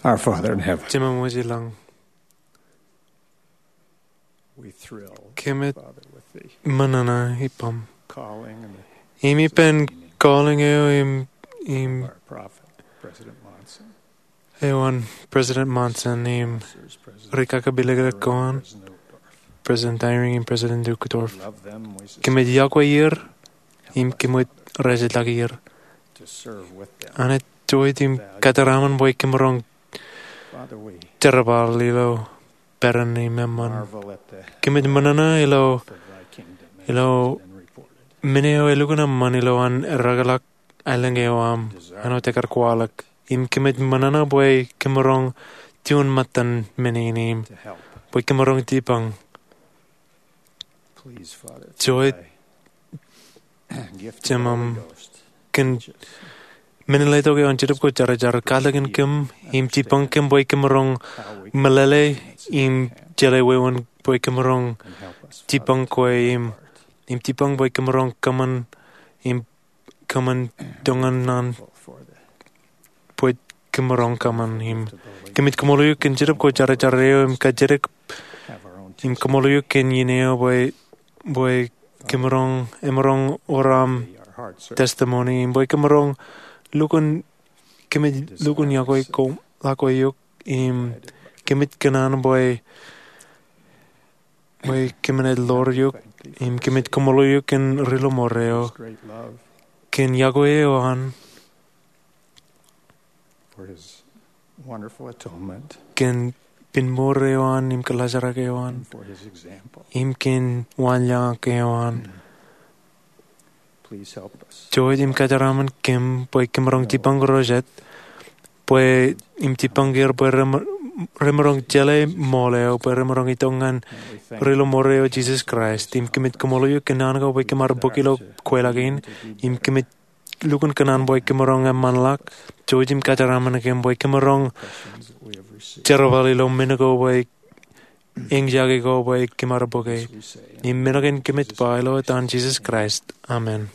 Our Father in heaven, Jemem wōj ilañ, we thrill, kōmij, Father, with the ṃōṇōṇō ippaṃ, calling and the, im ippān calling eo im, im our prophet, President Monson. Āinwōt President Monson im ri kakapileklek ko an, President Eyring im President Uchtdorf, kōmij yokwe er im kōmij rejeḷḷọk er. Anij, ij im kōjeraaṃṃan bwe kōm roñ jerbal ilo peran im eṃṃan. Kōmij ṃōṇōṇō ilo, ilo men eo elukkuun eṃṃan ilo an eddekḷọk aelōñ eo aṃ, āinwōt ekar kwaḷọk. Im kōmij ṃōṇōṇō bwe kōm roñ juon ṃōttan men in im bwe kōm roñ jipañ. Eo, Jemem, kōn men in letok eo an Jetōb Kwōjarjar, katak in kōm im jipañ kōm bwe kōm roñ meḷeḷe im jeḷā wāween bwe kōm roñ jipañ kwe im, im jipañ bwe kōm roñ kōṃṃan im kōṃṃan toñan naan bwe kōm roñ kōṃṃan. Im kōmij kaṃṃoolol eok kōn Jetōb Kwōjarjar eo im kajjitōk, im kaṃṃoolol eok kōn iien eo bwe, bwe kōm roñ, emaroñ wōr aṃ testimony, im bwe kōm roñ lukkuun, kōmij lukkuun yokwe ko, yokwe eok, im kōmij kōṇaan bwe, bwe kōmin ḷoor eok, im kōmij kaṃṃoolol eok kōn ri lọmọọr eo, kōn yokwe eo an, kōn pinmour eo an im kōḷaajrak eo an, im kōn waanjoñak eo an. Eo, im kōjeraaṃṃan kōm bwe kōm roñ jipañ ro jet, bwe im jipañ er bwe rem, remaroñ jeḷā ṃool eo, bwe remaroñ itok ñan ri lọmọọr eo Jisōs Kraist. Im kōmij kaṃṃoolol eok kōn naan ko bwe kōm ar bōk ilo kweilọk in, im kōmij lukkuun kōṇaan bwe kōm roñ eṃṃanḷọk. Eo, im kōjeraaṃṃan kōm bwe kōm roñ jerbal ilo men ko bwe, eñjake ko bwe kōm ar bōke. Im men kein kōmij ba ilo etan Jisōs Kraist. Amen.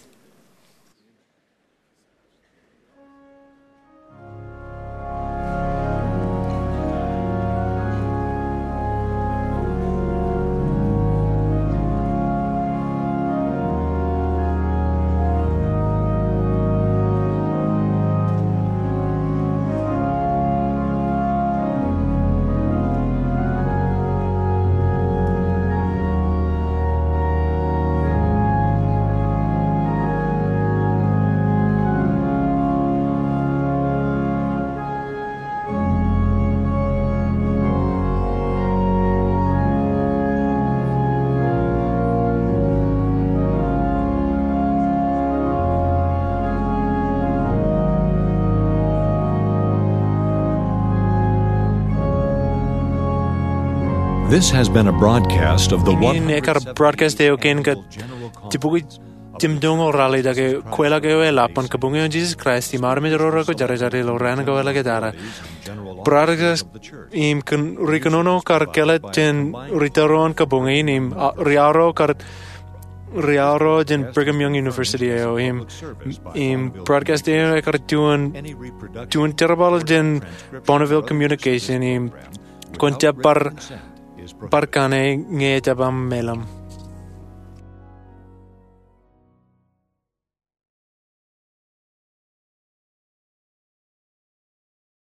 This has been a broadcast of the Innin ekar broadcast eo kein kōn jibukwi jemdoñoul ralitōk ke kweilọk eo eḷap an Kabuñ eo an Jisōs Kraist im armej ro rekwōjarjar ilo raan ko eḷak tata. Broadcast im kōn ri kōnono kar kāālōt jān ri tōro an kabuñ in im, a, ri aorro kar, ri aorro jān Brigham Young University eo im, im broadcast eo ekar juon, juon jerbal jān Bonneville Communication im kwōn jab bar, bar kaṇe ñe ejab aṃ meḷeḷe.